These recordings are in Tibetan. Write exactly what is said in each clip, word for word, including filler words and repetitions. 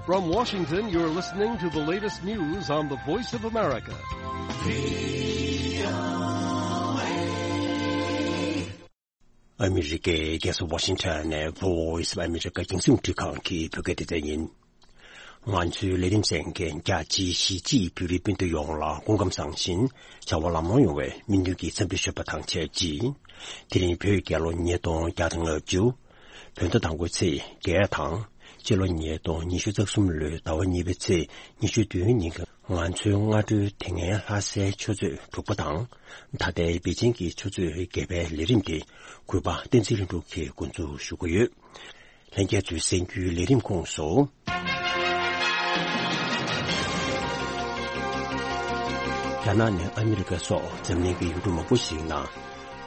From Washington, you're listening to the latest news on the Voice of America. ཨ་མི་རི་ཀའི་རྒྱལ་ས་ཝ་ཤིང་ཊོན་ནས་Voice of America་རྒྱང་སྲིང་འཕྲིན་ཁང་གི་བོད་སྐད་སྡེ་ཚན་ཡིན། ང་ཚོའི་ལས་རིམ་གསན་མཁན་རྒྱ་ཆེའི་གཞིས་བྱེས་བོད་རིགས་སྤུན་ཟླ་ཡོངས་ལ་སྐུ་ཁམས་བཟང་ཞིང་བྱ་བ་ལམ་ལྷོང་ཡོང་བའི་སྨོན་འདུན་གྱི་འཚམས་འདྲི་ཞུ་བ་དང་ཆབས་ཅིག་དེ་རིང་བོད་རྒྱལ་ལོ་ཉིས་སྟོང་བརྒྱ་དང་ལྔ་བཅུ། བོད་ཟླ་དང་པོའི་ཚེས་བརྒྱད་དང་། སྤྱི་ལོ་ཉིས་སྟོང་ཉི་ཤུ་རྩ་གསུམ་ལོའི་ཟླ་བ་གཉིས་པའི་ཚེས་ཉི་ཤུ་བདུན་ཉིན་གྱི་ང་ཚོའི་སྔ་དྲོའི་དེ་སྔའི་ལྷ་སའི་ཆུ་ཚོད་དྲུག་པ་དང་། ད་ལྟའི་པེ་ཅིང་གི་ཆུ་ཚོད་བརྒྱད་པའི་ལས་རིམ་དེ་གུས་པ་བསྟན་འཛིན་ལྷུན་གྲུབ་ཀྱིས་འགོ་འཛུགས་ཞུ་གི་ཡོད། ལྷན་རྒྱས་ཚོའི་གསན་རྒྱུའི་ལས་རིམ་ཁོངས་སུ། རྒྱ་ནག་ནས་ཨ་མི་རི་ཀ་སོགས་འཛམ་གླིང་གི་ཡུལ་གྲུ་མང་པོ་ཞིག་ནང་།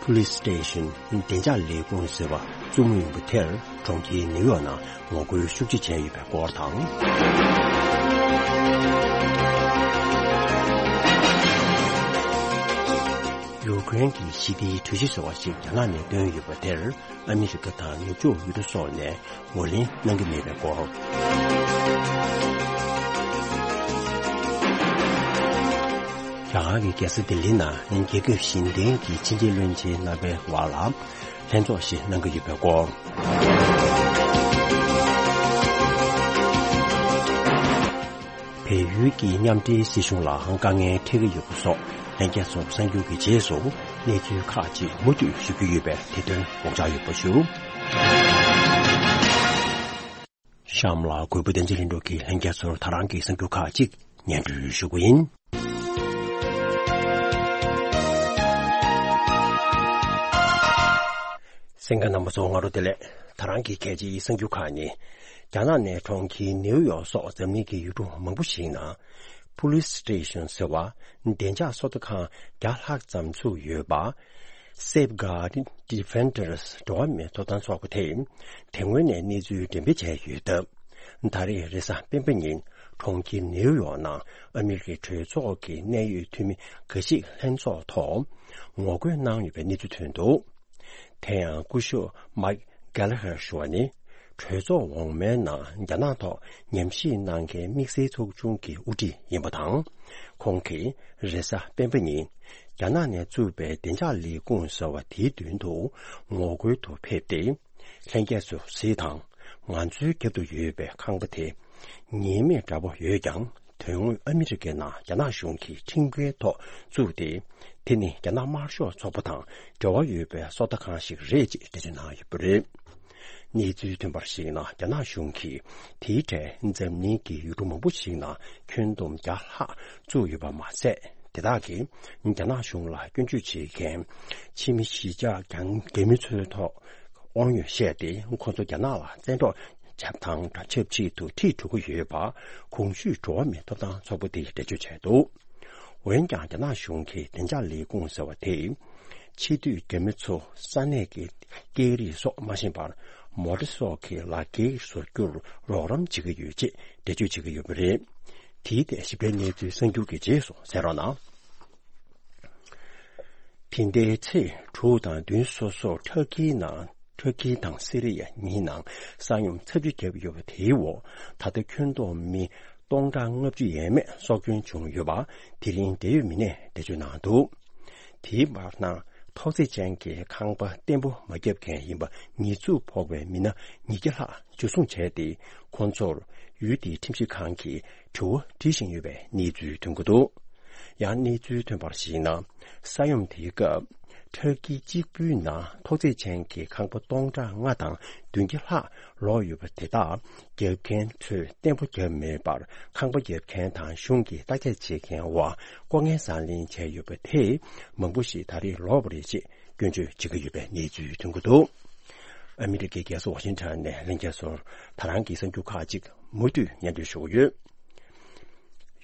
Police Station། བདེ་འཇགས་ལས་ཁུངས་ཟེར་བ་བཙུགས་མུས་ཡིན་པ་དེར། གྲོང་ཁྱེར་ནིའུ་ཡོག་ནང་ངོ་རྒོལ་ཤུགས་ཆེ་བྱས་ཡོད་པའི་སྐོར་དང་། ཡུ་ཀེ་རེན་གྱི་ཞི་བདེའི་གྲོས་གཞི་ཟེར་བ་ཞིག་རྒྱ་ནག་ནས་བཏོན་ཡོད་པ་དེར། ཨ་མི་རི་ཀ་དང་ནུབ་ཕྱོགས་ཡུལ་གྲུ་སོགས་ནས་ངོས་ལེན་གནང་གི་མེད་པའི་སྐོར། རྒྱ་གར་གྱི་རྒྱལ་ས་ལྡི་ལི་ནང་རྒྱལ་ཁབ་གཞན་བརྟེན་གྱི་ཕྱི་འབྲེལ་བློན་ཆེན་རྣམ་པའི་བར་ལ་ལྷན་ཚོགས་ཤིག་གནང་གི་ཡོད་པའི་སྐོར། བལ་ཡུལ་གྱི་མཉམ་འབྲེལ་སྲིད་གཞུང་ལ་དཀའ་ངལ་འཕྲད་ཀྱི་ཡོད་པ་སོགས་ལྷན་རྒྱས་ཚོར་གསར་འགྱུར་གྱི་རྗེས་སུ་གནས་ཚུལ་ཁག་ཅིག་མུ་མཐུད་ཞུ་རྒྱུ་ཡོད་པས་དེ་དོན་དགོངས་འཇགས་ཡོད་པ་ཞུ། གཤམ་ལ་གུས་པ་བསྟན་འཛིན་ལྷུན་གྲུབ་ཀྱིས་ལྷན་རྒྱས་ཚོར་ད་རང་གི་གསར་འགྱུར་ཁག་ཅིག་སྙན་སྒྲོན་ཞུ་རྒྱུ་ཡིན། གསན་མཁན་རྣམ་པ་ཚོ་སྔ་དྲོ་བདེ་ལེགས། ད་རང་གི་གལ་ཆེའི་གསར་འགྱུར་ཁག་ནི། རྒྱ་ནག་ནས་གྲོང་ཁྱེར་ནིའུ་ཡོག་སོགས་འཛམ་གླིང་གི་ཡུལ་གྲུ་མང་པོ་ཞིག་ནང་། Police Station་ཟེར་བ། བདེ་འཇགས་སོ་ལྟ་ཁང་བརྒྱ་ལྷག་ཙམ་བཙུགས་ཡོད་པ། Safeguard Defenders་འགྲོ་བ་མིའི་ཐོབ་ཐང་ཚོགས་པ་དེས་དེ་སྔོན་ནས་གནས་ཚུལ་འགྲེམས་སྤེལ་བྱས་ཡོད་སྟབས། ད་རེས་རེས་གཟའ་སྤེན་པ་ཉིན་གྲོང་ཁྱེར་ནེའུ་ཡོག་ནང་ཨ་མི་རི་ཀའི་གྲོས་ཚོགས་ཀྱི་གནད་ཡོད་འཐུས་མི་འགའ་ཞིག་ལྷན་ཚོགས་ཐོག་ངོ་རྒོལ་གནང་ཡོད་པའི་གནས་ཚུལ་ཐོན་འདུག་དེ་ཡང་སྐུ་ཞབས་མཱིག་གྷེ་ལ་ཧར་ཞུ་བ་ནི། གྲོས་ཚོགས་འོག་མའི་ནང་རྒྱ་ནག་ཐོག་ཉམས་ཞིབ་གནང་མཁན་དམིགས་བསལ་ཚོགས་ཆུང་གི་དབུ་ཁྲིད་ཡིན་པ་དང་། ཁོང་གིས་རེས་གཟའ་སྤེན་པ་ཉིན་རྒྱ་ནག་ནས་བཙུགས་པའི་བདེ་འཇགས་ལས་ཁུངས་ཟེར་བ་དེའི་མདུན་དུ་ངོ་རྒོལ་དུ་ཕེབས་ཏེ། ལྷན་རྒྱས་ཚོ་གཟིགས་དང་། ང་ཚོའི་རྒྱབ་ཏུ་ཡོད་པའི་ཁང་པ་དེ་ཉེས་མེད་འདྲ་པོ་ཡོད་ཀྱང་། དོན་དངོས་ཨ་མི་རི་ཀའི་ནང་རྒྱ་ནག་གཞུང་གི་ཁྲིམས་འགལ་ཐོག་བཙུགས་ཏེ། དེ་ནི་རྒྱ་ནག་དམར་ཤོག་ཚོགས་པ་དང་འབྲེལ་བ་ཡོད་པའི་སོ་ལྟ་ཁང་ཞིག་རེད་ཅེས་འགྲེལ་བརྗོད་གནང་ཡོད་པ་རེད། གནས་ཚུལ་ཐོན་པར་གཞིགས་ན། རྒྱ་ནག་གཞུང་གིས་དེའི་གྲས་འཛམ་གླིང་གི་ཡུལ་གྲུ་མང་པོ་ཞིག་ནང་ཁྱོན་བསྡོམས་བརྒྱ་ལྷག་བཙུགས་ཡོད་པ་མ་ཟད། དེ་དག་གིས་རྒྱ་ནག་གཞུང་ལ་སྐྱོན་བརྗོད་བྱེད་མཁན་ཕྱི་མི་གཞིས་ཆགས་རྒྱ་རྒྱ་མི་ཚོའི་ཐོག་དབང་ཡོད་བཤད་དེ། ཁོ་ཚོ་རྒྱ་ནག་ལ་བཙན་འཕྲོག་བྱེད་སྟངས་དང་ཆབས་ཅིག་ཏུ་ཁྲིད་འགྲོ་གི་ཡོད་པ། གོང་ཞུས་འགྲོ་བ་མིའི་ཐོབ་ཐང་ཚོགས་པ་དེས་འགྲེལ་བརྗོད་བྱས་འདུག་འོན་ཀྱང་། རྒྱ་ནག་གཞུང་གིས་བདེ་འཇགས་ལས་ཁུངས་ཟེར་བ་དེས། ཕྱི་སྡོད་རྒྱ་མི་ཚོ་ས་གནས་ཀྱི་སྐད་རིགས་སོགས་མ་ཤེས་པར། མོ་ཊ་སོགས་ཀྱི་ལག་འཁྱེར་བཟོ་རྒྱུར་རོགས་རམ་བྱེད་ཀྱི་ཡོད་ཅེས་འགྲེལ་བརྗོད་བྱེད་ཀྱི་ཡོད་པ་རེད། དེའི་ཐད་ཞིབ་ཕྲའི་གནས་ཚུལ་གསར་འགྱུར་གྱི་རྗེས་སུ་གསན་རོགས་གནང་། དེ་ཟླའི་ཚེས་དྲུག་དང་བདུན་སོ་སོར་ཊར་ཀིའི་ནང་། ཊར་ཀི་དང་སི་རི་ཡ་གཉིས་ནང་ས་ཡོམ་ཚབས་ཆེ་བརྒྱབ་ཡོད་པ་དེའི་འོག་ད་ལྟ་ཁྱོན་བསྡོམས་མི་སྟོང་ཕྲག་ལྔ་བཅུ་ཡས་མས་སྲོག་སྐྱོན་བྱུང་ཡོད་པ། དེ་རིང་འབྲེལ་ཡོད་མི་སྣས་འགྲེལ་བརྗོད་གནང་འདུག་དེའི་བར་ན། ཐོག་བརྩེགས་ཅན་གྱི་ཁང་པ་བརྟན་པོ་མ་བརྒྱབ་མཁན་ཡིན་པ་ཉེས་འཛུགས་ཕོག་པའི་མི་སྣ་ཉིས་བརྒྱ་ལྷག་འཇུ་བཟུང་བྱས་ཏེ། ཁོང་ཚོར་ཡུལ་དེའི་ཁྲིམས་ཞིབ་ཁང་གིས་དྲི་བ་འདྲི་བཞིན་ཡོད་པའི་གནས་ཚུལ་ཐོན་གྱི་འདུག་ཡང་གནས་ཚུལ་ཐོན་པར་གཞིགས་ན། ས་ཡོམ་དེའི་སྐབས། ཊར་ཀི་གཅིག་པུའི་ནང་ཐོག་བརྩེགས་ཅན་གྱི་ཁང་པ་སྟོང་ཕྲག་ལྔ་དང་བདུན་བརྒྱ་ལྷག་ལོག་ཡོད་པ་དེ་དག་རྒྱབ་མཁན་ཚོས་བརྟན་པོ་བརྒྱབ་མེད་པར། ཁང་པ་རྒྱབ་མཁན་དང་གཞུང་གི་བརྟག་དཔྱད་བྱེད་མཁན་འོག་ལྐོག་རྔན་བཟང་ལེན་བྱས་ཡོད་པ་དེས། མང་པོ་ཞིག་ད་རེས་ལོག་པ་རེད་ཅེས་སྐྱོན་བརྗོད་བྱེད་ཀྱི་ཡོད་པའི་གནས་ཚུལ་ཐོན་གྱི་འདུག་ཨ་མི་རི་ཀའི་རྒྱལ་ས་ཝ་ཤིང་ཊོན་ནས་ལྷན་རྒྱས་ཚོར་ད་རང་གི་གསར་འགྱུར་ཁག་ཅིག་མུ་མཐུད་སྙན་སྒྲོན་ཞུ་གི་ཡོད།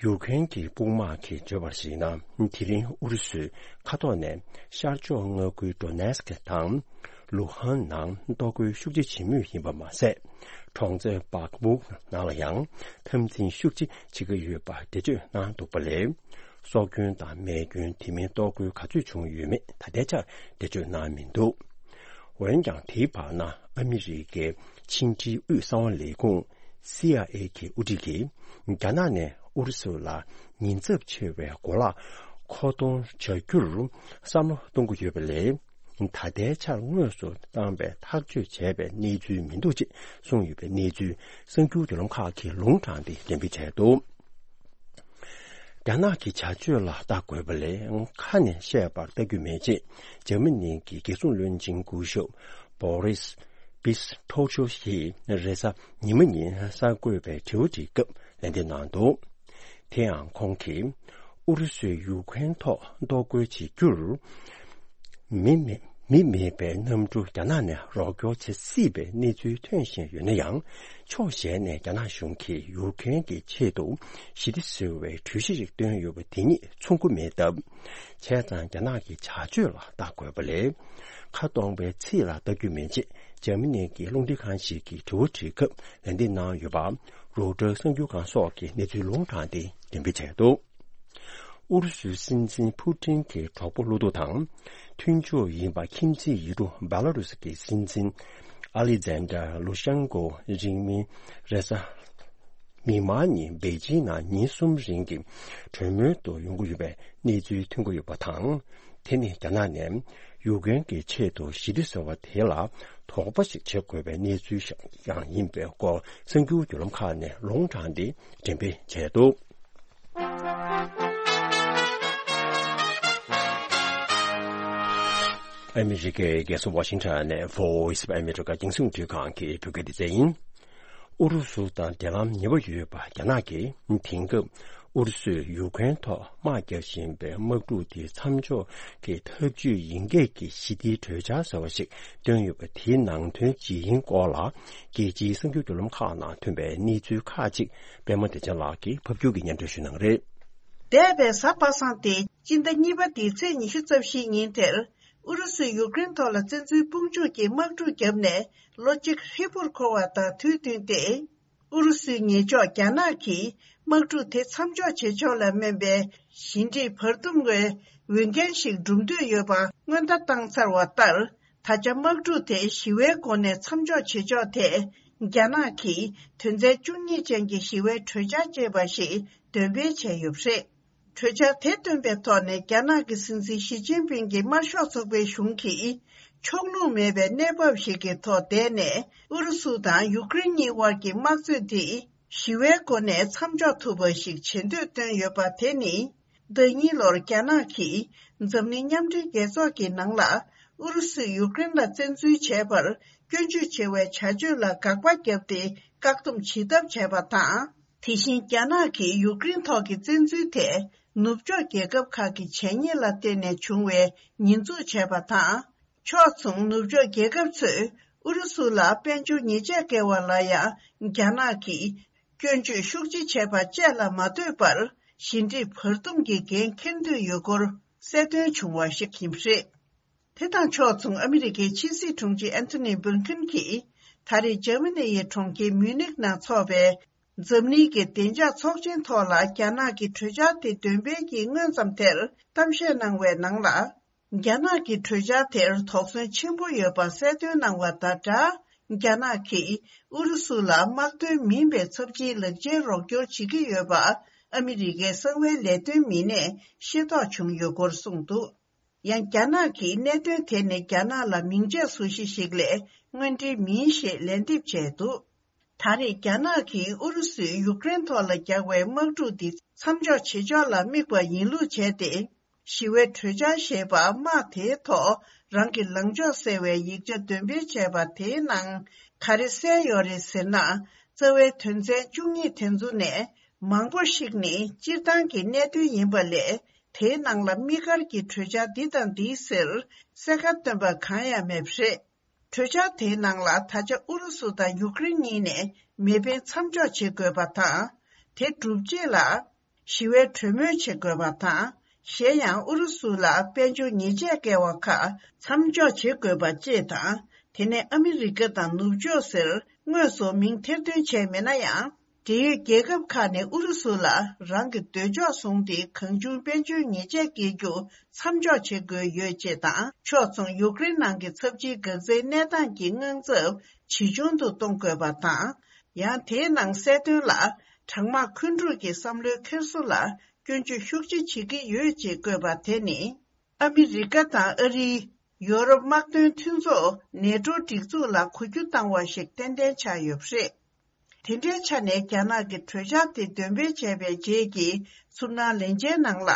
ཡུཀ་རེན་གྱི་དཔུང་དམག་གིས་བརྗོད་པར་གཞིགས་ན། དེ་རིང་ཨུ་རུ་སུའི་མཁའ་ཐོག་ནས་ཤར་ཕྱོགས་མངའ་ཁུལ་ཌོ་ནེ་སི་ཀི་དང་ལུ་ཧན་ནང་གཏོར་རྒོལ་ཤུགས་ཆེ་བྱེད་མུས་ཡིན་པ་མ་ཟད། གྲོང་རྡལ་བག་མུག་ནང་ལ་ཡང་འཐབ་འཛིང་ཤུགས་ཆེ་བྱེད་ཀྱི་ཡོད་པ་འགྲེལ་བརྗོད་གནང་འདུག་པ་ལས། སྲོག་སྐྱོན་དང་རྨས་སྐྱོན། དེ་མིན་གཏོར་རྒོལ་ག་ཚོད་བྱུང་ཡོད་མེད་ད་ལྟའི་ཆར་འགྲེལ་བརྗོད་གནང་མི་འདུག་འོན་ཀྱང་དེའི་བར་ན་ཨ་མི་རི་ཀའི་ཕྱི་འབྲེལ་དབུས་གསང་བ་ལས་ཁུངས་སི་ཨའི་ཨེ་གི་དབུ་ཁྲིད་ཀྱིས་རྒྱ་ནག་ནས་ཨུ་རུ་སུ་ལ་ཉེན་ཚབས་ཆེ་བའི་གོ་ལག་མཁོ་གཏོང་བྱ་རྒྱུར་བསམ་བློ་གཏོང་གི་ཡོད་པ་ལས། ད་ལྟའི་ཆར་དངོས་སུ་བཏང་བའི་ཐག་གཅོད་བྱས་པའི་གནས་ཚུལ་མི་འདུག་ཅེས་གསུངས་ཡོད་པའི་གནས་ཚུལ་གསར་འགྱུར་བརྒྱུད་ལམ་ཁག་གིས་ལུང་དྲངས་ཏེ་འགྲེམས་སྤེལ་བྱས་འདུག་རྒྱ་ནག་གི་བྱ་སྤྱོད་ལ་ལྟ་དགོས་པ་ལས་ཁ་ནས་བཤད་པར་ལྟ་རྒྱུ་མེད་ཅེས་འཇར་མ་ནི་གི་རྒྱལ་སྲུང་བློན་ཆེན་སྐུ་ཞབས་བྷོ་རིས་པིས་ཐོ་ཆོ་ཡིས་རེས་གཟའ་ཉི་མ་ཉིན་གསར་འགོད་པའི་དྲི་བ་དྲིས་སྐབས་ལན་འདེབས་གནང་འདུག་དེ་ཡང་ཁོང་གིས་ཨུ་རུ་སུས་ཡུ་ཁུ་རེན་ཐོག་གཏོར་རྒོལ་བྱེད་རྒྱུར། མི་མེད་མི་མེད་པའི་གནམ་གྲུ་རྒྱ་ནག་ནས་རོགས་སྐྱོར་བྱེད་སྲིད་པའི་གནས་ཚུལ་ཐོན་བཞིན་ཡོད་ན་ཡང་། ཕྱོགས་གཞན་ནས་རྒྱ་ནག་གཞུང་གིས་ཡུ་ཁུ་རེན་གྱི་ཆེད་དུ་ཞི་བདེ་ཟེར་བའི་གྲོས་གཞི་ཞིག་བཏོན་ཡོད་པ་དེ་ཉིད་ཚོར་གྱི་མེད་སྟབས། བྱས་ཙང་རྒྱ་ནག་གི་བྱ་སྤྱོད་ལ་ལྟ་དགོས་པ་ལས། ཁ་སྟོང་པའི་ཚིག་ལ་ལྟ་རྒྱུ་མེད་ཅེས་འཇར་མ་ནི་གི་རླུང་འཕྲིན་ཁང་ཞིག་གིས་དྲི་བ་དྲིས་སྐབས་ལན་འདེབས་གནང་ཡོད་པ། རོའུ་ཊར་གསར་འགྱུར་ཁང་སོགས་ཀྱིས་གནས་ཚུལ་ལུང་དྲངས་ཏེ་འགྲེམས་སྤེལ་བྱས་འདུག་ཨུ་རུ་སུའི་སྲིད་འཛིན་ཕུ་ཏིན་གྱི་གྲོགས་པོ་བློ་སྡུག་དང་། མཐུན་ཕྱོགས་ཡིན་པ་ཁྱིམ་མཚེས་ཡུལ་གྲུ་བྷེ་ལ་རུ་སི་གི་སྲིད་འཛིན་ཨ་ལི་ཛན་ཏྲ་ལུ་ཤན་ཀོ་རིང་མིན་རེས་གཟའ་མིག་དམར་ཉིན་པེ་ཅིང་ནང་ཉིན་གསུམ་རིང་གི་གྲོས་མོལ་དུ་ཡོང་གི་ཡོད་པའི་གནས་ཚུལ་ཐོན་གྱི་ཡོད་པ་དང་། དེ་ནི་རྒྱ་ནག་ནས་ཡུཀ་རེན་གྱི་ཆེད་དུ་ཞི་བདེ་ཟེར་བ་དེ་ལ་དོགས་པ་ཞིག་བྱེད་དགོས་པའི་གནས་ཚུལ་ཞིག་ཡང་ཡིན་པའི་སྐོར་གསར་འགྱུར་བརྒྱུད་ལམ་ཁག་ནས་ལུང་དྲངས་ཏེ་འགྲེམས་སྤེལ་བྱས་འདུག་ཨ་མི་རི་ཀའི་རྒྱལ་ས་ཝ་ཤིང་ཊོན་ནས་Voice of America་རྒྱང་སྲིང་རླུང་འཕྲིན་ཁང་གི་བོད་སྐད་སྡེ་ཚན་ཡིན། ཨུ་རུ་སུ་དང་འབྲེལ་ལམ་ཉེ་བོ་ཡོད་པ་རྒྱ་ནག་གིས་དེང་སྐབས་ཨུ་རུ་སུས་ཡུཀ་རེན་ཐོག་དམག་རྒྱག་བཞིན་པའི་དམག་འཁྲུག་དེ་མཚམས་འཇོག་གི་ཐབས་ཇུས་ཡིན་སྐད་ཀྱི་ཞི་བདེའི་གྲོས་འཆར་ཟེར་བ་ཞིག་བཏོན་ཡོད་པ་དེའི་ནང་དོན་ཇི་ཡིན་སྐོར་ལ། རྒྱལ་སྤྱིའི་གསར་འགྱུར་བརྒྱུད་ལམ་ཁག་ནང་ཐོན་པའི་གནས་ཚུལ་ཁག་ཅིག་པད་མ་བདེ་ཆེན་ལགས་ཀྱིས་ཕབ་སྒྱུར་གྱིས་སྙན་སྒྲོན་ཞུ་གནང་རེད། འདས་པའི་གཟའ་པ་སངས་ཏེ་སྤྱི་ཟླ་གཉིས་པ་འདིའི་ཚེས་ཉི་ཤུ་རྩ་བཞིའི་ཉིན་དེར། ཨུ་རུ་སུས་ཡུཀ་རེན་ཐོག་ལ་བཙན་འཛུལ་དཔུང་འཇུག་གིས་དམག་འཁྲུག་བརྒྱབ་ནས་ལོ་གཅིག་ཧྲིལ་པོར་འཁོར་བ་དང་དུས་བསྟུན་ཏེ། ཨུ་རུ་སུའི་ཉེ་ཕྱོགས་རྒྱ་ནག་གིས་དམག་འཁྲུག་དེ་མཚམས་འཇོག་བྱེད་ཕྱོགས་ལ་སྨན་པའི་ཞི་འགྲིག་བར་འདུམ་བའི་འོས་འགན་ཞིག་སྒྲུབ་འདོད་ཡོད་པ་སྔོན་བརྡ་བཏང་ཚར་བ་ལྟར། ད་ཆ་དམག་འཁྲུག་དེ་ཞི་བའི་སྒོ་ནས་མཚམས་འཇོག་བྱེད་ཕྱོགས་ཐད། རྒྱ་ནག་གིས་དོན་ཚན་བཅུ་གཉིས་ཅན་གྱི་ཞི་བའི་གྲོས་འཆར་ཅེས་པ་ཞིག་འདོན་སྤེལ་བྱས་ཡོད་པ་རེད། གྲོས་འཆར་དེ་བཏོན་པའི་ཐོག་ནས་རྒྱ་ནག་གི་སྲིད་འཛིན་ཞི་ཅིན་ཕིང་གི་དམར་ཤོག་ཚོགས་པའི་གཞུང་གིས་ཕྱོགས་ལྷུང་མེད་པའི་གནས་བབ་ཞིག་གི་ཐོག་བསྡད་ནས་ཨུ་རུ་སུ་དང་ཡུཀ་རེན་གཉིས་དབར་གྱི་དམག་རྩོད་འདི་ཞི་བའི་སྒོ་ནས་མཚམས་འཇོག་ཐུབ་པ་ཞིག་བྱེད་འདོད་བཏོན་ཡོད་པ་དེ་ནི། ཟླ་གཉིས་ལོར་རྒྱ་ནག་གིས་འཛམ་གླིང་མཉམ་འབྲེལ་རྒྱལ་ཚོགས་ཀྱི་ནང་ལ་ཨུ་རུ་སུས་ཡུཀ་རེན་ལ་བཙན་འཛུལ་བྱས་པར་སྐྱོན་བརྗོད་བྱེད་པའི་བྱ་སྤྱོད་ལ་དགག་པ་བརྒྱབ་སྟེ་བཀག་སྡོམ་བྱེད་ཐབས་བྱས་པ་དང་། དེ་བཞིན་རྒྱ་ནག་གིས་ཡུཀ་རེན་ཐོག་གི་བཙན་འཛུལ་དེ་ནུབ་ཕྱོགས་རྒྱལ་ཁབ་ཁག་གི་བྱས་ཉེས་ལ་བརྟེན་ནས་བྱུང་བའི་ཉེས་འཛུགས་བྱས་པ་དང་། ཕྱོགས་མཚུངས་ནུབ་ཕྱོགས་རྒྱལ་ཁབ་ཚོས་ཨུ་རུ་སུ་ལ་དཔལ་འབྱོར་ཉེས་ཆད་བཀལ་བ་ལ་ཡང་རྒྱ་ནག་གིས་སྐྱོན་བརྗོད་ཤུགས་ཆེ་བྱས་པ་བཅས་ལ་མ་ལྟོས་པར་ཞི་འགྲིག་བར་འདུམ་གྱི་འགན་འཁྱེར་འདོད་ཡོད་སྐོར་གསལ་སྟོན་བྱུང་བ་ཞིག་ཡིན་པ་རེད། དེ་དང་ཕྱོགས་མཚུངས་ཨ་མི་རི་ཀའི་ཕྱི་སྲིད་དྲུང་ཆེ་ཨན་ཐོ་ནི་བྷིན་ཁིན་གྱིས་ད་རེས་འཇར་མ་ནི་ཡི་གྲོང་ཁྱེར་མིའུ་ནིག་ནང་འཚོགས་པའི་འཛམ་གླིང་གི་བདེ་འཇགས་ཚོགས་ཆེན་ཐོག་ལ་རྒྱ་ནག་གི་གྲོས་འཆར་དེ་འདོན་སྤེལ་གྱི་སྔོན་ཙམ་དེར་གཏམ་བཤད་གནང་བའི་ནང་ལ། རྒྱ་ནག་གི་གྲོས་འཆར་དེར་དོགས་ཟོན་ཆེན་པོ་ཡོད་པ་གསལ་སྟོན་གནང་བ་དང་སྦྲགས། རྒྱ་ནག་གིས་ཨུ་རུ་སུ་ལ་དམག་དོན་མིན་པའི་ཚབས་ཆེའི་ལག་ཆའི་རོགས་སྐྱོར་བྱེད་ཀྱི་ཡོད་པ་ཨ་མི་རི་ཀའི་གསང་བའི་ལས་དོན་མི་སྣས་ཤེས་རྟོགས་བྱུང་ཡོད་སྐོར་གསུངས་འདུག་ཡང་རྒྱ་ནག་གིས་གནད་དོན་དེ་ནི་རྒྱ་ནག་ལ་མིང་ཆད་བཟོ་གཞི་ཞིག་ལས་དངོས་འབྲེལ་མིན་ཞེས་ལན་འདེབས་བྱས་འདུག་ད་རེས་རྒྱ་ནག་གིས་ཨུ་རུ་སུས་ཡུཀ་རེན་ཐོག་ལ་རྒྱག་པའི་དམག་འཁྲུག་འདི་མཚམས་འཇོག་བྱེད་ཕྱོགས་ལ་དམིགས་པ་ཡིན་ལུགས་བྱས་ཏེ། ཞི་བའི་གྲོས་འཆར་ཞེས་པ་དམག་དེའི་ཐོག་རང་གི་ལངས་ཕྱོགས་གསལ་བའི་ཡིག་ཆ་འདོན་སྤེལ་བྱས་པ་དེའི་ནང་ག་རེ་གསལ་ཡོད་རེད་ཟེར་ན། རྩ་བའི་དོན་ཚན་བཅུ་གཉིས་དེ་ཚོ་ནས་མང་པོ་ཞིག་ནི་སྤྱིར་བཏང་གི་གནད་དོན་ཡིན་པ་ལས། དེའི་ནང་ལ་དམིགས་བཀར་གྱི་གྲོས་འཆར་འདི་དང་འདི་ཟེར་གསལ་ཁ་བཏོན་པ་གང་ཡང་མེད་པ་རེད། གྲོས་འཆར་དེའི་ནང་ལ་ད་ཆ་ཨུ་རུ་སུ་དང་ཡུཀ་རེན་གཉིས་ནས་མེ་འཕེན་མཚམས་འཇོག་བྱེད་དགོས་པ་དང་། དེ་གྲུབ་རྗེས་ལ་ཞི་བའི་གྲོས་མོལ་བྱེད་དགོས་པ་དང་། གཞན་ཡང་ཨུ་རུ་སུ་ལ་དཔལ་འབྱོར་ཉེས་ཆད་བཀལ་བ་ཁག་མཚམས་འཇོག་བྱེད་དགོས་པ་བཅས་དང་། དེ་ནས་ཨ་མི་རི་ཀ་དང་ནུབ་ཕྱོགས་ཟེར་དངོས་སུ་མིང་ཐེར་འདོན་བྱས་མེད་ན་ཡང་། འབྲེལ་ཡོད་རྒྱལ་ཁབ་ཁག་ནས་ཨུ་རུ་སུ་ལ་རང་གི་འདོད་ཕྱོགས་བཟུང་སྟེ་གང་བྱུང་དཔལ་འབྱོར་ཉེས་ཆད་འགེལ་རྒྱུ་མཚམས་འཇོག་བྱེད་དགོས་ཡོད་ཅེས་དང་། ཕྱོགས་མཚུངས་ཡུཀ་རེན་ནང་གི་ཚབས་ཆེའི་འགག་རྩའི་གནས་སྟངས་ཀྱི་དངངས་འཚབ་ཇེ་ཆུང་དུ་གཏོང་དགོས་པ་དང་། ཡང་དེའི་ནང་གསལ་དོན་ལ། གྲང་དམག་འཁོན་འཁྲུག་གི་བསམ་བློའི་འཁྱེར་སོ་ལ་སྐྱོན་བརྗོད་ཤུགས་ཆེ་བྱེད་ཀྱི་ཡོད་ཅེས་བཀོད་པ་དེ་ནི། ཨ་མི་རི་ཀ་དང་ཨ་རིའི་ཡོ་རོབ་དམག་དོན་མཐུན་ཚོགས་ནེ་ཏྲོ་སྒྲིག་འཛུགས་ལ་གོ་རྒྱུ་བཏང་བ་ཞིག་ཏན་ཏན་ཆགས་ཡོད་པ་རེད། དེ་འདྲའི་ཆ་ནས་རྒྱ་ནག་གི་གྲོས་འཆར་དེ་འདོན་སྤེལ་བྱས་པའི་རྗེས་ཀྱི་ཚུར་སྣང་ལན་ཆའི་ནང་ལ།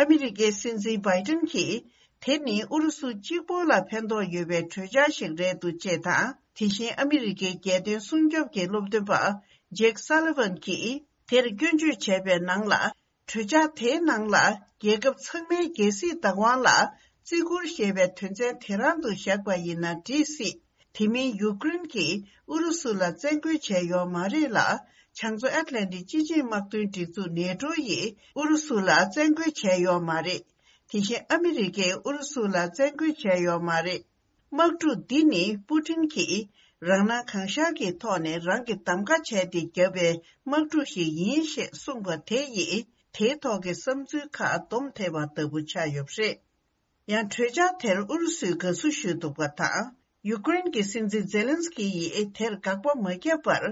ཨ་མི་རི་ཀའི་སྲིད་འཛིན་བྷའི་ཏིན་གྱིས། དེ་ནི་ཨུ་རུ་སུ་གཅིག་པོ་ལ་ཕན་ཐོགས་ཡོད་པའི་གྲོས་འཆར་ཞིག་རེད་འདུག་ཅེས་དང་། དེ་བཞིན་ཨ་མི་རི་ཀའི་རྒྱལ་དོན་སྲུང་སྐྱོབ་ཀྱི་སློབ་སྟོན་པ་ཇེག་སཱ་ལི་ཝན་གྱིས་དེར་སྐྱོན་བརྗོད་བྱས་པའི་ནང་ལ། གྲོས་འཆར་དེའི་ནང་ལ་རྒྱལ་ཁབ་ཚང་མའི་རྒྱལ་སྲིད་བདག་དབང་ལ་བརྩི་བཀུར་ཞེས་པའི་དོན་ཚན་དེ་རང་དུ་བཞག་པ་ཡིན་ན་འགྲིག་སྲིད། དེ་མིན་ཡུཀ་རེན་གྱིས་ཨུ་རུ་སུ་ལ་བཙན་རྒོལ་བྱས་ཡོད་མ་རེད་ལ། བྱང་མཚོ་ཨེཊ་ལན་ཏིག་སྤྱི་ཆིངས་དམག་དོན་སྒྲིག་འཛུགས་ནེ་ཏྲོ་ཡིས་ཨུ་རུ་སུ་ལ་བཙན་རྒོལ་བྱས་ཡོད་མ་རེད། དེ་བཞིན་ཨ་མི་རི་ཀས་ཨུ་རུ་སུ་ལ་བཙན་རྒོལ་བྱས་ཡོད་མ་རེད། དམག་འཁྲུག་འདི་ནི་པུ་ཏིན་གྱིས་རང་སྣང་གང་ཤར་གྱི་ཐོག་ནས་རང་གིས་གདམ་ག་བྱས་ཏེ་བརྒྱབ་པའི་དམག་འཁྲུག་ཞིག་ཡིན་ཞེས་གསུངས་པ་དེ་ཡིས་དེའི་ཐོག་གི་བསམ་ཚུལ་ཁག་སྡོམ་ཐེབས་པ་ལྟ་བུ་ཆགས་ཡོད་པ་རེད། ཡང་གྲོས་འཆར་དེར་ཨུ་རུ་སུས་དགའ་བསུ་ཞུས་འདུག་པ་དང་། ཡུཀ་རེན་གྱི་སྲིད་འཛིན་ཛེ་ལན་སི་ཀི་ཡིས་དེར་དགག་པ་མ་བརྒྱབ་པར།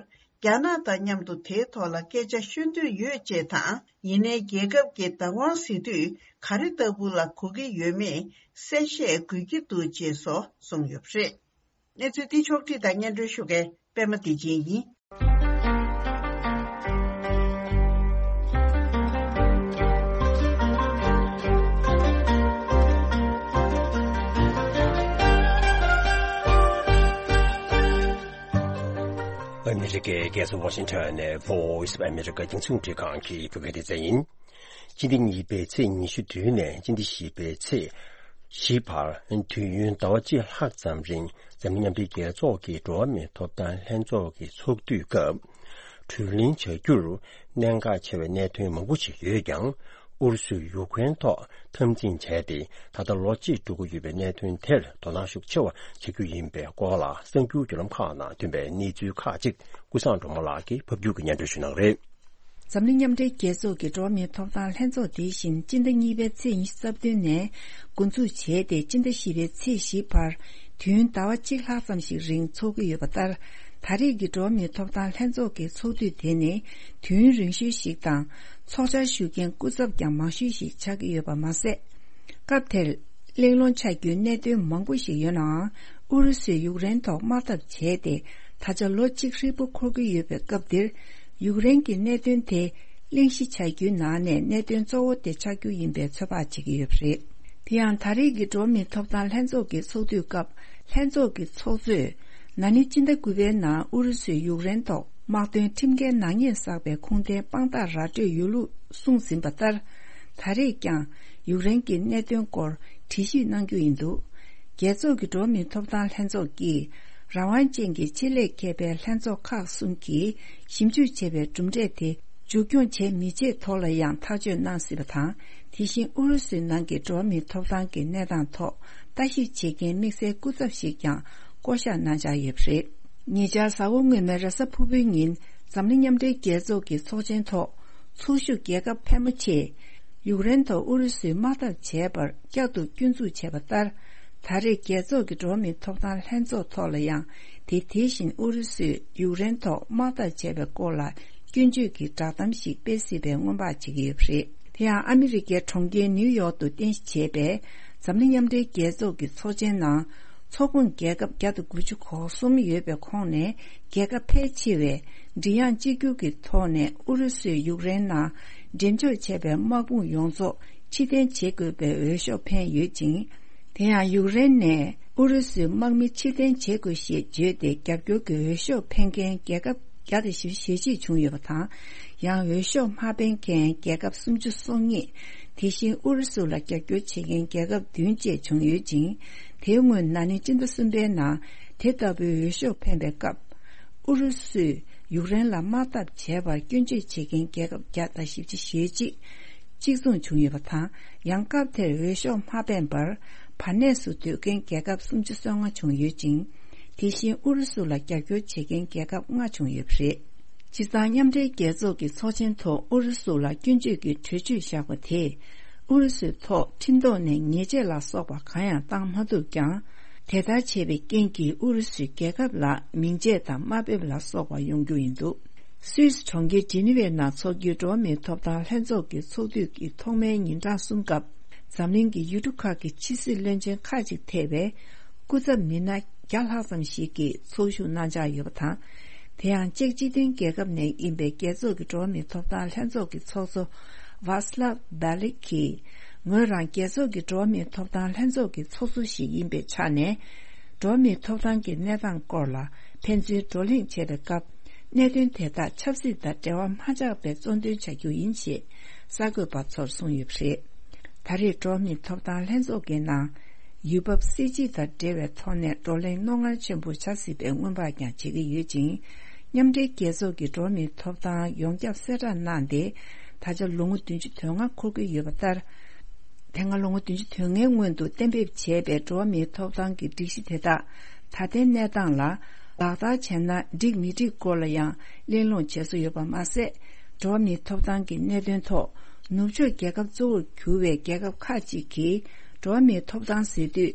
རྒྱ་ནག་དང་མཉམ་དུ་དེའི་ཐོག་ལ་སྐད་ཆ་ཤོད་འདོད་ཡོད་ཅེས་དང་། ཡིན་ནའི་རྒྱལ་ཁབ་ཀྱི་བདག་དབང་ཟེར་དུས་ག་རེ་ལྟ་བུ་ལ་གོ་གི་ཡོད་མེད་གསལ་བཤད་དགོས་ཀྱི་འདུག་ཅེས་སོགས་གསུངས་ཡོད་པ་རེད། གནས་ཚུལ་འདི་ཕྱོགས་བསྒྲིགས་དང་སྙན་སྒྲོན་ཞུ་མཁན་པད་མ་བདེ་ཆེན་ཡིན། ཨ་མི་རི་ཀའི་རྒྱལ་ས་ཝ་ཤིང་ཊོན་ནས་Voice of America་རྒྱང་སྲིང་རླུང་འཕྲིན་ཁང་གི་བོད་སྐད་སྡེ་ཚན་ཡིན། སྤྱི་ཟླ་གཉིས་པའི་ཚེས་ཉི་ཤུ་དྲུག་ནས་སྤྱི་ཟླ་བཞི་པའི་ཚེས་བཞི་བར་དུས་ཡུན་ཟླ་བ་གཅིག་ལྷག་ཙམ་རིང་འཛམ་གླིང་མཉམ་འབྲེལ་རྒྱལ་ཚོགས་ཀྱི་འགྲོ་བ་མིའི་ཐོབ་ཐང་ལྷན་ཚོགས་ཀྱི་ཚོགས་དུས་སྐབས་གྲོས་གླེང་བྱ་རྒྱུར་གནད་འགག་ཆེ་བའི་གནད་དོན་མང་པོ་ཞིག་ཡོད་ཀྱང་། ཨུ་རུ་སུས་ཡུཀ་རེན་ཐོག་འཐབ་འཛིང་བྱས་ཏེ་ད་ལྟ་ལོ་གཅིག་འགྲོ་གི་ཡོད་པའི་གནད་དོན་དེར་དོ་སྣང་ཤུགས་ཆེ་བ་བྱེད་རྒྱུ་ཡིན་པའི་སྐོར་ལ་གསར་འགྱུར་བརྒྱུད་ལམ་ཁག་ནང་ཐོན་པའི་གནས་ཚུལ་ཁག་ཅིག་ཀུན་བཟང་སྒྲོལ་མ་ལགས་ཀྱིས་ཕབ་སྒྱུར་གྱིས་སྙན་སྒྲོན་ཞུ་གནང་རེད། འཛམ་གླིང་མཉམ་འབྲེལ་རྒྱལ་ཚོགས་ཀྱི་འགྲོ་བ་མིའི་ཐོབ་ཐང་ལྷན་ཚོགས་དེ་བཞིན་སྤྱི་ཟླ་གཉིས་པའི་ཚེས་ཉི་ཤུ་རྩ་བདུན་ནས་འགོ་འཛུགས་བྱས་ཏེ་སྤྱི་ཟླ་བཞི་པའི་ཚེས་བཞི་བར་དུས་ཡུན་ཟླ་བ་གཅིག་ལྷག་ཙམ་ཞིག་རིང་འཚོགས་ཀྱི་ཡོད་པ་ལྟར། ད་རེས་ཀྱི་འགྲོ་བ་མིའི་ཐོབ་ཐང་ལྷན་ཚོགས་ཀྱི་ཚོགས་དུས་དེ་ནི་དུས་ཡུན་རིང་ཤོས་ཤིག་དང་། ཚོགས་བཅར་ཞུ་མཁན་སྐུ་ཚབ་ཀྱང་མང་ཤོས་ཤིག་ཆགས་ཀྱི་ཡོད་པ་མ་ཟད། སྐབས་དེར་གླེང་སློང་ཆགས་རྒྱུའི་གནད་དོན་མང་པོ་ཞིག་ཡོད་ནའང་། ཨུ་རུ་སུས་ཡུཀ་རེན་ཐོག་དམག་འཐབ་བྱས་ཏེ། ད་ཆ་ལོ་གཅིག་ཧྲིལ་པོ་འཁོར་གྱི་ཡོད་པའི་སྐབས་འདིར། ཡུཀ་རེན་གྱི་གནད་དོན་དེ་གླེང་གཞི་ཆགས་རྒྱུའི་ནང་ནས་གནད་དོན་གཙོ་བོ་དེ་ཆགས་རྒྱུ་ཡིན་པའི་ཚོད་དཔག་བྱེད་ཀྱི་ཡོད་པ་རེད། དེ་ཡང་ད་རེས་ཀྱི་འགྲོ་བ་མིའི་ཐོབ་ཐང་ལྷན་ཚོགས་ཀྱི་ཚོགས་དུས་སྐབས་ལྷན་ཚོགས་ཀྱི་ཚོགས་གཙོས། ན་ནིང་སྤྱི་ཟླ་དགུ་པའི་ནང་ཨུ་རུ་སུས་ཡུཀ་རེན་ཐོག་དམག་དོན་ཁྲིམས་འགལ་ནག་ཉེས་བསགས་པའི་ཁུངས་ལྡན་དཔང་རྟགས་ར་སྤྲོད་ཡོད་ལུགས་གསུངས་ཟིན་པ་ལྟར། ད་རེས་ཀྱང་ཡུཀ་རེན་གྱི་གནད་དོན་སྐོར་འགྲེལ་བཤད་གནང་རྒྱུ་ཡིན་འདུག་རྒྱལ་ཚོགས་ཀྱི་འགྲོ་བ་མིའི་ཐོབ་ཐང་ལྷན་ཚོགས་ཀྱིས་རང་དབང་ཅན་གྱི་ཆེད་ལས་མཁས་པའི་ལྷན་ཚོགས་ཁག་གསུམ་གྱིས་ཞིབ་འཇུག་བྱས་པའི་གྲུབ་འབྲས་དེ་མཇུག་སྐྱོང་བྱས་མི་བྱས་ཐོག་ལ་ཡང་ཐག་གཅོད་གནང་སྲིད་པ་དང་། དེ་བཞིན་ཨུ་རུ་སུའི་ནང་གི་འགྲོ་བ་མིའི་ཐོབ་ཐང་གི་གནས་སྟངས་ཐོག་ལྟ་ཞིབ་བྱེད་མཁན་དམིགས་བསལ་སྐུ་ཚབ་ཞིག་ཀྱང་བསྐོ་གཞག་གནང་འཆར་ཡོད་པ་རེད། ཉེ་ཆར་གཟའ་འཁོར་སྔོན་མའི་རེས་གཟའ་ཕུར་བུའི་ཉིན་འཛམ་གླིང་མཉམ་འབྲེལ་རྒྱལ་ཚོགས་ཀྱི་ཚོགས་ཆེན་ཐོག་ཚོགས་ཞུགས་རྒྱལ་ཁབ་ཕལ་མོ་ཆེས་ཡུཀ་རེན་ཐོག་ཨུ་རུ་སུས་དམག་འཐབ་བྱས་པར་བསྐྱར་དུ་སྐྱོན་འཛུགས་བྱས་པ་ལྟར། ད་རེས་རྒྱལ་ཚོགས་ཀྱི་འགྲོ་བ་མིའི་ཐོབ་ཐང་ལྷན་ཚོགས་ཐོག་ལ་ཡང་དེ་དེ་བཞིན་ཨུ་རུ་སུས་ཡུཀ་རེན་ཐོག་དམག་འཐབ་བྱས་པའི་སྐོར་ལ་སྐྱོན་བརྗོད་ཀྱི་བསྒྲགས་གཏམ་ཞིག་སྤེལ་སྲིད་པའི་སྔོན་དཔག་བྱེད་ཀྱི་ཡོད་པ་རེད། དེ་ཡང་ཨ་མི་རི་ཀའི་གྲོང་ཁྱེར་ནིའུ་ཡོག་ཏུ་རྟེན་གཞི་བྱས་པའི་འཛམ་གླིང་མཉམ་འབྲེལ་རྒྱལ་ཚོགས་ཀྱི་ཚོགས་ཆེན་ནང་། ཚོགས་ཁོངས་རྒྱལ་ཁབ་བརྒྱ་དང་དགུ་བཅུ་གོ་གསུམ་ཡོད་པའི་ཁོངས་ནས་རྒྱལ་ཁབ་ཕལ་ཆེ་བས་མགྲིན་དབྱངས་གཅིག་གྱུར་གྱི་ཐོག་ནས་ཨུ་རུ་སུས་ཡུཀ་རེན་ནང་འགྲེམས་འཇོག་བྱས་པའི་དམག་དཔུང་ཡོངས་རྫོགས་ཕྱིར་འཐེན་བྱེད་དགོས་པའི་འོས་ཤོག་འཕེན་ཡོད་ཅིང་། དེ་ཡང་ཡུཀ་རེན་ནས་ཨུ་རུ་སུའི་དམག་མི་ཕྱིར་འཐེན་བྱེད་དགོས་ཞེས་བརྗོད་དེ་རྒྱབ་སྐྱོར་གྱི་འོས་ཤོག་འཕེན་མཁན་རྒྱལ་ཁབ་བརྒྱ་དང་བཞི་བཅུ་ཞེ་གཅིག་བྱུང་ཡོད་པ་དང་། ཡང་འོས་ཤོག་མ་འཕེན་མཁན་རྒྱལ་ཁབ་སུམ་ཅུ་སོ་གཉིས། དེ་བཞིན་ཨུ་རུ་སུ་ལ་རྒྱབ་སྐྱོར་བྱེད་མཁན་རྒྱལ་ཁབ་བདུན་བཅས་བྱུང་ཡོད་ཅིང་། དེའི་སྔོན་ན་ནིང་སྤྱི་ཟླ་གསུམ་པའི་ནང་དེ་ལྟ་བུའི་འོས་ཤོག་འཕེན་པའི་སྐབས། ཨུ་རུ་སུས་ཡུཀ་རེན་ལ་དམག་འཐབ་བྱས་པར་སྐྱོན་བརྗོད་བྱེད་མཁན་རྒྱལ་ཁབ་བརྒྱ་དང་བཞི་བཅུ་ཞེ་གཅིག་གཅིག་མཚུངས་བྱུང་ཡོད་པ་དང་། ཡང་སྐབས་དེར་འོས་ཤོག་མ་འཕེན་པར་བར་གནས་སུ་སྡོད་མཁན་རྒྱལ་ཁབ་སུམ་ཅུ་སོ་ལྔ་བྱུང་ཡོད་ཅིང་། དེ་བཞིན་ཨུ་རུ་སུ་ལ་རྒྱབ་སྐྱོར་བྱེད་མཁན་རྒྱལ་ཁབ་ལྔ་བྱུང་ཡོད་པ་རེད། སྤྱིར་བཏང་མཉམ་འབྲེལ་རྒྱལ་ཚོགས་ཀྱི་ཚོགས་ཆེན་ཐོག་ཨུ་རུ་སུ་ལ་སྐྱོན་བརྗོད་ཀྱི་གྲོས་ཆོད་བཞག་པ་དེས། ཨུ་རུ་སུའི་ཐོག་ཁྲིམས་ཐོག་ནས་ཉེས་ཆད་ལ་སོགས་པ་གང་ཡང་བཏང་མ་ཐུབ་ཀྱང་། དེ་ལྟར་བྱས་པའི་རྐྱེན་གྱིས་ཨུ་རུ་སུའི་རྒྱལ་ཁབ་ལ་མིང་ཆད་དང་དམའ་འབེབས་ལ་སོགས་པ་ཡོང་རྒྱུ་ཡིན་འདུག་སུད་སི་གྲོང་ཁྱེར་ཇི་ནི་ཝའི་ནང་འཚོགས་རྒྱུའི་འགྲོ་བ་མིའི་ཐོབ་ཐང་ལྷན་ཚོགས་ཀྱི་ཚོགས་དུས་ཀྱི་ཐོག་མའི་ཉིན་གྲངས་གསུམ་སྐབས། འཛམ་གླིང་གི་ཡུལ་གྲུ་ཁག་གི་ཕྱི་སྲིད་བློན་ཆེན་ཁག་ཅིག་ཐེ་བའི་སྐུ་ཚབ་མི་སྣ་བརྒྱ་ལྷག་ཙམ་ཞིག་གིས་ཚོགས་ཞུགས་གནང་འཆར་ཡོད་པ་དང་། དེ་ཡང་ཅེཀ་སྤྱི་མཐུན་རྒྱལ་ཁབ་ནས་ཡིན་པའི་རྒྱལ་ཚོགས་ཀྱི་འགྲོ་བ་མིའི་ཐོབ་ཐང་ལྷན་ཚོགས་ཀྱི་ཚོགས་གཙོ་ཝཱ་སི་ལབ་བྷེ་ལིག་གིས། ངོས་རང་རྒྱལ་ཚོགས་ཀྱི་འགྲོ་བ་མིའི་ཐོབ་ཐང་ལྷན་ཚོགས་ཀྱི་ཚོགས་གཙོ་ཞིག་ཡིན་པའི་ཆ་ནས། འགྲོ་བ་མིའི་ཐོབ་ཐང་གི་གནས་སྟངས་སྐོར་ལ་ཕན་ཚུན་བགྲོ་གླེང་བྱེད་པའི་སྐབས། གནད་དོན་དེ་དག་ཆབ་སྲིད་དང་འབྲེལ་བ་མ་ཆགས་པའི་གཙོ་འདོན་བྱ་རྒྱུ་ཡིན་ཞེས་གསར་འགོད་པ་ཚོར་གསུངས་ཡོད་པ་རེད། ད་རེས་འགྲོ་བ་མིའི་ཐོབ་ཐང་ལྷན་ཚོགས་ཀྱི་ནང་། ཡུལ་བབ་སྲིད་སྤྱི་དང་འབྲེལ་བའི་ཐོག་ནས་བགྲོ་གླེང་རྣོ་ངར་ཆེན་པོ་བྱ་སྲིད་པའི་སྔོན་དཔག་ཀྱང་བྱེད་ཀྱི་ཡོད་ཅིང་། མཉམ་འབྲེལ་རྒྱལ་ཚོགས་ཀྱི་འགྲོ་བ་མིའི་ཐོབ་ཐང་ཡོངས་ཁྱབ་གསལ་བསྒྲགས་གནང་སྟེ། ད་ཆ་ལོ་ངོ་བདུན་ཅུ་དོན་ལྔ་འཁོར་གྱི་ཡོད་པ་ལྟར། དེ་སྔ་ལོ་ངོ་བདུན་ཅུ་དོན་ལྔའི་སྔོན་དུ་གཏན་འབེབས་བྱས་པའི་འགྲོ་བ་མིའི་ཐོབ་ཐང་གི་སྒྲིག་གཞི་དེ་དག་ད་ལྟའི་གནས་སྟངས་ལ་ལག་བསྟར་བྱས་ན་འགྲིག་མི་འགྲིག་སྐོར་ལ་ཡང་གླེང་སློང་བྱེད་སྲོལ་ཡོད་པ་མ་ཟད། འགྲོ་བ་མིའི་ཐོབ་ཐང་གི་གནད་དོན་ཐོག་ནུབ་ཕྱོགས་རྒྱལ་ཁབ་གཙོ་བོར་གྱུར་བའི་རྒྱལ་ཁབ་ཁག་ཅིག་གིས་འགྲོ་བ་མིའི་ཐོབ་ཐང་ཟེར་དུས།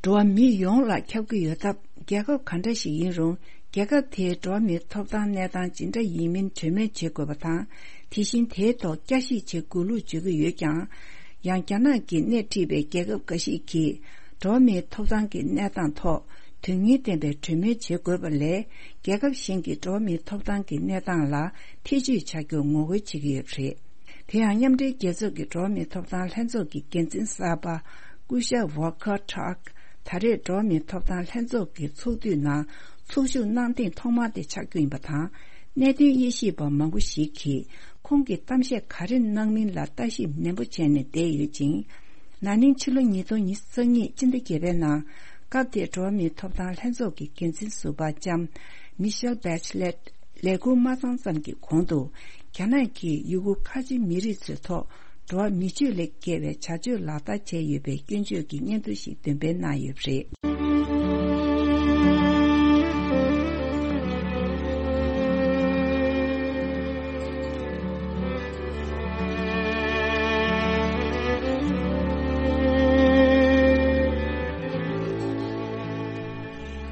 འགྲོ་བ་མི་ཡོངས་ལ་ཁྱབ་ཀྱི་ཡོད་སྟབས། རྒྱལ་ཁབ་ག་འདྲ་ཞིག་ཡིན་རུང་། རྒྱལ་ཁབ་དེའི་འགྲོ་བ་མིའི་ཐོབ་ཐང་གནས་སྟངས་ཇི་འདྲ་ཡིན་མིན་གྲོས་མོལ་བྱེད་དགོས་པ་དང་། དེ་བཞིན་དེའི་ཐོག་བསྐྱར་ཞིབ་བྱེད་དགོས་ལུགས་བརྗོད་ཀྱི་ཡོད་ཀྱང་། ཡང་རྒྱ་ནག་གིས་སྣེ་ཁྲིད་པའི་རྒྱལ་ཁབ་འགའ་ཞིག་གིས། འགྲོ་བ་མིའི་ཐོབ་ཐང་གི་གནས་སྟངས་ཐོག་དོན་སྙིང་ལྡན་པའི་གྲོས་མོལ་བྱེད་དགོས་པ་ལས། རྒྱལ་ཁབ་གཞན་གྱི་འགྲོ་བ་མིའི་ཐོབ་ཐང་གི་གནས་སྟངས་ལ་ཐེ་བྱུས་བྱ་རྒྱུར་ངོ་རྒོལ་བྱེད་ཀྱི་ཡོད་པ་རེད། དེ་ཡང་མཉམ་འབྲེལ་རྒྱལ་ཚོགས་ཀྱི་འགྲོ་བ་མིའི་ཐོབ་ཐང་ལྷན་ཚོགས་ཀྱི་འགན་འཛིན་གསར་པ་སྐུ་ཞབས་ཝོལ་ཀར་ཊརཀ་ད་རེས་འགྲོ་བ་མིའི་ཐོབ་ཐང་ལྷན་ཚོགས་ཀྱི་ཚོགས་དུས་ནང་ཚོགས་ཞུགས་གནང་ཐེངས་ཐོག་མ་དེ་ཆགས་རྒྱུ་ཡིན་པ་དང་། གནད་དོན་དབྱེ་ཞིབ་པ་མང་པོ་ཞིག་གིས་ཁོང་གིས་གཏམ་བཤད་ག་རེ་གནང་མིན་ལ་ལྟ་ཞིབ་ནན་པོ་བྱས་ནས་བསྡད་ཡོད་ཅིང་། ན་ནིང་ཕྱི་ལོ་ཉིས་སྟོང་ཉི་ཤུ་རྩ་གཉིས་སྤྱི་ཟླ་བརྒྱད་པའི་ནང་སྐབས་དེའི་འགྲོ་བ་མིའི་ཐོབ་ཐང་ལྷན་ཚོགས་ཀྱི་འགན་འཛིན་ཟུར་པ་ལྕམ་མི་ཤེལ་བྷེ་ཆི་ལེད་ལས་ཁུར་མ་ཚང་ཙམ་གྱི་གོང་དུ། རྒྱ་ནག་གིས་ཡུ་གུར་ཁ་ཆེ་མི་རིགས་ཚོའི་ཐོག་འགྲོ་བ་མི་སྤྱོད་ལས་བརྒལ་བའི་བྱ་སྤྱོད་ལག་བསྟར་བྱས་ཡོད་པའི་སྐྱོན་བརྗོད་ཀྱི་སྙན་ཐོ་ཞིག་འདོན་སྤེལ་གནང་ཡོད་པ་རེད།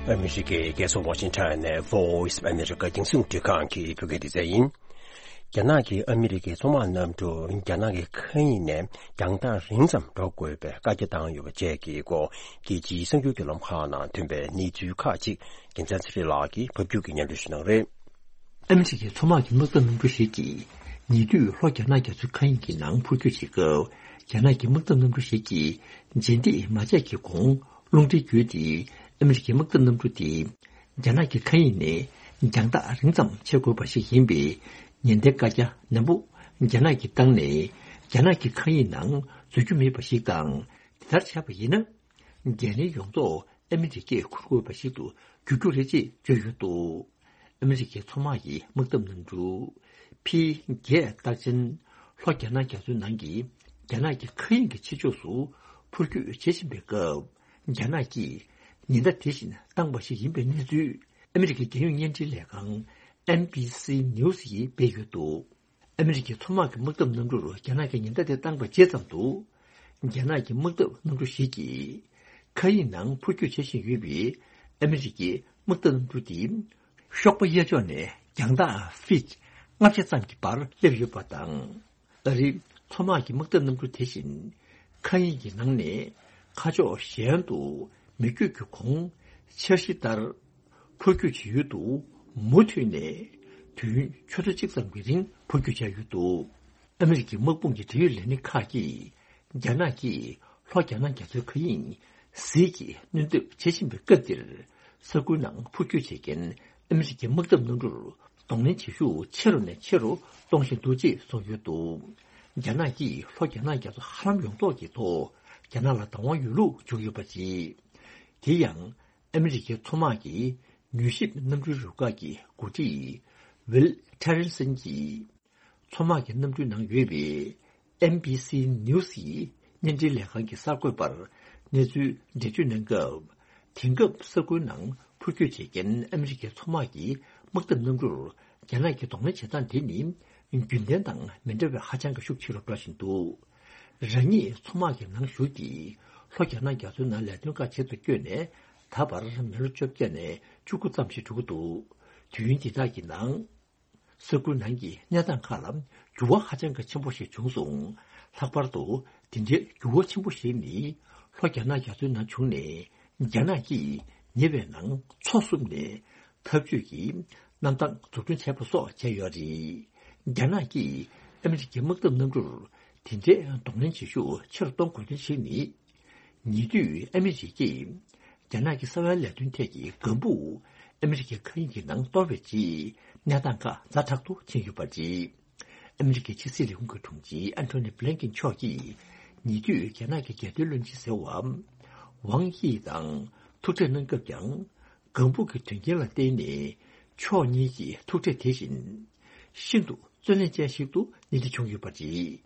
ཨ་མི་རི་ཀའི་རྒྱལ་ས་ཝ་ཤིང་ཊོན་ནས་Voice of America རྒྱང་སྲིང་རླུང་འཕྲིན་ཁང་གི་བོད་སྐད་སྡེ་ཚན་ཡིན། རྒྱ་ནག་གིས་ཨ་མི་རི་ཀའི་མཚོ་དམག་གནམ་གྲུ་རྒྱ་ནག་གི་མཁའ་དབྱིངས་ནས་རྒྱང་ཐག་རིང་ཙམ་འགྲོ་དགོས་པའི་བཀའ་རྒྱ་བཏང་ཡོད་པ་བཅས་ཀྱི་སྐོར་རྒྱལ་སྤྱིའི་གསར་འགྱུར་གྱི་ལམ་ཁག་ནང་ཐོན་པའི་གནས་ཚུལ་ཁག་ཅིག་རྒྱལ་མཚན་ཚེ་རིང་ལགས་ཀྱིས་ཕབ་སྒྱུར་གྱིས་སྙན་སྒྲོན་ཞུ་གནང་རེད། ཨ་མི་རི་ཀའི་མཚོ་དམག་གི་དམག་འཐབ་གནམ་གྲུ་ཞིག་གིས་ཉེ་དུས་ལྷོ་རྒྱ་ནག་རྒྱ་མཚོའི་མཁའ་དབྱིངས་ཀྱི་ནང་འཕུར་སྐྱོད་བྱེད་སྐབས། རྒྱ་ནག་གི་དམག་འཐབ་གནམ་གྲུ་ཞིག་གིས་རྗེས་འདེད་མ་བྱས་ཀྱི་གོང་རླུང་འཕྲིན་བརྒྱུད་དེ་ཨ་མི་རི་ཀའི་དམག་འཐབ་གནམ་གྲུ་དེ་རྒྱ་ནག་གི་མཁའ་དབྱིངས་ནས་རྒྱང་ཐག་རིང་ཙམ་ཆེད་འགོད་པ་ཞིག་ཡིན་པའི་ཉེན་བརྡའི་བཀའ་རྒྱ་ནན་པོ་རྒྱ་ནག་གིས་བཏང་ནས། རྒྱ་ནག་གི་མཁའ་དབྱིངས་ནང་འཛུལ་རྒྱུ་མེད་པ་ཞིག་དང་། དེ་ལྟར་བྱས་པ་ཡིན་ན། འགན་ལེན་ཡོངས་རྫོགས་ཨ་མི་རི་ཀས་འཁུར་དགོས་པ་ཞིག་ཏུ་འགྱུར་རྒྱུ་རེད་ཅེས་བརྗོད་ཡོད་འདུག་ཨ་མི་རི་ཀའི་མཚོ་དམག་གི་དམག་འཐབ་གནམ་གྲུ་P་བརྒྱད་སྟག་ཆེན་ལྷོ་རྒྱ་ནག་རྒྱ་མཚོའི་ནང་གི་རྒྱ་ནག་གི་མཁའ་དབྱིངས་ཀྱི་ཕྱི་ཕྱོགས་སུ་འཕུར་སྐྱོད་བྱེད་བཞིན་པའི་སྐབས། རྒྱ་ནག་གིས་ཉེན་བརྡ་དེ་བཞིན་བཏང་བ་ཞིག་ཡིན་པའི་གནས་ཚུལ་ཨ་མི་རི་ཀའི་རྒྱལ་ཡོངས་བརྙན་འཕྲིན་ལས་ཁང་N B C News་ཡིས་སྤེལ་ཡོད་འདུག་ཨ་མི་རི་ཀའི་མཚོ་དམག་གི་དམག་འཐབ་གནམ་གྲུར་རྒྱ་ནག་གིས་ཉེན་བརྡ་དེ་བཏང་བའི་རྗེས་ཙམ་དུ། རྒྱ་ནག་གི་དམག་འཐབ་གནམ་གྲུ་ཞིག་གིས་མཁའ་དབྱིངས་ནང་འཕུར་སྐྱོད་བྱེད་བཞིན་ཡོད་པའི་ཨ་མི་རི་ཀའི་དམག་འཐབ་གནམ་གྲུ་དེ་གཤོག་པ་གཡས་ཕྱོགས་ནས་རྒྱང་ཐག་ཕིཊ་ལྔ་བརྒྱ་ཙམ་གྱི་བར་སླེབས་ཡོད་པ་དང་། ཨ་རིའི་མཚོ་དམག་གི་དམག་འཐབ་གནམ་གྲུ་དེ་བཞིན་མཁའ་དབྱིངས་ཀྱི་ནང་ནས་མཁའ་ཕྱོགས་གཞན་དུ་མི་བསྐྱོད་ཀྱི་གོང་འཆར་གཞི་ལྟར། འཕུར་སྐྱོད་བྱེད་ཡུལ་དུ་མུ་མཐུད་ནས་དུས་ཡུན་ཆུ་ཚོད་གཅིག་ཙམ་གྱི་རིང་འཕུར་སྐྱོད་བྱ་ཡུལ་དུ། ཨ་མི་རི་ཀའི་དམག་དཔུང་གི་འབྲེལ་ཡོད་ལས་སྣེ་ཁག་གིས་རྒྱ་ནག་གིས་ལྷོ་རྒྱ་ནག་རྒྱ་མཚོའི་མཁའ་དབྱིངས་ཟིལ་གྱིས་གནོན་ཐབས་བྱེད་བཞིན་པའི་སྐབས་འདིར། ས་ཁུལ་ནང་འཕུར་སྐྱོད་བྱེད་མཁན་ཨ་མི་རི་ཀའི་དམག་འཐབ་གནམ་གྲུར་གདོང་ལེན་བྱེད་ཤུགས་ཆེ་རུ་ནས་ཆེ་རུ་གཏོང་བཞིན་འདུག་ཅེས་གསུངས་ཡོད་འདུག་རྒྱ་ནག་གིས་ལྷོ་རྒྱ་ནག་རྒྱ་མཚོ་ཧ་ལམ་ཡོངས་རྫོགས་ཀྱི་ཐོག་རྒྱ་ནག་ལ་བདག་དབང་ཡོད་ལུགས་བརྗོད་ཡོད་པ་རེད། དེ་ཡང་། ཨ་མི་རི་ཀའི་མཚོ་དམག་གི་མྱུལ་ཞིབ་གནམ་གྲུའི་རུ་ཁག་གི་འགོ་ཁྲིད་ཝིལ་ཁྲེ་རན་སན་གྱིས། མཚོ་དམག་གི་གནམ་གྲུའི་ནང་ཡོད་པའི་N B C News་ཡི་བརྙན་འཕྲིན་ལས་ཁང་གི་གསར་འགོད་པར་གནས་ཚུལ་འགྲེལ་བརྗོད་གནང་སྐབས། དེང་སྐབས་ས་ཁུལ་ནང་འཕུར་སྐྱོད་བྱེད་མཁན་ཨ་མི་རི་ཀའི་མཚོ་དམག་གི་དམག་འཐབ་གནམ་གྲུར་ རྒྱ་ནག་གི་གདོང་ལེན་བྱེད་སྟངས་དེ་ནི་རྒྱུན་ལྡན་དང་མི་འདྲ་བའི་ཧ་ཅང་གི་ཤུགས་ཆེ་རུ་འགྲོ་བཞིན་འདུག་རང་ཉིད་མཚོ་དམག་གི་ནང་ཞུགས་ཏེ་ལྷོ་རྒྱ་ནག་རྒྱ་མཚོའི་ནང་ལས་དོན་ཁག་བྱེད་དུ་བསྐྱོད་ནས་ད་བར་མི་ལོ་བཅོ་བརྒྱད་ནས་བཅུ་དགུ་ཙམ་ཞིག་འགྲོ་གི་འདུག་དུས་ཡུན་འདི་དག་གི་ནང་། ས་ཁུལ་ནང་གི་གནས་སྟངས་ཁག་ལ་འགྱུར་བ་ཧ་ཅང་གི་ཆེན་པོ་ཞིག་བྱུང་སོང་། ལྷག་པར་དུ་དེ་འདྲའི་འགྱུར་བ་ཆེན་པོ་ཞིག་ནི་ལྷོ་རྒྱ་ནག་རྒྱ་མཚོའི་ནང་བྱུང་ནས་རྒྱ་ནག་གིས་ཉེ་བའི་ནང་མཚོ་བསྲུབས་ནས་འཐབ་ཇུས་ཀྱི་གནམ་ཐང་འཛུགས་སྐྲུན་བྱས་པ་སོགས་བྱས་ཡོད་རེད། རྒྱ་ནག་གིས་ཨ་མི་རི་ཀའི་དམག་འཐབ་གནམ་གྲུར་དེ་འདྲའི་གདོང་ལེན་བྱེད་ཤུགས་ཆེ་རུ་གཏོང་དགོས་དོན་ཞིག་ནི། ཉེ་དུས་ཨ་མི་རི་ཀས་རྒྱ་ནག་གི་གསང་བའི་ལས་དོན་ཐད་ཀྱི་འགན་འཁུར་ཨ་མི་རི་ཀའི་མཁའ་དབྱིངས་ཀྱི་ནང་གཏོར་བའི་རྗེས་གནས་སྟངས་ཁག་ཛ་དྲག་ཏུ་ཕྱིན་ཡོད་པ་རེད། ཨ་མི་རི་ཀའི་ཕྱི་སྲིད་ལས་ཁུངས་ཀྱི་དྲུང་ཆེ་ཨན་ཐོ་ནི་བྷི་ལན་ཀིན་མཆོག་གིས་ཉེ་དུས་རྒྱ་ནག་གི་རྒྱལ་དོན་བློན་ཆེན་ཟེར་བ་ཝང་དབྱི་དང་ཐུག་འཕྲད་གནང་སྐབས་ཀྱང་། འགན་འཁུར་གྱི་དོན་རྐྱེན་ལ་བརྟེན་ནས་ཕྱོགས་གཉིས་ཀྱི་ཐུག་འཕྲད་དེ་བཞིན་ཤིན་ཏུ་བརྩོན་ལེན་ཅན་ཞིག་ཏུ་གནས་འདྲི་བྱུང་ཡོད་པ་རེད།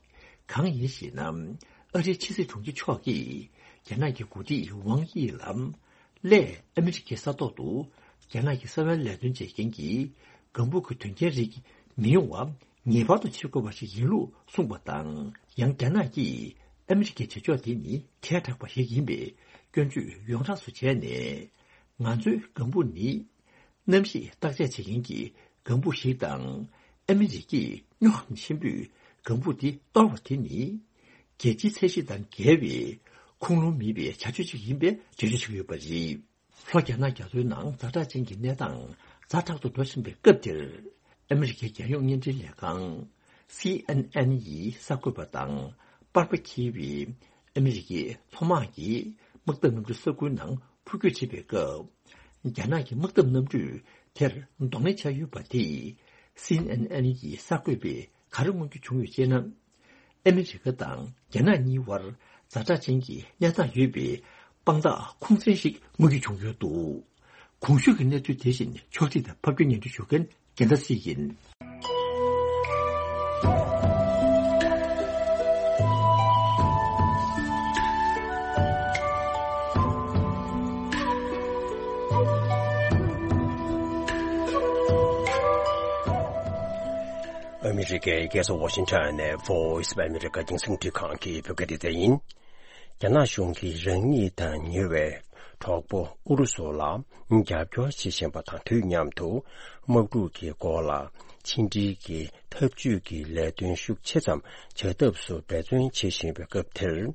གང་ཡིན་ཞེ་ན། ཨ་རིའི་ཕྱི་སྲིད་དྲུང་ཆེ་མཆོག་གིས་རྒྱ་ནག་གི་འགོ་ཁྲིད་ཝང་དབྱི་ལ་སླད་ཨ་མི་རི་ཀའི་ས་ཐོག་ཏུ་རྒྱ་ནག་གི་གསང་བའི་ལས་དོན་བྱེད་མཁན་གྱི་འགན་འཁུར་གྱི་དོན་རྐྱེན་རིགས་མི་ཡོང་བ་ངེས་པར་དུ་བྱེད་དགོས་པ་ཞིག་ཡིན་ལུགས་གསུངས་པ་དང་། ཡང་རྒྱ་ནག་གིས་ཨ་མི་རི་ཀའི་བྱེད་ཕྱོགས་དེ་ནི་ཐལ་དྲགས་པ་ཞིག་ཡིན་པའི་སྐྱོན་བརྗོད་ཡོངས་གྲགས་སུ་བྱས་ནས། ང་ཚོའི་འགན་འཁུར་ནི། གནམ་གཤིས་བརྟག་དཔྱད་བྱེད་མཁན་གྱི་འགན་འཁུར་ཞིག་དང་། ཨ་མི་རི་ཀས་སྨྱོ་ཧམ་ཆེན་པོས་འགན་འཁུར་དེ་གཏོར་བ་དེ་ནི། རྒྱལ་སྤྱིའི་ཚད་གཞི་དང་འགལ་བའི་ཁུངས་ལུང་མེད་པའི་བྱ་སྤྱོད་ཅིག་ཡིན་པའི་འགྲེལ་བརྗོད་བྱེད་ཀྱི་ཡོད་པ་རེད། ལྷོ་རྒྱ་ནག་རྒྱ་མཚོའི་ནང་ཛ་དྲག་ཅན་གྱི་གནས་སྟངས་ཛ་དྲག་ཏུ་འགྲོ་བཞིན་པའི་སྐབས་འདིར། ཨ་མི་རི་ཀའི་རྒྱལ་ཡོངས་བརྙན་འཕྲིན་ལས་ཁང་། སི་ཨེན་ཨེན་ཡི་གསར་འགོད་པ་དང་པར་པ་འཁྱེར་བའི་ཨ་མི་རི་ཀའི་མཚོ་དམག་གིས་དམག་འཐབ་གནམ་གྲུ་ས་ཁུལ་ནང་འཕུར་སྐྱོད་བྱེད་པའི་སྐབས། རྒྱ་ནག་གི་དམག་འཐབ་གནམ་གྲུས་དེར་གདོང་ལེན་བྱས་ཡོད་པ་དེས་སི་ཨེན་ཨེན་གྱི་གསར་འགོད་པས་ག་རེ་མངོན་གྱི་བྱུང་ཡོད་ཅེ་ན། ཨ་མི་རི་ཀ་དང་རྒྱ་ནག་གཉིས་བར་ཛ་དྲག་ཅན་གྱི་གནས་སྟངས་ཡོད་པའི་དཔང་རྟགས་ཁུངས་བཙན་ཞིག་མངོན་གྱི་བྱུང་ཡོད་འདུག་གོང་ཞུས་ཀྱི་གནས་ཚུལ་དེ་བཞིན་ཕྱོགས་སྒྲིག་དང་ཕབ་སྒྱུར་སྙན་སྒྲོན་ཞུ་མཁན་རྒྱལ་མཚན་སྲིད་ཡིན། ཨ་མི་རི་ཀའི་རྒྱལ་ས་ཝ་ཤིང་ཊོན་ནས་Voice of America་རྒྱང་སྲིང་འཕྲིན་ཁང་གི་བོད་སྐད་སྡེ་ཚན་ཡིན། རྒྱ་ནག་གཞུང་གིས་རང་ཉིད་དང་ཉེ་བའི་གྲོགས་པོ་ཨུ་རུ་སུ་ལ་རྒྱབ་སྐྱོར་བྱེད་བཞིན་པ་དང་དུས་མཉམ་དུ། དམག་འཁྲུག་གི་སྐོར་ལ་ཕྱི་འབྲེལ་གྱི་འཐབ་ཇུས་ཀྱི་ལས་དོན་ཤུགས་ཆེ་ཙམ་བྱ་ཐབས་སུ་འབད་བརྩོན་བྱེད་བཞིན་པའི་སྐབས་དེར།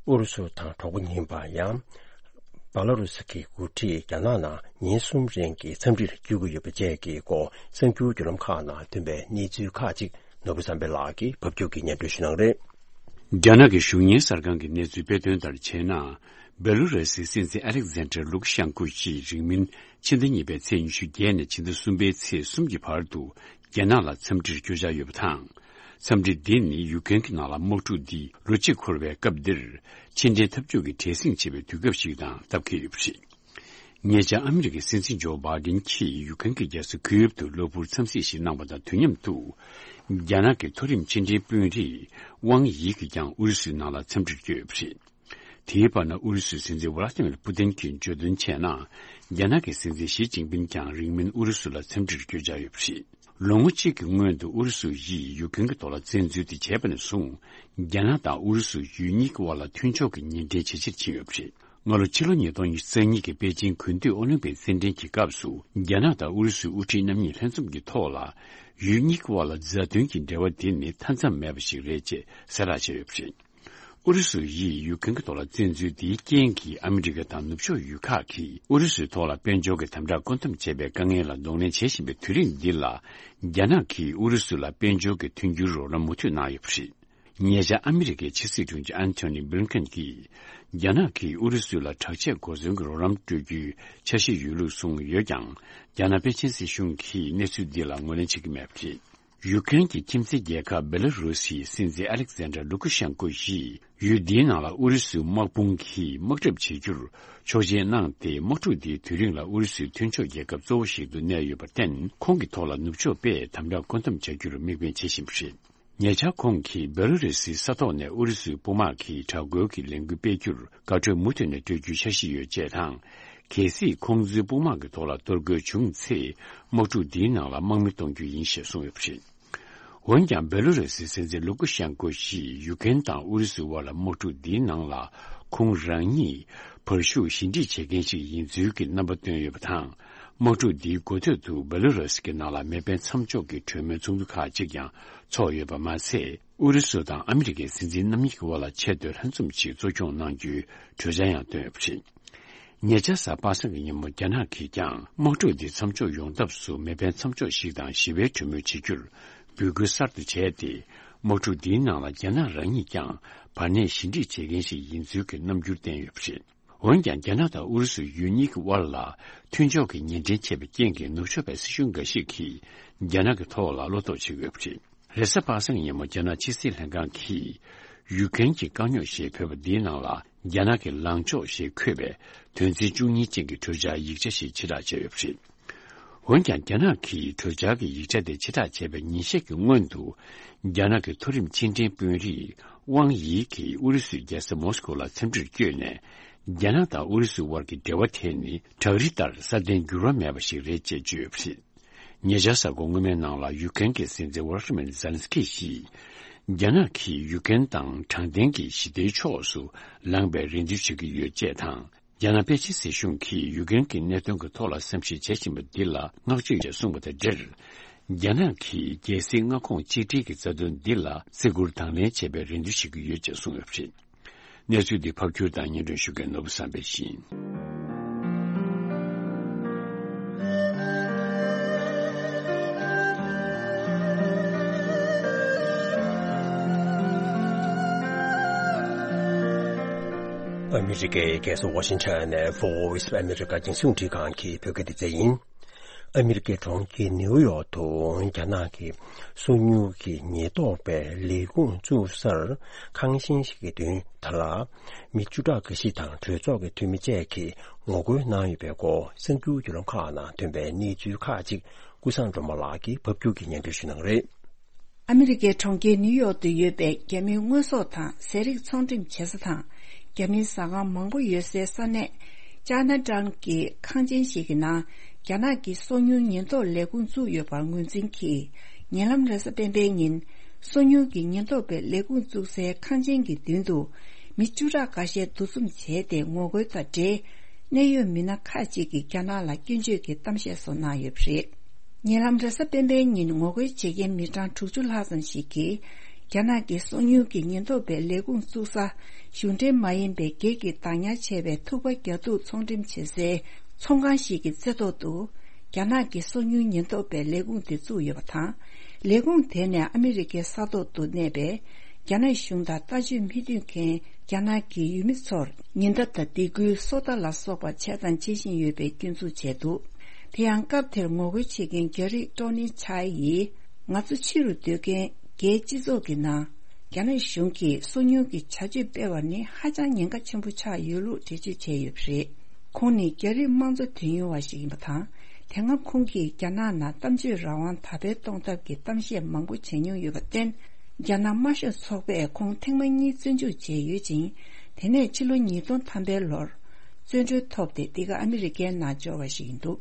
ཨུ་རུ་སུ་དང་གྲོགས་པོ་ཡིན་པ་ཡང་། སྦ་ལ་རུ་སི་གི་འགོ་ཁྲིད་རྒྱ་ནག་ནང་ཉིན་གསུམ་རིང་གི་འཚམས་འདྲིར་བསྐྱོད་ཀྱི་ཡོད་པ་བཅས་ཀྱི་སྐོར་གསར་འགྱུར་བརྒྱུད་ལམ་ཁག་ནང་ཐོན་པའི་གནས་ཚུལ་ཁག་ཅིག་ནོར་བུ་བསམ་འཕེལ་ལགས་ཀྱིས་ཕབ་སྒྱུར་གྱིས་སྙན་སྒྲོན་ཞུ་གནང་རེད། རྒྱ་ནག་གི་གཞུང་གཉེར་གསར་ཁང་གི་གནས་ཚུལ་སྤེལ་དོན་ལྟར་བྱས་ན། སྦེ་ལུ་ར་སིའི་སྲིད་འཛིན་ཨ་ལེག་ཛན་ཏྲ་ལུ་ཀ་ཤན་ཀོ་ཡིས་རིང་མིན་ཕྱི་ཟླ་གཉིས་པའི་ཚེས་ཉི་ཤུ་བརྒྱད་ནས་ཕྱི་ཟླ་གསུམ་པའི་ཚེས་གསུམ་གྱི་བར་དུ་རྒྱ་ནག་ལ་འཚམས་འདྲིར་བསྐྱོད་འཆར་ཡོད་པ་དང་། འཚམས་འདྲི་འདི་ནི་ཡུཀ་རེན་གྱི་ནང་ལ་དམག་འཁྲུག་འདི་ལོ་གཅིག་འཁོར་བའི་སྐབས་འདིར་ཕྱི་འབྲེལ་འཐབ་ཕྱོགས་ཀྱི་བྲེལ་ཟིང་ཆེ་བའི་དུས་སྐབས་ཤིག་དང་སྟབས་འཁེལ་ཡོད་པ་རེད། ཉེ་ཆར་ཨ་མི་རི་ཀའི་སྲིད་འཛིན་ཇོ་བྷའི་ཌེན་གྱིས་ཡུཀ་རེན་གྱི་རྒྱལ་ས་ཁིའེབ་ཏུ་གློ་བུར་འཚམས་གཟིགས་ཤིག་གནང་བ་དང་དུས་མཉམ་དུ། རྒྱ་ནག་གི་མཐོ་རིམ་ཕྱི་འབྲེལ་དཔོན་རིགས་ཝང་ཡི་གིས་ཀྱང་ཨུ་རུ་སུའི་ནང་ལ་འཚམས་འདྲིར་བསྐྱོད་ཡོད་པ་རེད། དེའི་བར་ན་ཨུ་རུ་སུའི་སྲིད་འཛིན་ཝ་ལ་ཏི་མིར་པུ་ཏིན་གྱིས་བརྗོད་དོན་བྱས་ན། རྒྱ་ནག་གི་སྲིད་འཛིན་ཞི་ཅིན་ཕིན་ཀྱང་རིང་མིན་ཨུ་རུ་སུ་ལ་འཚམས་འདྲིར་བསྐྱོད་འཆར་ཡོད་པ་རེད། ལོ་ངོ་གཅིག་གི་སྔོན་དུ་ཨུ་རུ་སུ་ཡིས་ཡུཀ་རེན་གྱི་ཐོག་ལ་བཙན་འཛུལ་དེ་བྱས་པ་ནས་བཟུང་། རྒྱ་ནག་དང་ཨུ་རུ་སུ་ཡུལ་གཉིས་ཀྱི་དབར་ལ་མཐུན་ཕྱོགས་ཀྱི་ཉེ་འབྲེལ་ཇེ་ཆེར་ཕྱིན་ཡོད་པ་རེད། སྔ་ལོ་ཕྱི་ལོ་ཉིས་སྟོང་ཉི་ཤུ་རྩ་གཉིས་ཀྱི་པེ་ཅིང་དགུན་དུས་ཨོ་ལིམ་པིག་རྩེད་འགྲན་གྱི་སྐབས་སུ། རྒྱ་ནག་དང་ཨུ་རུ་སུའི་དབུ་ཁྲིད་རྣམ་གཉིས་ལྷན་འཛོམས་ཀྱི་ཐོག་ལ། ཡུལ་གཉིས་ཀྱི་དབར་ལ་མཛའ་མཐུན་གྱི་འབྲེལ་བ་འདི་ནི་མཐའ་མཚམས་མེད་པ་ཞིག་རེད་ཅེས་གསལ་བསྒྲགས་བྱས་ཡོད་པ་རེད། ཨུ་རུ་སུ་ཡིས་ཡུཀ་རེན་གྱི་ཐོག་ལ་བཙན་འཛུལ་འདིའི་རྐྱེན་གྱིས་ཨ་མི་རི་ཀ་དང་ནུབ་ཕྱོགས་ཡུལ་ཁག་གིས་ཨུ་རུ་སུའི་ཐོག་ལ་དཔལ་འབྱོར་གྱི་དམ་དྲག་བཀོད་འདོམས་བྱེད་པའི་དཀའ་ངལ་ལ་གདོང་ལེན་བྱེད་བཞིན་པའི་དུས་རིང་འདི་ལ། རྒྱ་ནག་གིས་ཨུ་རུ་སུ་ལ་དཔལ་འབྱོར་གྱི་མཐུན་འགྱུར་རོགས་རམ་མུ་མཐུད་གནང་ཡོད་པ་རེད། ཉེ་ཆར་ཨ་མི་རི་ཀའི་ཕྱི་སྲིད་དྲུང་ཆེ་ཨན་ཐོ་ནི་བྷི་ལིན་ཀེན་གྱིས། རྒྱ་ནག་གིས་ཨུ་རུ་སུ་ལ་དྲག་ཆས་གོ་མཚོན་གྱི་རོགས་རམ་སྤྲོད་རྒྱུའི་འཆར་གཞི་ཡོད་ལུགས་གསུངས་ཡོད་ཀྱང་། རྒྱ་ནག་པེ་ཅིན་སྲིད་གཞུང་གིས་གནས་ཚུལ་འདི་ལ་ངོས་ལེན་བྱེད་ཀྱི་མེད་པ་རེད། ཡུཀ་རེན་གྱི་ཁྱིམ་མཚེས་རྒྱལ་ཁབ་སྦེ་ལ་རུ་སིའི་སྲིད་འཛིན་ཨ་ལེག་ཟན་ཏྲ་ལུ་ཀ་ཤན་ཀོ་ཡིས་ཡུལ་འདིའི་ནང་ལ་ཨུ་རུ་སུའི་དམག་དཔུང་གིས་དམག་གྲབས་བྱེད་རྒྱུར་ཆོག་མཆན་གནང་སྟེ། དམག་འཁྲུག་འདིའི་དུས་རིང་ལ་ཨུ་རུ་སུའི་མཐུན་ཕྱོགས་རྒྱལ་ཁབ་གཙོ་བོ་ཞིག་ཏུ་གནས་ཡོད་པར་བརྟེན། ཁོང་གི་ཐོག་ལ་ནུབ་ཕྱོགས་པས་དམ་དྲག་བཀོད་འདོམས་བྱ་རྒྱུར་དམིགས་འབེན་བྱེད་བཞིན་པ་རེད། ཉེ་ཆར་ཁོང་གིས་བེ་ལ་རུ་སིའི་ས་ཐོག་ནས་ཨུ་རུ་སུའི་དཔུང་དམག་གིས་དྲག་རྒོལ་གྱི་ལས་འགུལ་སྤེལ་རྒྱུར་དགའ་སྤྲོ་མུ་མཐུད་ནས་སྤྲོད་རྒྱུའི་འཆར་གཞི་ཡོད་ཅེས་དང་། གལ་སྲིད་ཁོང་ཚོའི་དཔུང་དམག་གི་ཐོག་ལ་གཏོར་རྒོལ་བྱུང་ཚེ། དམག་འཁྲུག་འདིའི་ནང་ལ་དམག་མི་གཏོང་རྒྱུ་ཡིན་ཞེས་གསུངས་ཡོད་པ་རེད། འོན་ཀྱང་། བེ་ལ་རུ་སིའི་སྲིད་འཛིན་ལུ་ཀུ་ཤན་ཀོ་ཞིག་ཡུ་ཀེན་དང་ཨུ་རུ་སུའི་དབར་ལ་དམག་འཁྲུག་འདིའི་ནང་ལ་ཁོང་རང་ཉིད་བར་ཞུགས་ཞི་འགྲིག་བྱེད་མཁན་ཞིག་ཡིན་ཚུལ་གྱི་རྣམ་པ་བཏོན་ཡོད་པ་དང་། དམག་འཁྲུག་འདིའི་འགོ་སྟོད་དུ་བེ་ལ་རུ་སི་གི་ནང་ལ་མེ་འཕེན་མཚམས་འཇོག་གི་གྲོས་མོལ་ཚོགས་འདུ་ཁག་ཅིག་ཀྱང་ཚོགས་ཡོད་པ་མ་ཟད། ཨུ་རུ་སུ་དང་ཨ་མི་རི་ཀའི་སྲིད་འཛིན་རྣམ་གཉིས་ཀྱི་དབར་ལ་ཆེས་མཐོའི་ལྷན་འཛོམས་ཤིག་གཙོ་སྐྱོང་གནང་རྒྱུའི་གྲོས་འཆར་ཡང་བཏོན་ཡོད་པ་རེད། ཉེ་ཆར་གཟའ་པ་སངས་ཀྱི་ཉིན་མོ་རྒྱ་ནག་གིས་ཀྱང་དམག་འཁྲུག་འདི་མཚམས་འཇོག་ཡོང་ཐབས་སུ་མེ་འཕེན་མཚམས་འཇོག་ཞིག་དང་ཞི་བའི་གྲོས་མོལ་བྱེད་རྒྱུར་འབོད་སྐུལ་གསར་དུ་བྱས་ཏེ། དམག་འཁྲུག་འདིའི་ནང་ལ་རྒྱ་ནག་རང་ཉིད་ཀྱང་བར་གནས་ཞི་འགྲིག་བྱེད་མཁན་ཞིག་ཡིན་ཚུལ་གྱི་རྣམ་འགྱུར་བསྟན་ཡོད་པ་རེད། འོན་ཀྱང་། རྒྱ་ནག་དང་ཨུ་རུ་སུ་ཡུལ་གཉིས་ཀྱི་དབར་ལ་མཐུན་ཕྱོགས་ཀྱི་ཉེ་འབྲེལ་ཆད་པའི་རྐྱེན་གྱིས། ནུབ་ཕྱོགས་པའི་སྲིད་གཞུང་འགའ་ཞིག་གིས་རྒྱ་ནག་གི་ཐོག་ལ་བློ་དོགས་བྱེད་ཀྱི་ཡོད་པ་རེད། རེས་གཟའ་པ་སངས་ཉིན་མོ་རྒྱ་ནག་ཕྱི་སྲིད་ལྷན་ཁང་གིས་ཡུ་ཀེན་གྱི་དཀའ་རྙོག་ཞེས་འབོད་པ་འདིའི་ནང་ལ། རྒྱ་ནག་གི་ལངས་ཕྱོགས་ཞེས་འཁོད་པའི་དོན་ཚན་བཅུ་གཉིས་ཅན་གྱི་གྲོས་འཆར་ཡིག་ཆ་ཞིག་ཕྱིར་བསྒྲགས་བྱས་ཡོད་པ་རེད། འོན་ཀྱང་། རྒྱ་ནག་གིས་གྲོས་འཆར་གྱི་ཡིག་ཆ་དེ་ཕྱིར་བསྒྲགས་བྱས་པའི་ཉིན་ཤས་ཀྱི་སྔོན་དུ། རྒྱ་ནག་གི་མཐོ་རིམ་ཕྱི་འབྲེལ་དཔོན་རིགས་ཝང་ཡི་གིས་ཨུ་རུ་སུའི་རྒྱལ་ས་མོ་སི་ཀོ་ལ་འཚམས་འདྲིར་བསྐྱོད་ནས། རྒྱ་ནག་དང་ཨུ་རུ་སུའི་དབར་གྱི་འབྲེལ་བ་དེ་ནི་བྲག་རི་ལྟར་སྲ་བརྟན་འགྱུར་བ་མེད་པ་ཞིག་རེད་ཅེས་བརྗོད་ཡོད་པ་རེད། ཉེ་ཆར་གཟའ་འཁོར་སྔོན་མའི་ནང་ལ་ཡུ་ཀེན་གྱི་སྲིད་འཛིན་ཝོ་ལོ་ཌི་མིར་ཛེ་ལན་སི་ཀི་ཞིས། རྒྱ་ནག་གིས་ཡུ་ཀེན་དང་དྲང་བདེན་གྱི་ཞི་བདེའི་ཕྱོགས་སུ་ལངས་པའི་རེ་འདུན་ཞུ་གི་ཡོད་ཅེས་དང་། རྒྱ་ནག་པེ་ཅིན་སྲིད་གཞུང་གིས་ཡུ་ཀེན་གྱི་གནད་དོན་གྱི་ཐོག་ལ་བསམ་གཞིག་བྱེད་བཞིན་པ་འདི་ལ་བསྔགས་བརྗོད་ཅེས་གསུངས་པ་དང་འབྲེལ། རྒྱ་ནག་གིས་རྒྱལ་སྲིད་མངའ་ཁོངས་གཅིག་སྒྲིལ་གྱི་རྩ་དོན་འདི་ལ་བརྩི་བཀུར་དང་ལེན་བྱེད་པའི་རེ་འདུན་ཞུ་གི་ཡོད་ཅེས་གསུངས་ཡོད་པ་རེད། གནས་ཚུལ་འདི་ཕབ་སྒྱུར་དང་སྙན་སྒྲོན་ཞུ་མཁན་ནོར་བུ་བསམ་འཕེལ་ཡིན། ཨ་མི་རི་ཀའི་རྒྱལ་ས་ཝ་ཤིང་ཊོན་ནས་Voice of America རྒྱང་སྲིང་རླུང་འཕྲིན་ཁང་གི་བོད་སྐད་སྡེ་ཚན་ཡིན། ཨ་མི་རི་ཀའི་གྲོང་ཁྱེར་ནིའུ་ཡོག་ཏུ་རྒྱ་ནག་གི་སོ་ཉུལ་གྱི་ཉེན་རྟོག་པའི་ལས་ཁུངས་བཙུགས་སར་ཁང་ཆེན་ཞིག་གི་མདུན་དེ་ལ་མི་བཅུ་ཕྲག་འགའ་ཞིག་དང་གྲོས་ཚོགས་ཀྱི་འཐུས་མི་བཅས་ཀྱིས་ངོ་རྒོལ་གནང་ཡོད་པའི་སྐོར་གསར་འགྱུར་བརྒྱུད་ལམ་ཁག་ནང་ཐོན་པའི་གནས་ཚུལ་ཁག་ཅིག་ཀུན་བཟང་སྒྲོལ་མ་ལགས་ཀྱིས་ཕབ་སྒྱུར་གྱིས་སྙན་སྒྲོན་ཞུ་གནང་གི་རེད། ཨ་མི་རི་ཀའི་གྲོང་ཁྱེར་ནིའུ་ཡོག་ཏུ་ཡོད་པའི་རྒྱ་མིའི་དངོས་ཟོག་དང་ཟས་རིགས་ཚོང་འགྲེམས་བྱེད་ས་དང་། རྒྱ་མིའི་ཟ་ཁང་མང་པོ་ཡོད་སའི་ས་གནས་ཅཱ་ན་ཊའུན་གྱི་ཁང་ཆེན་ཞིག་གི་ནང་། རྒྱ་ནག་གི་སོ་ཉུལ་ཉེན་རྟོག་ལས་ཁུངས་བཙུགས་ཡོད་པར་ངོས་འཛིན་གྱིས། ཉེ་ལམ་རེས་གཟའ་སྤེན་པའི་ཉིན། སོ་ཉུལ་གྱི་ཉེན་རྟོག་པའི་ལས་ཁུངས་བཙུགས་སའི་ཁང་ཆེན་གྱི་མདུན་དུ། མི་བཅུ་ཕྲག་འགའ་ཤས་འདུ་འཛོམས་བྱས་ཏེ། ངོ་རྒོལ་དང་འབྲེལ། གནད་ཡོད་མི་སྣ་ཁག་ཅིག་གིས་རྒྱ་ནག་ལ་སྐྱོན་བརྗོད་ཀྱི་གཏམ་བཤད་སོགས་གནང་ཡོད་པ་རེད། ཉེ་ལམ་རེས་གཟའ་སྤེན་པའི་ཉིན། ངོ་རྒོལ་བྱེད་མཁན་མི་གྲངས་དྲུག་ཅུ་ལྷག་ཙམ་ཞིག་གིས། རྒྱ་ནག་གི་སོ་ཉུལ་གྱི་ཉེན་རྟོག་པའི་ལས་ཁུངས་བཙུགས་ས། གཞུང་འབྲེལ་མ་ཡིན་པའི་སྒེར་གྱི་བདག་ཉར་བྱས་པའི་ཐུག་པ་རྒྱག་འཐུང་ཚོང་འགྲེམས་བྱེད་སའི་ཚོང་ཁང་ཞིག་གི་རྩེ་ཐོག་ཏུ། རྒྱ་ནག་གི་སོ་ཉུལ་ཉེན་རྟོག་པའི་ལས་ཁུངས་དེ་བཙུགས་ཡོད་པ་དང་། ལས་ཁུངས་དེ་ནས་ཨ་མི་རི་ཀའི་ས་ཐོག་ཏུ་གནས་པའི་རྒྱ་ནག་གཞུང་དང་ལྟ་སྤྱོད་མི་མཐུན་མཁན་རྒྱ་ནག་གི་ཡུལ་མི་ཚོར་ཉེན་བརྡ་དང་སྡིགས་སྐུལ། སོ་ལྟ་ལ་སོགས་པ་བྱས་དང་བྱེད་བཞིན་ཡོད་པའི་སྐྱོན་འཛུགས་བྱས་འདུག་དེ་ཡང་། སྐབས་དེར་ངོ་རྒོལ་བྱེད་མཁན་རྒྱ་རིགས་ཀྲོ་ནི་ཆའེ་ཡིས། ང་ཚོ་ཕྱི་རུ་སྡོད་མཁན་རྒྱའི་སྤྱི་ཚོགས་ཀྱི་ནང་། རྒྱ་ནག་གཞུང་གིས་སོ་ཉུལ་གྱི་བྱ་སྤྱོད་སྤེལ་བ་ནི་ཧ་ཅང་ཉེན་ཁ་ཆེན་པོ་ཆགས་ཡོད་ལུགས་འགྲེལ་བརྗོད་བྱས་ཡོད་པ་རེད། ཁོང་ནི་རྒྱ་རིགས་དམངས་གཙོ་དོན་གཉེར་བ་ཞིག་ཡིན་པ་དང་། དེ་སྔ་ཁོང་གིས་རྒྱ་ནག་ནང་གཏམ་བརྗོད་རང་དབང་དར་སྤེལ་གཏོང་ཐབས་ཀྱི་གཏམ་བཤད་མང་པོ་བྱས་མྱོང་ཡོད་པར་བརྟེན། རྒྱ་ནག་དམར་ཤོག་ཚོགས་པས་ཁོང་ཐེངས་མ་གཉིས་བཙོན་འཇུག་བྱས་ཡོད་ཅིང་། དེ་ནས་ཕྱི་ལོ་ཉིས་སྟོང་ཐམ་པའི་ལོར་བཙོན་གྲོལ་ཐོབ་སྟེ། འདི་ག་ཨ་མི་རི་ཀའི་ནང་འབྱོར་བ་ཞིག་ཡིན་འདུག་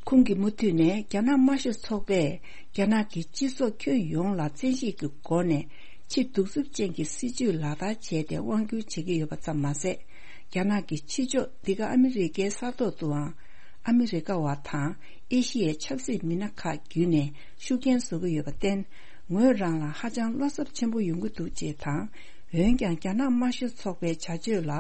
ཁོང་གིས་མུ་མཐུད་ནས། རྒྱ་ནག་དམར་ཤོག་ཚོགས་པས་རྒྱ་ནག་གི་སྤྱི་ཚོགས་ཁྱོན་ཡོངས་ལ་བཙན་ཤེད་ཀྱི་སྒོ་ནས་ཕྱི་གདུག་རྩུབ་ཅན་གྱི་སྲིད་བྱུས་ལག་བསྟར་བྱས་ཏེ་དབང་སྒྱུར་བྱེད་ཀྱི་ཡོད་པ་ཙམ་མ་ཟད། རྒྱ་ནག་གི་ཕྱི་ཕྱོགས། འདི་ག་ཨ་མི་རི་ཀའི་ས་ཐོག་ཏུའང་ཨ་མི་རི་ཀ་བ་དང་ཨེ་ཤི་ཡའི་ཆབ་སྲིད་མི་སྣ་ཁག་བརྒྱུད་ནས་ཤུགས་རྐྱེན་བཟོ་གི་ཡོད་པར་བརྟེན། ངོས་རང་ལ་ཧ་ཅང་བློ་འཚབ་ཆེན་པོ་ཡོང་གི་འདུག་ཅེས་དང་། འོན་ཀྱང་། རྒྱ་ནག་དམར་ཤོག་ཚོགས་པའི་བྱ་སྤྱོད་ལ་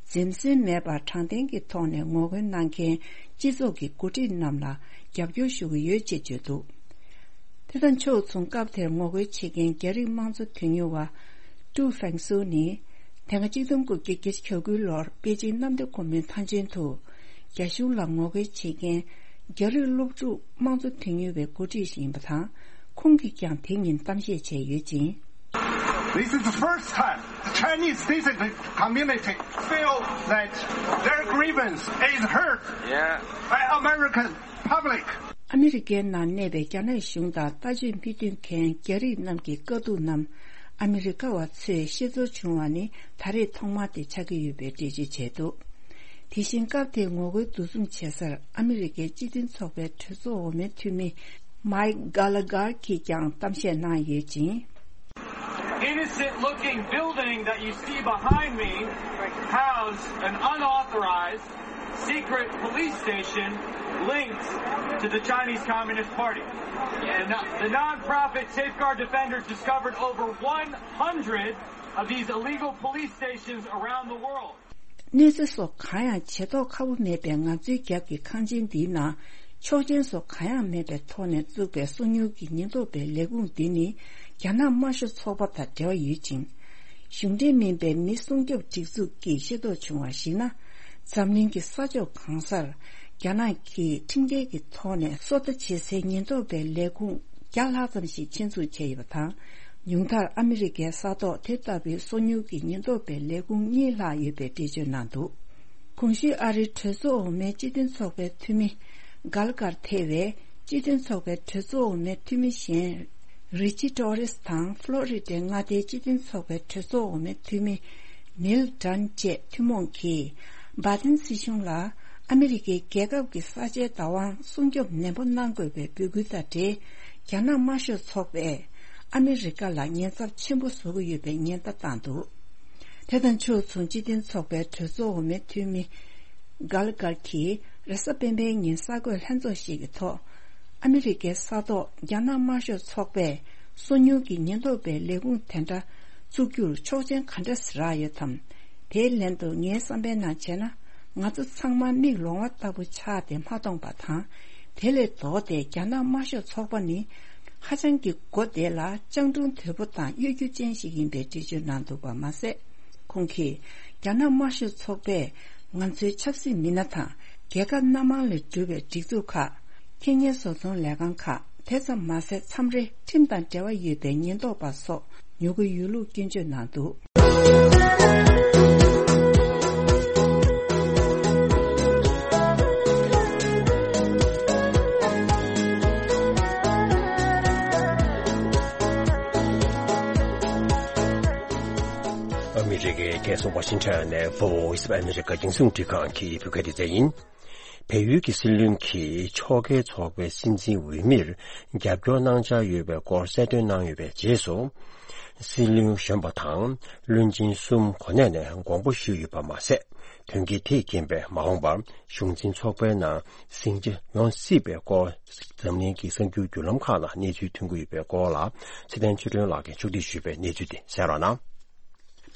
འཛེམ་ཟོན་མེད་པར་དྲང་བདེན་གྱི་ཐོག་ནས་ངོ་རྒོལ་གནང་མཁན་སྤྱི་ཚོགས་ཀྱི་འགོ་ཁྲིད་རྣམས་ལ་རྒྱབ་སྐྱོར་ཞུ་གི་ཡོད་ཅེས་བརྗོད་འདུག་དེ་དང་ཕྱོགས་མཚུངས། སྐབས་དེར་ངོ་རྒོལ་བྱེད་མཁན་རྒྱ་རིགས་དམངས་གཙོ་དོན་གཉེར་བ་ཀྲུའུ་ཧྥེང་སུའུ་ནི། དེ་སྔ་གཅིག་སྟོང་དགུ་བརྒྱ་བརྒྱད་ཅུ་གྱ་དགུའི་ལོར་པེ་ཅིང་གནམ་བདེ་སྒོ་མོའི་མཐའ་མཇུག་ཏུ། རྒྱ་གཞུང་ལ་ངོ་རྒོལ་བྱེད་མཁན་རྒྱ་རིགས་སློབ་ཕྲུག་དམངས་གཙོ་དོན་གཉེར་བའི་འགོ་ཁྲིད་ཞིག་ཡིན་པ་དང་། ཁོང་གིས་ཀྱང་དེ་ཉིན་གཏམ་བཤད་བྱས་ཡོད་ཅིང་། This is the first time the Chinese dissident community feel that their grievance is heard, yeah, by American public. ཨ་མི་རི་ཀའི་ནང་གནས་པའི་རྒྱ་ནག་གཞུང་དང་ལྟ་སྤྱོད་མི་མཐུན་མཁན་རྒྱ་རིགས་རྣམས་ཀྱི་དཀའ་སྡུག་རྣམས་ཨ་མི་རི་ཀ་བ་ཚོས་ཤེས་ཚོར་བྱུང་བ་ནི་ད་རེས་ཐོག་མ་དེ་ཆགས་ཀྱི་ཡོད་པའི་འགྲེལ་བརྗོད་བྱས་འདུག་དེ་བཞིན་སྐབས་དེའི་ངོ་རྒོལ་འདུ་འཛོམས་བྱེད་སར་ཨ་མི་རི་ཀའི་སྤྱི་མཐུན་ཚོགས་པའི་གྲོས་ཚོགས་འོག་མའི་འཐུས་མི་མའིག་གྷ་ལ་གྷར་གྱིས་ཀྱང་གཏམ་བཤད་གནང་ཡོད་ཅིང་། Innocent looking building that you see behind me housed an unauthorized secret police station linked to the Chinese Communist Party. The, no- the non-profit Safeguard Defenders discovered over one hundred of these illegal police stations around the world. གནོད་འཚེ་སོགས་གང་ཡང་བྱེད་ཐོག་ཁ་པོ་མེད་པའི་ང་ཚོའི་རྒྱབ་ཀྱི་ཁང་ཆེན་འདིའི་ནང་ཆོག་མཆན་སོགས་གང་ཡང་མེད་པའི་ཐོག་ནས་བཙུགས་པའི་སོ་མྱུལ་གྱི་ཉེན་རྟོག་པའི་ལས་ཁུངས་འདི་ནི་རྒྱ་ནག་དམར་ཤོག་ཚོགས་པ་དང་འབྲེལ་བ་ཡོད་ཅིང་། གཞུང་འབྲེལ་མིན་པའི་མི་སྲུང་སྐྱོབ་སྒྲིག་འཛུགས་ཀྱིས་ཤེས་རྟོགས་བྱུང་བར་གཞིགས་ན། འཛམ་གླིང་གི་ས་ཕྱོགས་གང་སར་རྒྱ་ནག་གིས་ཁྲིམས་འགལ་གྱི་ཐོག་ནས་སོ་ལྟ་བྱེད་སའི་ཉེན་རྟོག་པའི་ལས་ཁུངས་བརྒྱ་ལྷག་ཙམ་ཞིག་ཆེད་འཛུགས་བྱས་ཡོད་པ་དང་། ཉུང་མཐར་ཨ་མི་རི་ཀའི་ས་ཐོག་དེ་ལྟ་བུའི་སོ་མྱུལ་གྱི་ཉེན་རྟོག་པའི་ལས་ཁུངས་གཉིས་ལྷག་ཡོད་པའི་འགྲེལ་བརྗོད་གནང་འདུག་གོང་ཞུས་ཨ་རིའི་གྲོས་ཚོགས་འོག་མའི་སྤྱི་མཐུན་ཚོགས་པའི་འཐུས་མི་གྷལ་གྷར་ཐེ་བས་སྤྱི་མཐུན་ཚོགས་པའི་གྲོས་ཚོགས་འོག་མའི་འཐུས་མི་གཞན་རི་ཅི་ཏོ་རེས་དང་ཕློ་རི་ཌའི་མངའ་སྡེའི་སྤྱི་མཐུན་ཚོགས་པའི་གྲོས་ཚོགས་འོག་མའི་འཐུས་མི་ནིལ་ཌན་བཅས་ཐུན་མོང་གིས་སྦ་ཏན་སྲིད་གཞུང་ལ་ཨ་མི་རི་ཀའི་རྒྱལ་ཁབ་ཀྱི་ས་ཆའི་བདག་དབང་སྲུང་སྐྱོབ་ནན་པོ་གནང་དགོས་པའི་འབོད་སྐུལ་དང་འབྲེལ། རྒྱ་ནག་དམར་ཤོག་ཚོགས་པས་ཨ་མི་རི་ཀ་ལ་ཉེན་ཚབས་ཆེན་པོ་བཟོ་གི་ཡོད་པའི་ཉེན་བརྡ་བཏང་འདུག་དེ་དང་ཕྱོགས་མཚུངས་སྤྱི་མཐུན་ཚོགས་པའི་གྲོས་ཚོགས་འོག་མའི་འཐུས་མི་གྷལ་གྷར་གྱིས་རེས་གཟའ་སྤེན་པའི་ཉིན་གསར་འགོད་ལྷན་ཚོགས་ཤིག་གི་ཐོག་ཨ་མི་རི་ཀའི་ས་ཐོག་རྒྱ་ནག་དམར་ཤོག་ཚོགས་པས་སོ་ཉུལ་གྱི་ཉེན་རྟོག་པའི་ལས་ཁུངས་དེ་འདྲ་བཙུགས་རྒྱུར་ཆོག་མཆན་ག་འདྲ་རག་ཡོད་དམ། དེའི་ལན་དུ་ངའི་བསམ་པའི་ནང་བྱས་ན། ང་ཚོ་ཚང་མ་མིག་ལོང་བ་ལྟ་བུ་ཆགས་ཏེ་མ་མཐོང་པ་དང་། དེ་ལས་ལྡོག་སྟེ་རྒྱ་ནག་དམར་ཤོག་ཚོགས་པ་ནི་ཧ་ཅང་གི་མགོ་བདེ་ལ་སྤྱང་གྲུང་དོད་པོ་དང་གཡོ་སྒྱུ་ཅན་ཞིག་ཡིན་པའི་འགྲེལ་བརྗོད་གནང་འདུག་པ་མ་ཟད། ཁོང་གིས་རྒྱ་ནག་དམར་ཤོག་ཚོགས་པས་ང་ཚོའི་ཆབ་སྲིད་མི་སྣ་དང་རྒྱལ་ཁབ་སྣ་མང་ལས་གྲུབ་པའི་སྒྲིག་འཛུགས་ཁག་ཁེ་ཉེན་བཟོ་ཚོང་ལས་ཁང་ཁག་དེ་ཙམ་མ་ཟད་མཚམས་རེ་ཁྲིམས་དང་འབྲེལ་བ་ཡོད་པའི་ཉེན་རྟོག་པ་སོགས་ཉོ་གི་ཡོད་ལུགས་སྐྱོན་བརྗོད་གནང་འདུག་ཨ་མི་རི་ཀའི་རྒྱལ་ས་ཝ་ཤིང་ཊོན་ནས་Voice of America་རྒྱང་སྲིང་རླུང་འཕྲིན་ཁང་གི་བོད་སྐད་སྡེ་ཚན་ཡིན། བལ་ཡུལ་གྱི་སྲིད་བློན་གྱིས་ཕྱོགས་འགལ་ཚོགས་པའི་སྲིད་འཛིན་འོས་མིར་རྒྱབ་སྐྱོར་གནང་འཆར་ཡོད་པའི་སྐོར་གསལ་སྟོན་གནང་ཡོད་པའི་རྗེས་སུ། སྲིད་བློན་གཞོན་པ་དང་བློན་ཆེན་གསུམ་གོ་གནས་ནས་དགོངས་པ་ཞུས་ཡོད་པ་མ་ཟད། དོན་རྐྱེན་དེས་རྐྱེན་པས་མ་འོངས་པར་གཞུང་འཛིན་ཚོགས་པའི་ནང་ཟིང་ཆ་ཡོང་སྲིད་པའི་སྐོར། འཛམ་གླིང་གི་གསར་འགྱུར་བརྒྱུད་ལམ་ཁག་ལ་གནས་ཚུལ་ཐོན་གྱི་ཡོད་པའི་སྐོར་ལ། ཚེ་བརྟན་ཆོས་སྒྲོན་ལགས་ཀྱིས་ཕྱོགས་སྒྲིག་ཞུས་པའི་གནས་ཚུལ་དེ་གསན་རོགས་གནང་།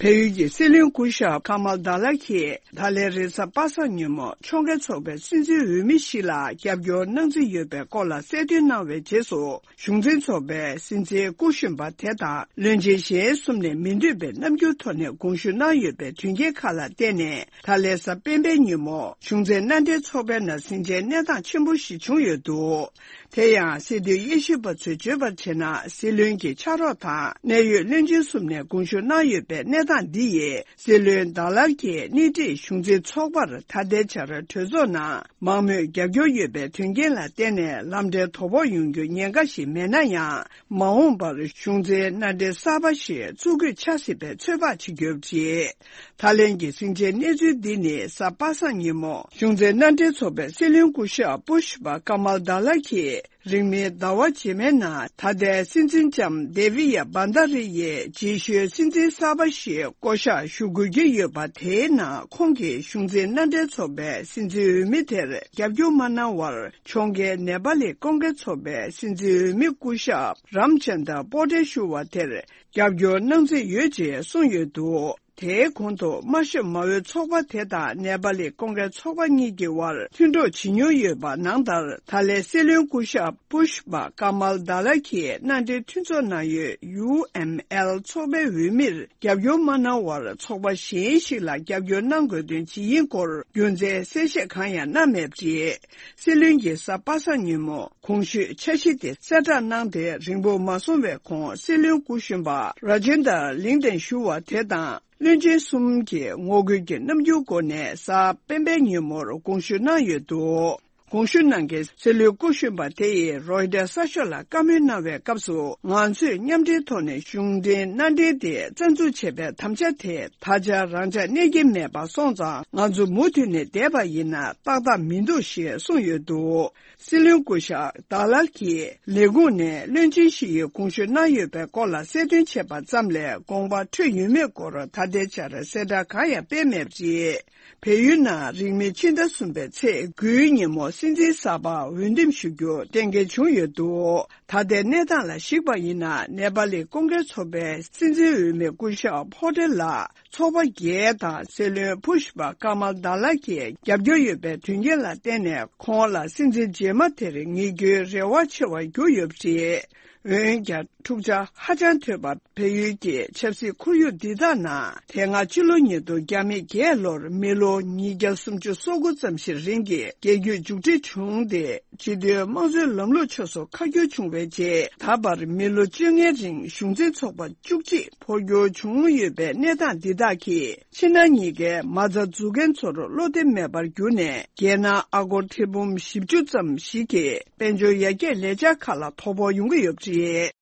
བལ་ཡུལ་གྱི་སྲིད་བློན་སྐུ་ཞབས་ཀ་མལ་དཱ་ལ་གིས་ད་ལན་རེས་གཟའ་པ་སངས་ཉིན་མོ་ཕྱོགས་འགལ་ཚོགས་པའི་སྲིད་འཛིན་འོས་མི་ཞིག་ལ་རྒྱབ་སྐྱོར་གནང་རྩིས་ཡོད་པའི་སྐོར་ལ་གསལ་སྟོན་གནང་བའི་རྗེས་སུ། གཞུང་འཛིན་ཚོགས་པའི་སྲིད་འཛིན་སྐུ་གཞོན་པ་དེ་དང་བློན་ཆེན་གཞན་གསུམ་ནས་མི་འདོད་པའི་རྣམ་འགྱུར་ཐོག་ནས་དགོངས་ཞུ་གནང་ཡོད་པའི་དོན་རྐྱེན་ཁག་ལ་བརྟེན་ནས། ད་ལན་གཟའ་སྤེན་པའི་ཉིན་མོ་གཞུང་འཛིན་མནའ་འབྲེལ་ཚོགས་པའི་ནང་ཟིང་ཆའི་གནས་སྟངས་ཆེན་པོ་ཞིག་བྱུང་ཡོད་འདུག་དེ་ཡང་སྲིད་དོན་དབྱེ་ཞིབ་པ་ཚོས་བརྗོད་པར་བྱས་ན། སྲིད་བློན་གྱི་ཕྱག་རོགས་དང་གནད་ཡོད་བློན་ཆེན་གསུམ་ནས་དགོངས་ཞུ་གནང་ཡོད་པའི་གནས་སྟངས་འདི་ཡིས། སྲིད་བློན་དཱ་ལར་གྱི་སྣེ་ཁྲིད་གཞུང་འཛིན་ཚོགས་པར་ད་ལྟའི་ཆར་གྲོས་ཚོགས་ནང་མང་མོས་རྒྱབ་སྐྱོར་ཡོད་པའི་དོན་རྐྱེན་ལ་བརྟེན་ནས་ལམ་འབྲས་དོ་ཕོག་ཡོང་རྒྱུ་ཉེན་ཁ་ཞིག་མེད་ན་ཡང་། མ་འོངས་པར་གཞུང་འཛིན་མནའ་འབྲེལ་གསར་པ་ཞིག་བཙུགས་དགོས་ཆགས་སྲིད་པའི་ཚོད་དཔག་བྱེད་རྒྱུ་རེད། ད་ལན་གྱི་ཟིང་ཆའི་གནས་ཚུལ་འདི་ནི་གཟའ་པ་སངས་ཉིན་མོ་གཞུང་འཛིན་མནའ་འབྲེལ་ཚོགས་པའི་སྲིད་བློན་སྐུ་ཞབས་སྤུ་ཤི་པ་ཀ་མལ་དཱ་ལ་གིས། རིང་མིན་ཟླ་བ་རྗེས་མའི་ནང་ད་ལྟའི་སྲིད་འཛིན་ལྕམ་དེ་བི་ཡ་བྷན་དྷ་རི་ཡི་རྗེས་ཤུལ་སྲིད་འཛིན་གསར་པ་ཞིག་བསྐོ་གཞག་ཞུ་དགོས་ཀྱི་ཡོད་པ། དེའི་ནང་ཁོང་གིས་གཞུང་འཛིན་མནའ་འབྲེལ་ཚོགས་པའི་སྲིད་འཛིན་འོས་མི་དེར་རྒྱབ་སྐྱོར་མ་གནང་བར། ཕྱོགས་འགལ་ནེ་པ་ལི་ཀོང་གེ་ཚོགས་པའི་སྲིད་འཛིན་འོས་མི་སྐུ་ཞབས་རམ་ཅན་དར་པོ་ཏེ་ཞུ་བ་དེར་རྒྱབ་སྐྱོར་གནང་རྩིས་ཡོད་ཅེས་གསུངས་ཡོད་འདུག་དེའི་གོང་དུ་དམར་ཤོག་མ་འོས་ཚོགས་པ་དེ་དང་ནེ་པ་ལི་ཀོང་གེ་ཚོགས་པ་གཉིས་ཀྱི་དབར་མཐུན་གྲོགས་བྱེད་མྱོང་ཡོད་པ་ནང་ལྟར། ད་ལན་སྲིད་བློན་སྐུ་ཞབས་པུ་ཤི་པ་ཀ་མལ་དཱ་ལ་གིས་མནའ་འབྲེལ་མཐུན་ཚོགས་ནང་ཡོད་ཡུ་ཨེམ་ཨེལ་ཚོགས་པའི་འོས་མིར་རྒྱབ་སྐྱོར་མ་གནང་བར། ཚོགས་པ་གཞན་ཞིག་ལ་རྒྱབ་སྐྱོར་གནང་དགོས་དོན་ཇི་ཡིན་སྐོར་རྒྱུ་མཚན་གསལ་བཤད་གང་ཡང་གནང་མེད་པ་རེད། སྲིད་བློན་གྱིས་གཟའ་པ་སངས་ཉིན་མོ་གོང་ཞུས་འཆར་གཞི་དེ་གསལ་བསྒྲགས་གནང་སྟེ། རིང་པོ་མ་སོང་བའི་གོང་སྲིད་བློན་སྐུ་གཞོན་པ་ར་ཇེན་དར་ལིང་ཏན་ཞུ་བ་དེ་དང་། བློན་ཆེན་གསུམ་གྱིས་ངོ་རྒོལ་གྱི་རྣམ་འགྱུར་སྒོ་ནས་གཟའ་སྤེན་པའི་ཉིན་མོར་དགོངས་ཞུ་གནང་ཡོད་འདུག་དགོངས་ཞུ་གནང་མཁན་སྲིད་བློན་སྐུ་གཞོན་པ་དེ་ཡིས་རོའི་ཊར་གསར་ཤོག་ལ་བཀའ་མོལ་གནང་བའི་སྐབས་སུ། ང་ཚོས་མཉམ་འབྲེལ་ཐོག་ནས་གཞུང་འབྲེལ་མནའ་འབྲེལ་དེ་རྩ་འཛུགས་བྱེད་པའི་དམ་བཅའ་དེ་ད་ཆ་རང་འཇགས་གནས་ཀྱི་མེད་པ་སོང་ཙང་། ང་ཚོ་མུ་མཐུད་ནས་བསྡད་པ་ཡིན་ན་ཏག་ཏག་མི་འདུག་ཞེས་གསུངས་ཡོད་འདུག་སྲིད་བློན་སྐུ་ཞབས་ཌ་ལར་གྱིས་ལས་ཁུངས་ནས་བློན་ཆེན་བཞི་ཡི་དགོངས་ཞུ་གནང་ཡོད་པའི་སྐོར་ལ་གསལ་སྟོན་བྱས་པ་ཙམ་ལས་དགོངས་པ་འཕྲོད་ཡོད་མེད་སྐོར་ད་ལྟའི་ཆར་གསལ་བསྒྲགས་གང་ཡང་སྤེལ་མེད་པ་རེད། བལ་ཡུལ་ནང་རིང་མིན་ཕྱི་ཟླ་གསུམ་པའི་ཚེས་དགུའི་ཉིན་མོ་སྲིད་འཛིན་གསར་པ་འོས་འདེམས་ཞུ་རྒྱུ་གཏན་འཁེལ་བྱུང་ཡོད་འདུག་ད་ལྟའི་གནས་སྟངས་ལ་གཞིགས་པ་ཡིན་ན། ནེ་པ་ལི་ཀོང་ཀེ་ཚོགས་པའི་སྲིད་འཛིན་འོས་མི་སྐུ་ཞབས་ཕོ་ཏེ་ལགས་ཚོགས་པ་བརྒྱད་དང་སྲིད་བློན་ཕུ་ཤི་པ་ཀ་མལ་དཱ་ལགས་ཀྱིས་རྒྱབ་སྐྱོར་ཡོད་པའི་དོན་རྐྱེན་ལ་བརྟེན་ནས། ཁོང་ལ་སྲིད་འཛིན་རྗེས་མ་དེར་ངེས་སྐྱོན་རེ་བ་ཆེ་བར་གྱུར་ཡོད་པ་རེད། འོན་ཀྱང་། འཁྲུག་ཆ་ཧ་ཅང་དོད་པ། བལ་ཡུལ་གྱི་ཆབ་སྲིད་ཁོར་ཡུག་འདི་དག་ནང་། དེ་སྔ་ཕྱི་ལོ་ཉིས་སྟོང་བརྒྱ་མེད་བརྒྱད་ལོར་མི་ལོ་ཉིས་བརྒྱ་སུམ་ཅུ་སོ་དགུ་ཙམ་ཞིག་རིང་གི་རྒྱལ་རྒྱུད་མཇུག་སྒྲིལ་བྱུང་སྟེ། སྤྱི་མཐུན་དམངས་གཙོའི་ལམ་ལུགས་ཕྱོགས་སུ་ཁ་བསྒྱུར་བྱུང་བའི་རྗེས། ད་བར་མི་ལོ་བཅོ་ལྔའི་རིང་གཞུང་འཛིན་ཚོགས་པ་བཅུ་གཅིག་འཕོ་འགྱུར་བྱུང་ཡོད་པའི་གནས་སྟངས་འདི་དག་གིས། ཕྱི་ནང་གཉིས་ཀའི་མ་རྩ་འཛུགས་མཁན་ཚོར་བློ་བདེ་མེད་པར་གྱུར་ནས། རྒྱལ་ནང་ཨ་སྒོར་ཐེར་འབུམ་བཞི་བཅུ་ཙམ་ཞིག་གི་དཔལ་འབྱོར་ཡར་རྒྱས་ལས་འཆར་ཁག་ལ་དོ་ཕོག་ཡོང་གི་ཡོད་པ་རེད།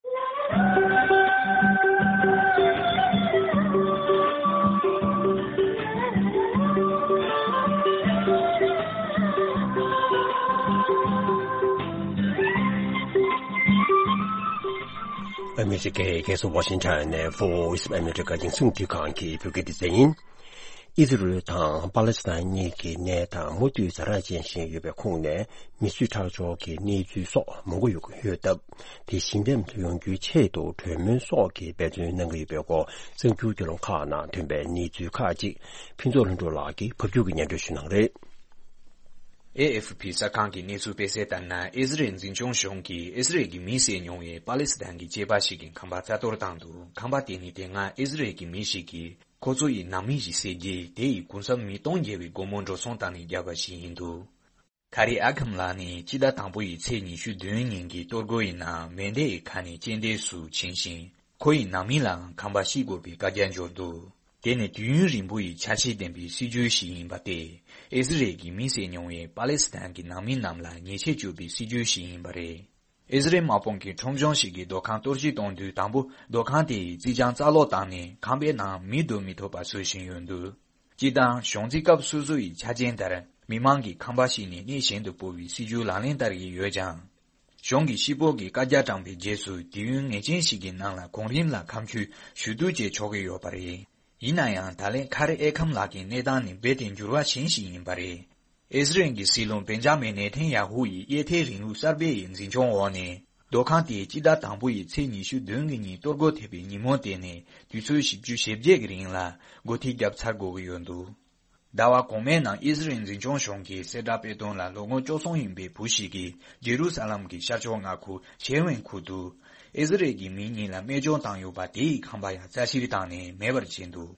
ཨ་མི་རི་ཀའི་རྒྱལ་ས་ཝ་ཤིང་ཊོན་ནས་Voice of America རྒྱང་སྲིང་འཕྲིན་ཁང་གི་བོད་སྐད་སྡེ་ཚན་ཡིན། ཨི་ཟི་རེལ་དང་པ་ལེ་སི་ཐན་གཉིས་ཀྱི་གནས་སྟངས་མུ་མཐུད་ཛ་དྲག་ཅན་ཞིག་ཡོད་པའི་ཁོངས་ནས། མི་གསོད་ཁྲག་སྦྱོར་གྱི་གནས་ཚུལ་སོགས་མང་པོ་ཡོང་གི་ཡོད་སྟབས། དེ་ཞི་འཇམ་དུ་ཡོང་རྒྱུའི་ཆེད་དུ་གྲོས་མོལ་སོགས་ཀྱི་འབད་བརྩོན་གནང་གི་ཡོད་པའི་སྐོར། གསར་འགྱུར་བརྒྱུད་ལམ་ཁག་ནང་ཐོན་པའི་གནས་ཚུལ་ཁག་ཅིག་ཕུན་ཚོགས་ལྷུན་གྲུབ་ལགས་ཀྱིས་ཕབ་སྒྱུར་གྱིས་སྙན་སྒྲོན་ཞུ་གནང་རེད། ཨེ་ཨེཕ་པི་གསར་ཁང་གིས་གནས་ཚུལ་སྤེལ་གསལ་ལྟར་ན། ཨི་ཟི་རེལ་འཛིན་སྐྱོང་གཞུང་གིས་ཨི་ཟི་རེལ་གྱི་མི་བསད་མྱོང་བའི་པ་ལེ་སི་ཐན་གྱི་སྐྱེས་པ་ཞིག་གི་ཁང་པ་རྩ་གཏོར་བཏང་འདུག་ཁང་པ་དེ་ནི་དེ་སྔ་ཨི་ཟི་རེལ་གྱི་མི་ཞིག་གིས། ཁོ་ཚོ་ཡི་ནང་མི་ཞིག་བསད་རྗེས། དེ་ཡི་གུང་གསེང་མི་སྟོང་བརྒལ་བའི་སྒོར་མོ་འགྲོ་སོང་བཏང་ནས་བརྒྱབ་པ་ཞིག་ཡིན་འདུག་ཁ་རི་ཨ་ཁམ་ལགས་ནི་སྤྱི་ཟླ་དང་པོ་ཡི་ཚེས་ཉི་ཤུ་བདུན་ཉིན་གྱི་གཏོར་རྒོལ་ཡི་ནང་མེ་མདའི་ཁ་ནས་རྐྱེན་འདས་སུ་ཕྱིན་ཞིང་། ཁོ་ཡི་ནང་མི་ལའང་ཁང་པ་བཤིག་དགོས་པའི་བཀའ་རྒྱ་འབྱོར་འདུག་དེ་ནི་དུས་ཡུན་རིང་པོ་ཡི་འཆར་གཞི་ལྡན་པའི་སྲིད་ཇུས་ཤིག་ཡིན་པ་སྟེ། ཨི་ཟི་རེལ་གྱི་མི་བསད་མྱོང་བའི་པ་ལེ་སི་ཐན་གྱི་ནང་མི་རྣམས་ལ་ཉེས་ཆད་གཅོད་པའི་སྲིད་ཇུས་ཤིག་ཡིན་པ་རེད། ཨི་ཟི་རེལ་དམག་དཔུང་གིས་ཁྲོམ་གཞུང་ཞིག་གི་སྡོད་ཁང་གཏོར་བཤིག་གཏོང་དུས། དང་པོ་སྡོད་ཁང་དེ་ཡི་རྩིག་གྱང་རྩ་སློག་བཏང་ནས། ཁང་པའི་ནང་མི་སྡོད་མི་ཐུབ་པ་བཟོ་བཞིན་ཡོད་འདུག་སྤྱིར་བཏང་། གཞུང་འཛིན་སྐབས་སོ་སོ་ཡི་ཆ་རྐྱེན་ལྟར། མི་མང་གི་ཁང་པ་བཤིག་ནས་གནས་གཞན་དུ་སྤོ་བའི་སྲིད་ཇུས་ལག་ལེན་བསྟར་གྱི་ཡོད་ཀྱང་། གཞུང་གིས་ཤི་རྨས་ཀྱི་བཀའ་རྒྱ་དྲངས་པའི་རྗེས་སུ། དུས་ཡུན་ངེས་ཅན་ཞིག་གི་ནང་ལ་གོང་རིམ་ལ་ཁ་མཆུ་ཞུ་གཏུག་བྱས་ཆོག་གི་ཡོད་པ་རེད། ཡིན་ན་ཡང་། ད་ལན་ཁ་རི་ཨེ་ཁམ་ལགས་ཀྱི་གནས་སྟངས་ནི་རྦད་དེ་འགྱུར་བ་གཞན་ཞིག་ཡིན་པ་རེད། ཨི་ཟི་རེལ་གྱི་སྲིད་བློན་བེན་ཇ་མིན་ནེ་ཐན་ཡ་ཧུ་ཡི་གཡས་ཐལ་རིང་ལུགས་གསར་པའི་འཛིན་སྐྱོང་འོག་ནས། སྡོད་ཁང་དེའི་སྤྱི་ཟླ་དང་པོ་ཡི་ཚེས་ཉི་ཤུ་བདུན་གྱི་ཉིན་གཏོར་རྒོལ་ཐེབས་པའི་ཉིན་མོ་དེ་ནས་དུས་ཚོད་བཞི་བཅུ་ཞེ་བརྒྱད་ཀྱི་རིང་ལ་སྒོ་ཐེལ་བརྒྱབ་ཚར་དགོས་ཀྱི་ཡོད་འདུག་ཟླ་བ་གོང་མའི་ནང་ཨི་ཟི་རེལ་འཛིན་སྐྱོང་གཞུང་གིས་གསལ་བསྒྲགས་སྤེལ་དོན་ལ། ལོ་ངོ་བཅུ་གསུམ་ཡིན་པའི་བུ་ཞིག་གིས་ཇེ་རུ་ས་ལམ་གྱི་ཤར་ཕྱོགས་མངའ་ཁུལ་ཤེ་ཝན་ཁུལ་དུ། ཨི་ཟི་རེལ་གྱི་མི་གཉིས་ལ་རྨས་སྐྱོན་བཏང་ཡོད་པ། དེ་ཡི་ཁང་པ་ཡང་རྩ་བཤེར་བཏང་ནས་མེད་པར་བྱས་འདུག་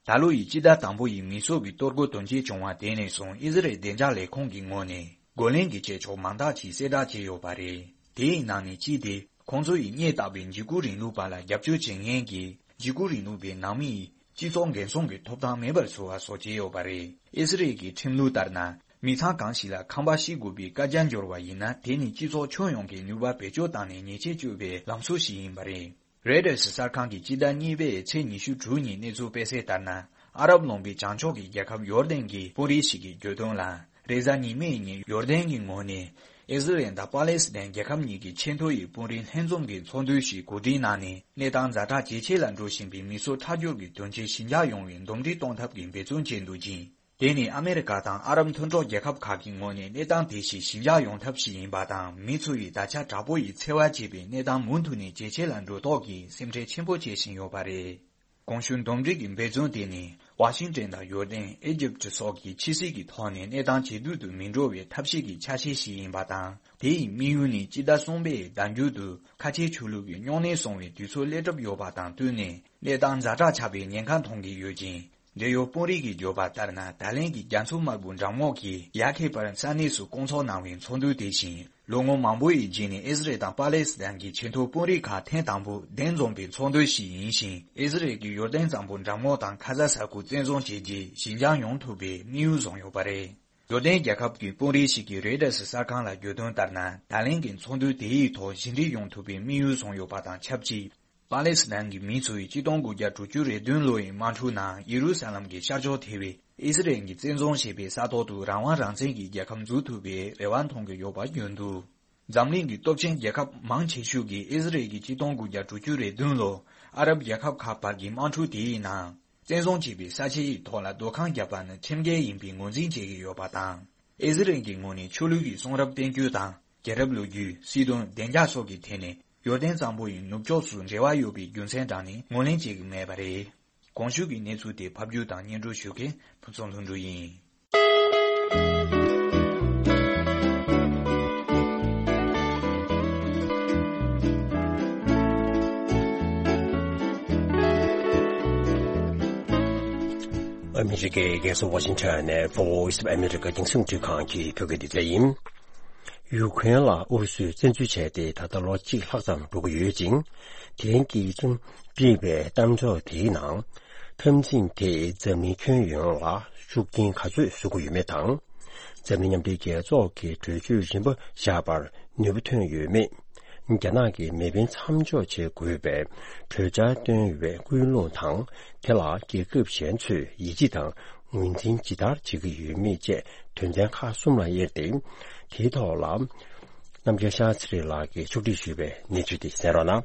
ད་ལོ་ཡི་སྤྱི་ཟླ་དང་པོ་ཡི་མི་གསོད་པའི་གཏོར་རྒོལ་དོན་རྐྱེན་བྱུང་བ་དེ་ནས་བཟུང་། ཨི་ཟི་རེལ་བདེ་འཇགས་ལས་ཁུངས་ཀྱི་ངོས་ནས་རྒོལ་ལན་གྱི་བྱེད་ཕྱོགས་མང་དག་ཅིག་གསལ་བསྒྲགས་བྱས་ཡོད་པ་རེད། དེའི་ནང་ནས་གཅིག་དེ། ཁོང་ཚོ་ཡིས་སྙད་བཏགས་པའི་འཇིགས་སྐུལ་རིང་ལུགས་པ་ལ་རྒྱབ་སྐྱོར་བྱེད་མཁན་གྱི་འཇིགས་སྐུལ་རིང་ལུགས་པའི་ནང་མི་ཡི་སྤྱི་ཚོགས་འགན་སྲུང་གི་ཐོབ་ཐང་མེད་པར་བཟོ་བ་སོགས་བྱས་ཡོད་པ་རེད། ཨི་སི་རལ་གྱི་ཁྲིམས་ལུགས་ལྟར་ན། མི་ཚང་གང་ཞིག་ལ་ཁང་པ་བཤིག་དགོས་པའི་བཀའ་རྒྱ་འབྱོར་བ་ཡིན་ན། དེ་ནི་སྤྱི་ཚོགས་ཁྱོན་ཡོངས་ཀྱི་ནུས་པ་བེད་སྤྱོད་བཏང་ནས་ཉེས་ཆད་གཅོད་པའི་ལམ་སྲོལ་ཞིག་ཡིན་པ་རེད། རོའི་ཊར་གསར་ཁང་གིས་སྤྱི་ཟླ་གཉིས་པའི་ཚེས་ཉི་ཤུ་དྲུག་ཉིན་གནས་ཚུལ་སྤེལ་གསལ་ལྟར་ན། ཨ་རབ་ལུང་པའི་བྱང་ཕྱོགས་ཀྱི་རྒྱལ་ཁབ་ཡོར་དན་གྱི་དཔོན་རིགས་ཤིག་གིས་བརྗོད་དོན་ལ། རེས་གཟའ་ཉི་མའི་ཉིན་ཡོར་དན་གྱི་ངོས་ནས། ཨི་ཟི་རལ་དང་པ་ལེ་སི་ཐན་རྒྱལ་ཁབ་གཉིས་ཀྱི་ཆེས་མཐོ་ཡི་དཔོན་རིགས་ལྷན་འཛོམས་ཀྱི་ཚོགས་འདུ་ཞིག་གོ་སྒྲིག་གནང་ནས། གནས་སྟངས་ཛ་དྲག་ཇེ་ཆེ་ལ་འགྲོ་བཞིན་པའི་མི་གསོད་ཁྲག་སྦྱོར་གྱི་དོན་རྐྱེན་ཞི་འཇགས་ཡོང་བའི་འདུམ་འགྲིག་གཏོང་ཐབས་ཀྱི་འབད་བརྩོན་བྱས་འདུག་ཅིང་། དེ་ནི་ཨ་མེ་རི་ཀ་དང་ཨ་རབ་མཐུན་གྲོགས་རྒྱལ་ཁབ་ཁག་གི་ངོས་ནས་གནས་སྟངས་དེ་བཞིན་ཞི་འཇགས་ཡོང་ཐབས་ཤིག་ཡིན་པ་དང་། མི་ཚོ་ཡིས་ད་ཆ་དྲག་པོ་ཡི་འཚེ་བ་བྱེད་པའི་གནས་སྟངས་མུ་མཐུད་ནས་ཇེ་ཆེ་ལ་འགྲོ་དོགས་ཀྱིས་སེམས་ཁྲལ་ཆེན་པོ་བྱེད་བཞིན་ཡོད་པ་རེད། གོང་ཞུས་འདུམ་འགྲིག་གི་འབད་བརྩོན་དེ་ནི། ཝ་ཤིང་ཏན་དང་ཡོར་དན། ཨི་ཇིབ་སོགས་ཀྱིས་ཕྱི་སྲིད་ཀྱི་ཐོག་ནས་གནས་སྟངས་ཇེ་སྡུག་ཏུ་མི་འགྲོ་བའི་ཐབས་ཤེས་ཀྱི་ཆ་ཤས་ཤིག་ཡིན་པ་དང་། དེ་ཡི་དམིགས་ཡུལ་ནི། སྤྱི་ཟླ་གསུམ་པའི་ཟླ་མཇུག་ཏུ་ཁ་ཆེའི་ཆོས་ལུགས་ཀྱི་སྨྱུང་གནས་སྲུང་བའི་དུས་ཚོད་སླེབས་གྲབས་ཡོད་པ་དང་བསྟུན་ནས། གནས་སྟངས་ཛ་དྲག་ཆགས་པའི་ཉེན་ཁ་མཐོང་གི་ཡོད་ཅིང་། འབྲེལ་ཡོད་དཔོན་རིགས་ཀྱིས་བརྗོད་པ་ལྟར་ན། ད་ལན་གྱི་རྒྱ་མཚོ་དམར་པོའི་འགྲམ་ངོགས་ཀྱི་ཡ་ཁེ་པར་ས་གནས་སུ་བསྐོང་ཚོགས་གནང་བའི་ཚོགས་འདུ་དེ་བཞིན། ལོ་ངོ་མང་པོ་ཡི་རྗེས་ནས་ཨི་སི་རལ་དང་པ་ལེ་སི་ཐན་གྱི་ཆེས་མཐོའི་དཔོན་རིགས་ཁག་ཐེངས་དང་པོ་གདན་འཛོམས་པའི་ཚོགས་འདུ་ཞིག་ཡིན་ཞིང་། ཨི་སི་རལ་གྱིས་ཡོར་དན་གཙང་པོ་འགྲམ་ངོགས་དང་ཁ་ཛ་ས་ཁུལ་བཙན་བཟུང་བྱས་རྗེས། ཞི་འཇགས་ཡོང་ཐུབ་པའི་དམིགས་ཡུལ་བཟུང་ཡོད་པ་རེད། ཡོར་དན་རྒྱལ་ཁབ་ཀྱི་དཔོན་རིགས་ཤིག་གིས་རོའི་ཊར་གསར་ཁང་ལ་བརྗོད་དོན་ལྟར་ན། ད་ལན་གྱི་ཚོགས་འདུ་དེའི་ཐོག་ཞི་འགྲིག་ཡོང་ཐུབ་པའི་དམིགས་ཡུལ་བཟུང་ཡོད་པ་དང་ཆབས་ཅིག་པ་ལེ་སི་ཐན་གྱི་མི་ཚོས་ཆིག་སྟོང་དགུ་བརྒྱ་དྲུག་ཅུ་རེ་བདུན་ལོའི་དམག་འཁྲུག་ནང་ཡེ་རུ་ས་ལམ་གྱི་ཤར་ཕྱོགས་ཐེ་བའི་ཨི་སི་རེལ་གྱིས་བཙན་བཟུང་བྱས་པའི་ས་ཐོག་ཏུ་རང་དབང་རང་བཙན་གྱི་རྒྱལ་ཁབ་འཛུགས་ཐུབ་པའི་རེ་བ་མཐོང་གི་ཡོད་པ་བརྗོད་འདུག་འཛམ་གླིང་གི་སྟོབས་ཆེན་རྒྱལ་ཁབ་མང་ཆེ་ཤོས་ཀྱིས་ཨི་སི་རེལ་གྱིས་ཆིག་སྟོང་དགུ་བརྒྱ་དྲུག་ཅུ་རེ་བདུན་ལོར་ཨ་རབ་རྒྱལ་ཁབ་ཁག་བར་གྱི་དམག་འཁྲུག་དེའི་ནང་། བཙན་བཟུང་བྱས་པའི་ས་ཆའི་ཐོག་ལ་སྡོད་ཁང་བརྒྱབ་པ་ནི་ཁྲིམས་འགལ་ཡིན་པའི་ངོས་འཛིན་བྱེད་ཀྱི་ཡོད་པ་དང་། ཨི་སི་རེལ་གྱི་ངོས་ནས་ཆོས་ལུགས་ཀྱི་གསུང་རབ་བསྟན་བཅོས་དང་། རྒྱལ་རབས་ལོ་རྒྱུས། སྲིད་དོན། བདེ་འཇགས་སོགས་ཀྱི་ཐད་ནས་ཡོར་དན་གཙང་པོ་ཡི་ནུབ་ཕྱོགས་སུ་འབྲེལ་བ་ཡོད་པའི་རྒྱུ་མཚན་དྲངས་ནས་ངོས་ལེན་བྱེད་ཀྱི་མེད་པ་རེད། གོང་ཞུས་ཀྱི་གནས་ཚུལ་དེ་ཕབ་སྒྱུར་དང་སྙན་སྒྲོན་ཞུ་མཁན་ཕུན་ཚོགས་ལྷུན་གྲུབ་ཡིན། ཨ་མི་རི་ཀའི་རྒྱལ་ས་ཝ་ཤིང་ཊོན་ནས་Voice of America་རྒྱང་སྲིང་རླུང་འཕྲིན་ཁང་གི་བོད་སྐད་སྡེ་ཚན་ཡིན། ཡུ་ཀེ་རེན་ལ་ཨུ་རུ་སུས་བཙན་འཛུལ་བྱས་ཏེ་ད་ལྟ་ལོ་གཅིག་ལྷག་ཙམ་འགྲོ་གི་ཡོད་ཅིང་། དེ་རིང་གི་ཀྲུང་བཀྲིས་པའི་གཏམ་བརྗོད་དེའི་ནང་། འཐབ་འཛིང་དེས་འཛམ་གླིང་ཁྱོན་ཡོངས་ལ་ཤུགས་རྐྱེན་ག་ཚོད་བཟོ་གི་ཡོད་མེད་དང་། འཛམ་གླིང་མཉམ་འབྲེལ་རྒྱལ་ཚོགས་ཀྱི་གྲོས་ཆོད་རིམ་པ་བཞག་པར་ནུས་པ་ཐོན་ཡོད་མེད། རྒྱ་ནག་གིས་མེ་འཕེན་མཚམས་འཇོག་བྱེད་དགོས་པའི་གྲོས་འཆར་བཏོན་ཡོད་པའི་ཀུན་སློང་དང་། དེ་ལ་རྒྱལ་ཁབ་གཞན་ཚོས་ཡིད་ཆེས་དང་ངོས་འཛིན་ཇི་ལྟར་བྱེད་ཀྱི་ཡོད་མེད་བཅས་དོན་ཚན་ཁག་གསུམ་ལ་དབྱེ་སྟེ། དེའི་ཐོག་ལ། རྣམ་རྒྱལ་ཤཱ་ཚེ་རིང་ལགས་ཀྱིས་ཕྱོགས་སྒྲིག་ཞུས་པའི་གནས་ཚུལ་དེ་གསན་རོགས་གནང་།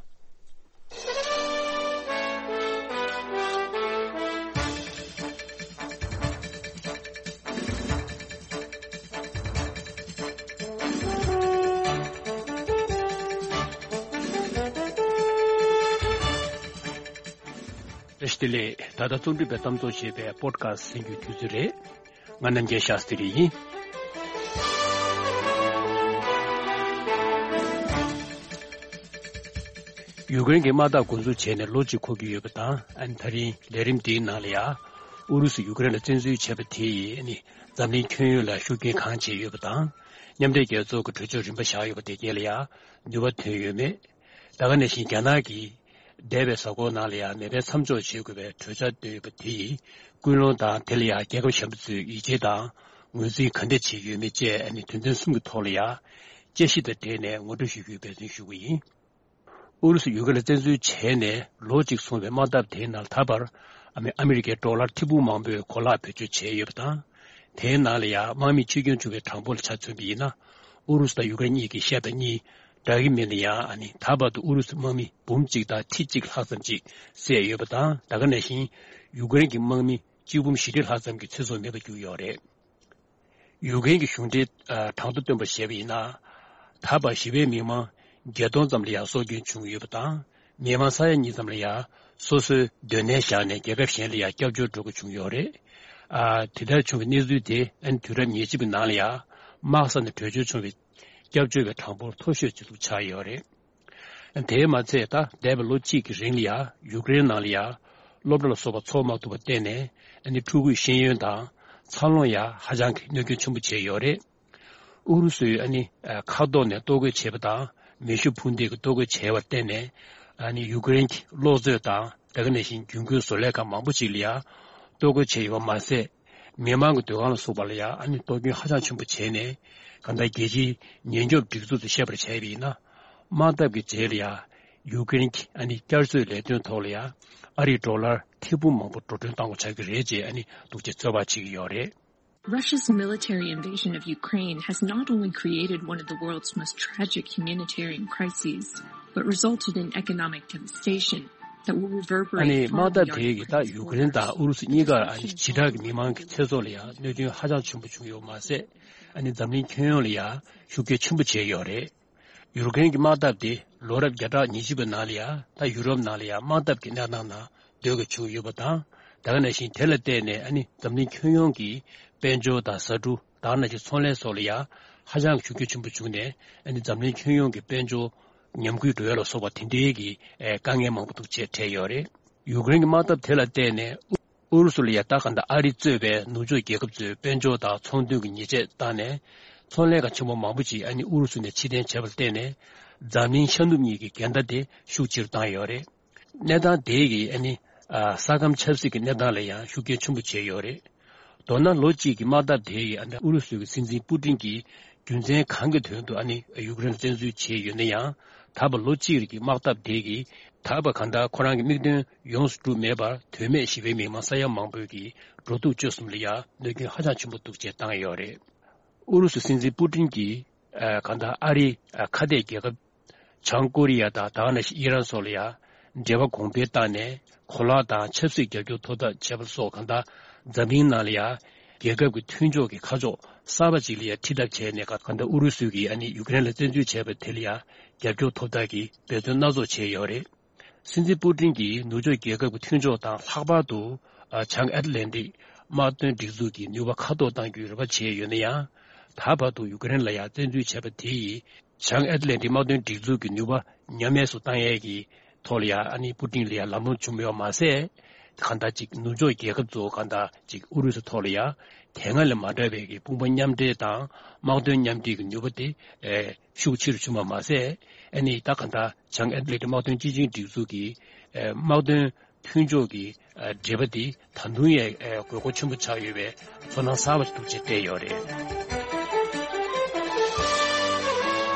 བཀྲ་ཤིས་བདེ་ལེགས། ད་ལྟ་རྩོམ་སྒྲིག་པའི་གཏམ་ཚོགས་ཞེས་པའི་པོ་ཌི་ཁ་སི་ཊི་གསན་རྒྱུའི་དུས་ཚོད་རེད། ང་རྣམ་རྒྱལ་ཤཱ་སྟི་རི་ཡིན། ཡུ་ཀེ་རེན་གྱི་དམག་འཐབ་འགོ་འཛུགས་བྱས་ནས་ལོ་གཅིག་འཁོར་གྱི་ཡོད་པ་དང་། ཨ་ནི་ད་རིང་ལས་རིམ་འདིའི་ནང་ལ་ཡང་། ཨུ་རུ་སུས་ཡུ་ཀེ་རེན་ལ་བཙན་འཛུལ་བྱས་པ་དེ་ཡིས་ཨ་ནི་འཛམ་གླིང་ཁྱོན་ཡོངས་ལ་ཤུགས་རྐྱེན་གང་བྱས་ཡོད་པ་དང་། མཉམ་འབྲེལ་རྒྱལ་ཚོགས་ཀྱི་གྲོས་ཆོད་རིམ་པ་བཞག་ཡོད་པ་དེ་གས་ལ་ཡང་ནུས་པ་ཐོན་ཡོད་མེད། ད་ག་ནང་བཞིན་རྒྱ་ནག་གིས་འདས་པའི་གཟའ་འཁོར་ནང་ལ་ཡང་མེ་འཕེན་མཚམས་འཇོག་བྱེད་དགོས་པའི་གྲོས་འཆར་བཏོན་ཡོད་པ་དེ་ཡི་ཀུན་སློང་དང་། དེ་ལ་ཡང་རྒྱལ་ཁབ་གཞན་པ་ཚོས་ཡིད་ཆེས་དང་ངོས་འཛིན་ག་འདྲ་བྱེད་ཀྱི་ཡོད་མེད་བཅས་ཨ་ནི་དོན་ཚན་གསུམ་གྱི་ཐོག་ལ་ཡང་དཔྱད་ཞིབ་དང་འབྲེལ་ནས་ངོ་སྤྲོད་ཞུ་རྒྱུའི་འབད་བརྩོན་ཞུ་གི་ཡིན། ཨུ་རུ་སུ་ཡུ་ཀེ་རེན་ལ་བཙན་འཛུལ་བྱས་ནས་ལོ་གཅིག་སོང་བའི་དམག་འཐབ་དེའི་ནང་ད་བར་ཨ་མི་ཨ་མི་རི་ཀའི་ཌོ་ལར་ཐེར་འབུམ་མང་པོའི་གོ་ལག་བེད་སྤྱོད་བྱས་ཡོད་པ་དང་། དེའི་ནང་ལ་ཡང་དམག་མི་འཆི་སྐྱོན་བྱུང་བའི་གྲངས་འབོར་ལ་ཆ་མཚོན་པ་ཡིན་ན། ཨུ་རུ་སུ་དང་ཡུ་ཀེ་རེན་གཉིས་ཀྱི་ཤད་དང་གཉིས་འདྲ་གི་མིན་ན་ཡང་། ཨ་ནི་ད་བར་དུ་ཨུ་རུ་སུའི་དམག་མི་འབུམ་གཅིག་དང་ཁྲི་གཅིག་ལྷག་ཙམ་ཅིག་བསད་ཡོད་པ་དང་། ད་ག་ནང་བཞིན་ཡུ་ཀེ་རེན་གྱི་དམག་མི་གཅིག་འབུམ་བཞི་ཁྲི་ལྷག་ཙམ་གྱི་ཚེ་སྲོག་མེད་པར་གྱུར་ཡོད་རེད། ཡུ་ཀེ་རེན་གྱི་གཞུང་འབྲེལ་གྲངས་ཐོ་བཏོན་པར་བྱས་པ་ཡིན་ན། ད་བར་ཞི་བའི་མི་མང་བརྒྱད་སྟོང་ཙམ་ལ་ཡང་སྲོག་སྐྱོན་བྱུང་ཡོད་པ་དང་། མི་མང་ས་ཡ་གཉིས་ཙམ་ལ་ཡང་སོ་སོའི་སྡོད་གནས་བཞག་ནས་རྒྱལ་ཁབ་གཞན་ལ་ཡང་སྐྱབས་བཅོལ་འགྲོ་དགོས་བྱུང་ཡོད་རེད། ཨ། དེ་ལྟར་བྱུང་བའི་གནས་ཚུལ་དེ་ཨ་ནི་དུས་རབས་ཉེར་གཅིག་པའི་ནང་ལ་ཡང་དམག་ས་ནས་བྲོས་བྱོལ་བྱུང་བའི་སྐྱབས་བཅོལ་བའི་གྲངས་འབོར་མཐོ་ཤོས་ཅིག་ཏུ་ཆགས་ཡོད་རེད། དེས་མ་ཚད། ད་འདས་པའི་ལོ་གཅིག་གི་རིང་ལ་ཡང་ཡུ་ཀེ་རེན་ནང་ལ་ཡང་སློབ་གྲྭ་ལ་སོགས་པ་འཚོགས་མ་ཐུབ་པར་བརྟེན་ནས། ཨ་ནི་ཕྲུ་གུའི་ཤེས་ཡོན་དང་འཚར་ལོངས་ཡང་ཧ་ཅང་གི་གནོད་སྐྱོན་ཆེན་པོ་བྱས་ཡོད་རེད། ཨུ་རུ་སུས་ཨ་ནི་མཁའ་ཐོག་ནས་གཏོར་རྒོལ་བྱས་པ་དང་། མེ་ཤུགས་འཕུར་མདེལ་གྱིས་གཏོར་རྒོལ་བྱས་པར་བརྟེན་ནས། ཨ་ནི་ཡུ་ཀེ་རེན་གྱི་གློག་མཛོད་དང་། དེ་ག་ནང་བཞིན་རྒྱུན་མཁོའི་བཟོ་ལས་ཁང་མང་པོ་ཅིག་ལ་ཡང་གཏོར་རྒོལ་བྱས་ཡོད་པ་མ་ཟད། མི་མང་གི་སྡོད་ཁང་ལ་སོགས་པ་ལ་ཡང་ཨ་ནི་གཏོར་སྐྱོན་ཧ་ཅང་ཆེན་པོ་བྱས་ནས། གང་ལྟར་རྒྱལ་སྤྱིའི་ཉེན་སྐྱོབ་སྒྲིག་འཛུགས་ཚོས་བཤད་པར་བྱས་པ་ཡིན་ན། དམག་འཐབ་ཀྱི་རྗེས་ལ་ཡང་ཡུ་ཀེ་རེན་གྱི་ཨ་ནི་བསྐྱར་གསོའི་ལས་དོན་ཐོག་ལ་ཡང་ཨ་རིའི་ཌོ་ལར་ཐེར་འབུམ་མང་པོ་འགྲོ་གྲོན་གཏང་དགོས་ཆགས་ཀྱི་རེད་ཅེས་ཨ་ནི་འདུག་ཅེས་ཚོད་དཔག་བྱེད་ཀྱི་ཡོད་རེད། Russia's military invasion of Ukraine has not only created one of the world's most tragic humanitarian crises, but resulted in economic devastation that will reverberate far beyond Ukraine's borders. ཨ་ནི་དམག་འཐབ་དེ་ཡིས་ད་ཡུ་ཀེ་རེན་དང་ཨུ་རུ་སུ་གཉིས་ཀར་ཨ་ནི་བྱེ་བྲག་གི་མི་མང་གི་ཚེ་སྲོག་ལ་ཡང་གནོད་སྐྱོན་ཧ་ཅང་ཆེན་པོ་བྱུང་ཡོད་མ་ཟད། ཨ་ནི་འཛམ་གླིང་ཁྱོན་ཡོངས་ལ་ཡང་ཤུགས་རྐྱེན་ཆེན་པོ་བྱས་ཡོད་རེད། ཡུ་ཀེ་རེན་གྱི་དམག་འཐབ་དེ་ལོ་རབས་བརྒྱ་ཕྲག་ཉི་ཤུ་པའི་ནང་ལ་ཡང་ད་ཡུ་རོབ་ནང་ལ་ཡང་དམག་འཐབ་ཀྱི་གནས་སྟངས་ནང་སྡོད་དགོས་བྱུང་ཡོད་པ་དང་། ད་ག་ནང་བཞིན་དེ་ལ་བརྟེན་ནས་ཨ་ནི་འཛམ་གླིང་ཁྱོན་ཡོངས་ཀྱི་དཔལ་འབྱོར་དང་ཟ་འབྲུ་དང་ནང་བཞིན་ཚོང་ལས་སོགས་ལ་ཡང་ཧ་ཅང་གི་ཤུགས་རྐྱེན་ཆེན་པོ་བྱུང་ནས། ཨ་ནི་འཛམ་གླིང་ཁྱོན་ཡོངས་ཀྱི་དཔལ་འབྱོར་ཉམས་རྒུད་འགྲོ་ཡ་ལ་སོགས་པ་དེ་འདྲའི་གི་ཨེ་དཀའ་ངལ་མང་པོ་འདུག་ཅེས་འཕྲད་ཡོད་རེད། ཡུ་ཀེ་རེན་གྱི་དམག་འཐབ་དེ་ལ་བརྟེན་ནས་ཨུ་རུ་སུ་ལ་ཡ་ད་ག་འདྲ་ཨ་རི་གཙོས་པའི་ནུབ་ཕྱོགས་རྒྱལ་ཁབ་ཚོས་དཔལ་འབྱོར་དང་ཚོང་དོན་གྱི་ཉེས་ཆད་བཏང་ནས། ཚོང་ལས་ཁང་ཆེན་པོ་མང་པོ་ཅིག་ཨ་ནི་ཨུ་རུ་སུ་ནས་ཕྱིར་འཐེན་བྱས་པར་བརྟེན་ནས། འཛམ་གླིང་ཤར་ནུབ་གཉིས་ཀྱི་འགལ་ཟླ་དེ་ཤུགས་ཆེ་རུ་བཏང་ཡོད་རེད། གནས་སྟངས་དེ་གིས་ཨ་ནི་ཨ་ས་ཁམས་ཆབ་སྲིད་ཀྱི་གནས་སྟངས་ལ་ཡང་ཤུགས་རྐྱེན་ཆེན་པོ་བྱས་ཡོད་རེད། མདོར་ན་ལོ་གཅིག་གི་དམག་འཐབ་དེ་ཡིས་ཨ་ནི་ཨུ་རུ་སུའི་སྲིད་འཛིན་པུ་ཏིན་གྱིས་རྒྱུ་མཚན་གང་གི་དོན་དུ་ཨ་ནི་ཡུཀ་རེན་ལ་བཙན་འཛུལ་བྱས་ཡོད་ན་ཡང་། ད་བར་ལོ་གཅིག་རིང་གི་དམག་འཐབ་དེ་གིས་ད་བར་གང་ལྟར་ཁོ་རང་གི་དམིགས་དོན་ཡོངས་སུ་གྲུབ་མེད་པར། དོན་མེད་ཞི་བའི་མི་མང་ས་ཡ་མང་པོས་ཀྱི་འགྲོ་འདུག་སྤྱོད་གསུམ་ལ་ཡང་གནོད་སྐྱོན་ཧ་ཅང་ཆེན་པོ་འདུག་ཅེས་བཏང་ཡོད་རེད། ཨུ་རུ་སུའི་སྲིད་འཛིན་པུ་ཏིན་གྱིས་ཨ་གང་ལྟར་ཨ་རིའི་ཨ་ཁ་གཏད་རྒྱལ་ཁབ་བྱང་ཀོ་རི་ཡ་དང་ད་ག་ནང་བཞིན་ཨི་རན་སོགས་ལ་ཡང་འབྲེལ་བ་གོང་འཕེལ་བཏང་ནས། གོ་ལག་དང་ཆབ་སྲིད་རྒྱབ་སྐྱོར་ཐོབ་ཐབས་བྱས་པ་སོགས། གང་ལྟར་འཛམ་གླིང་ནང་ལ་ཡང་རྒྱལ་ཁབ་ཀྱི་མཐུན་ཕྱོགས་ཀྱི་ཁ་ཕྱོགས་གསར་པ་ཅིག་ལ་ཡང་ཁྲིད་ཐབས་བྱས་ནས། གང་ལྟར་ཨུ་རུ་སུ་གིས་ཨ་ནི་ཡུཀ་རེན་ལ་བཙན་འཛུལ་བྱས་པ་དེ་ལ་ཡང་རྒྱབ་སྐྱོར་ཐོབ་ཐབས་ཀྱི་འབད་བརྩོན་སྣ་ཚོགས་བྱས་ཡོད་རེད། སྲིད་འཛིན་པུ་ཏིན་གྱིས་ནུབ་ཕྱོགས་རྒྱལ་ཁབ་ཀྱི་མཐུན་ཕྱོགས་དང་། ལྷག་པར་དུ་ཨ་བྱང་ཨེཊ་ལན་ཊིག་དམག་དོན་སྒྲིག་འཛུགས་ཀྱི་ནུས་པ་ཁ་ཐོར་གཏང་རྒྱུའི་རེ་བ་བྱས་ཡོད་ན་ཡང་། ད་བར་དུ་ཡུཀ་རེན་ལ་ཡང་བཙན་འཛུལ་བྱས་པ་དེ་ཡིས་བྱང་ཨེཊ་ལན་ཊིག་དམག་དོན་སྒྲིག་འཛུགས་ཀྱི་ནུས་པ་ཉམས་དམས་སུ་བཏང་ཡས་ཀྱི་ཐོག་ལ་ཡང་ཨ་ནི་པུ་ཏིན་ལ་ཡང་ལམ་ལྷོང་བྱུང་ཡོད་མ་ཟད། གང་ལྟར་ཅིག་ནུབ་ཕྱོགས་རྒྱལ་ཁབ་ཚོ་གང་ལྟར་ཅིག་ཨུ་རུ་སུ་ཐོག་ལ་ཡང་དེ་སྔ་ལས་མ་འདྲ་བའི་གི་དཔུང་པ་མཉམ་འབྲེལ་དང་དམག་དོན་མཉམ་འབྲེལ་གྱི་ནུས་པ་དེ་ཨེ་ཤུགས་ཆེ་རུ་བྱུང་བ་མ་ཟད། ཨ་ནི་ད་གང་ལྟར་བྱང་ཨེཊ་ལན་ཊིག་དམག་དོན་སྤྱི་ཆིངས་སྒྲིག་འཛུགས་ཀྱི་ཨེ་དམག་དོན་མཐུན་ཕྱོགས་ཀྱི་ཨ་འབྲེལ་བ་དེ་ད་དུང་ཡང་ཨ་དགོས་མཁོ་ཆེན་པོ་ཆགས་ཡོད་པའི་ཚོར་སྣང་གསར་པ་ཞིག་འདུག་ཅེས་བསྟན་ཡོད་རེད།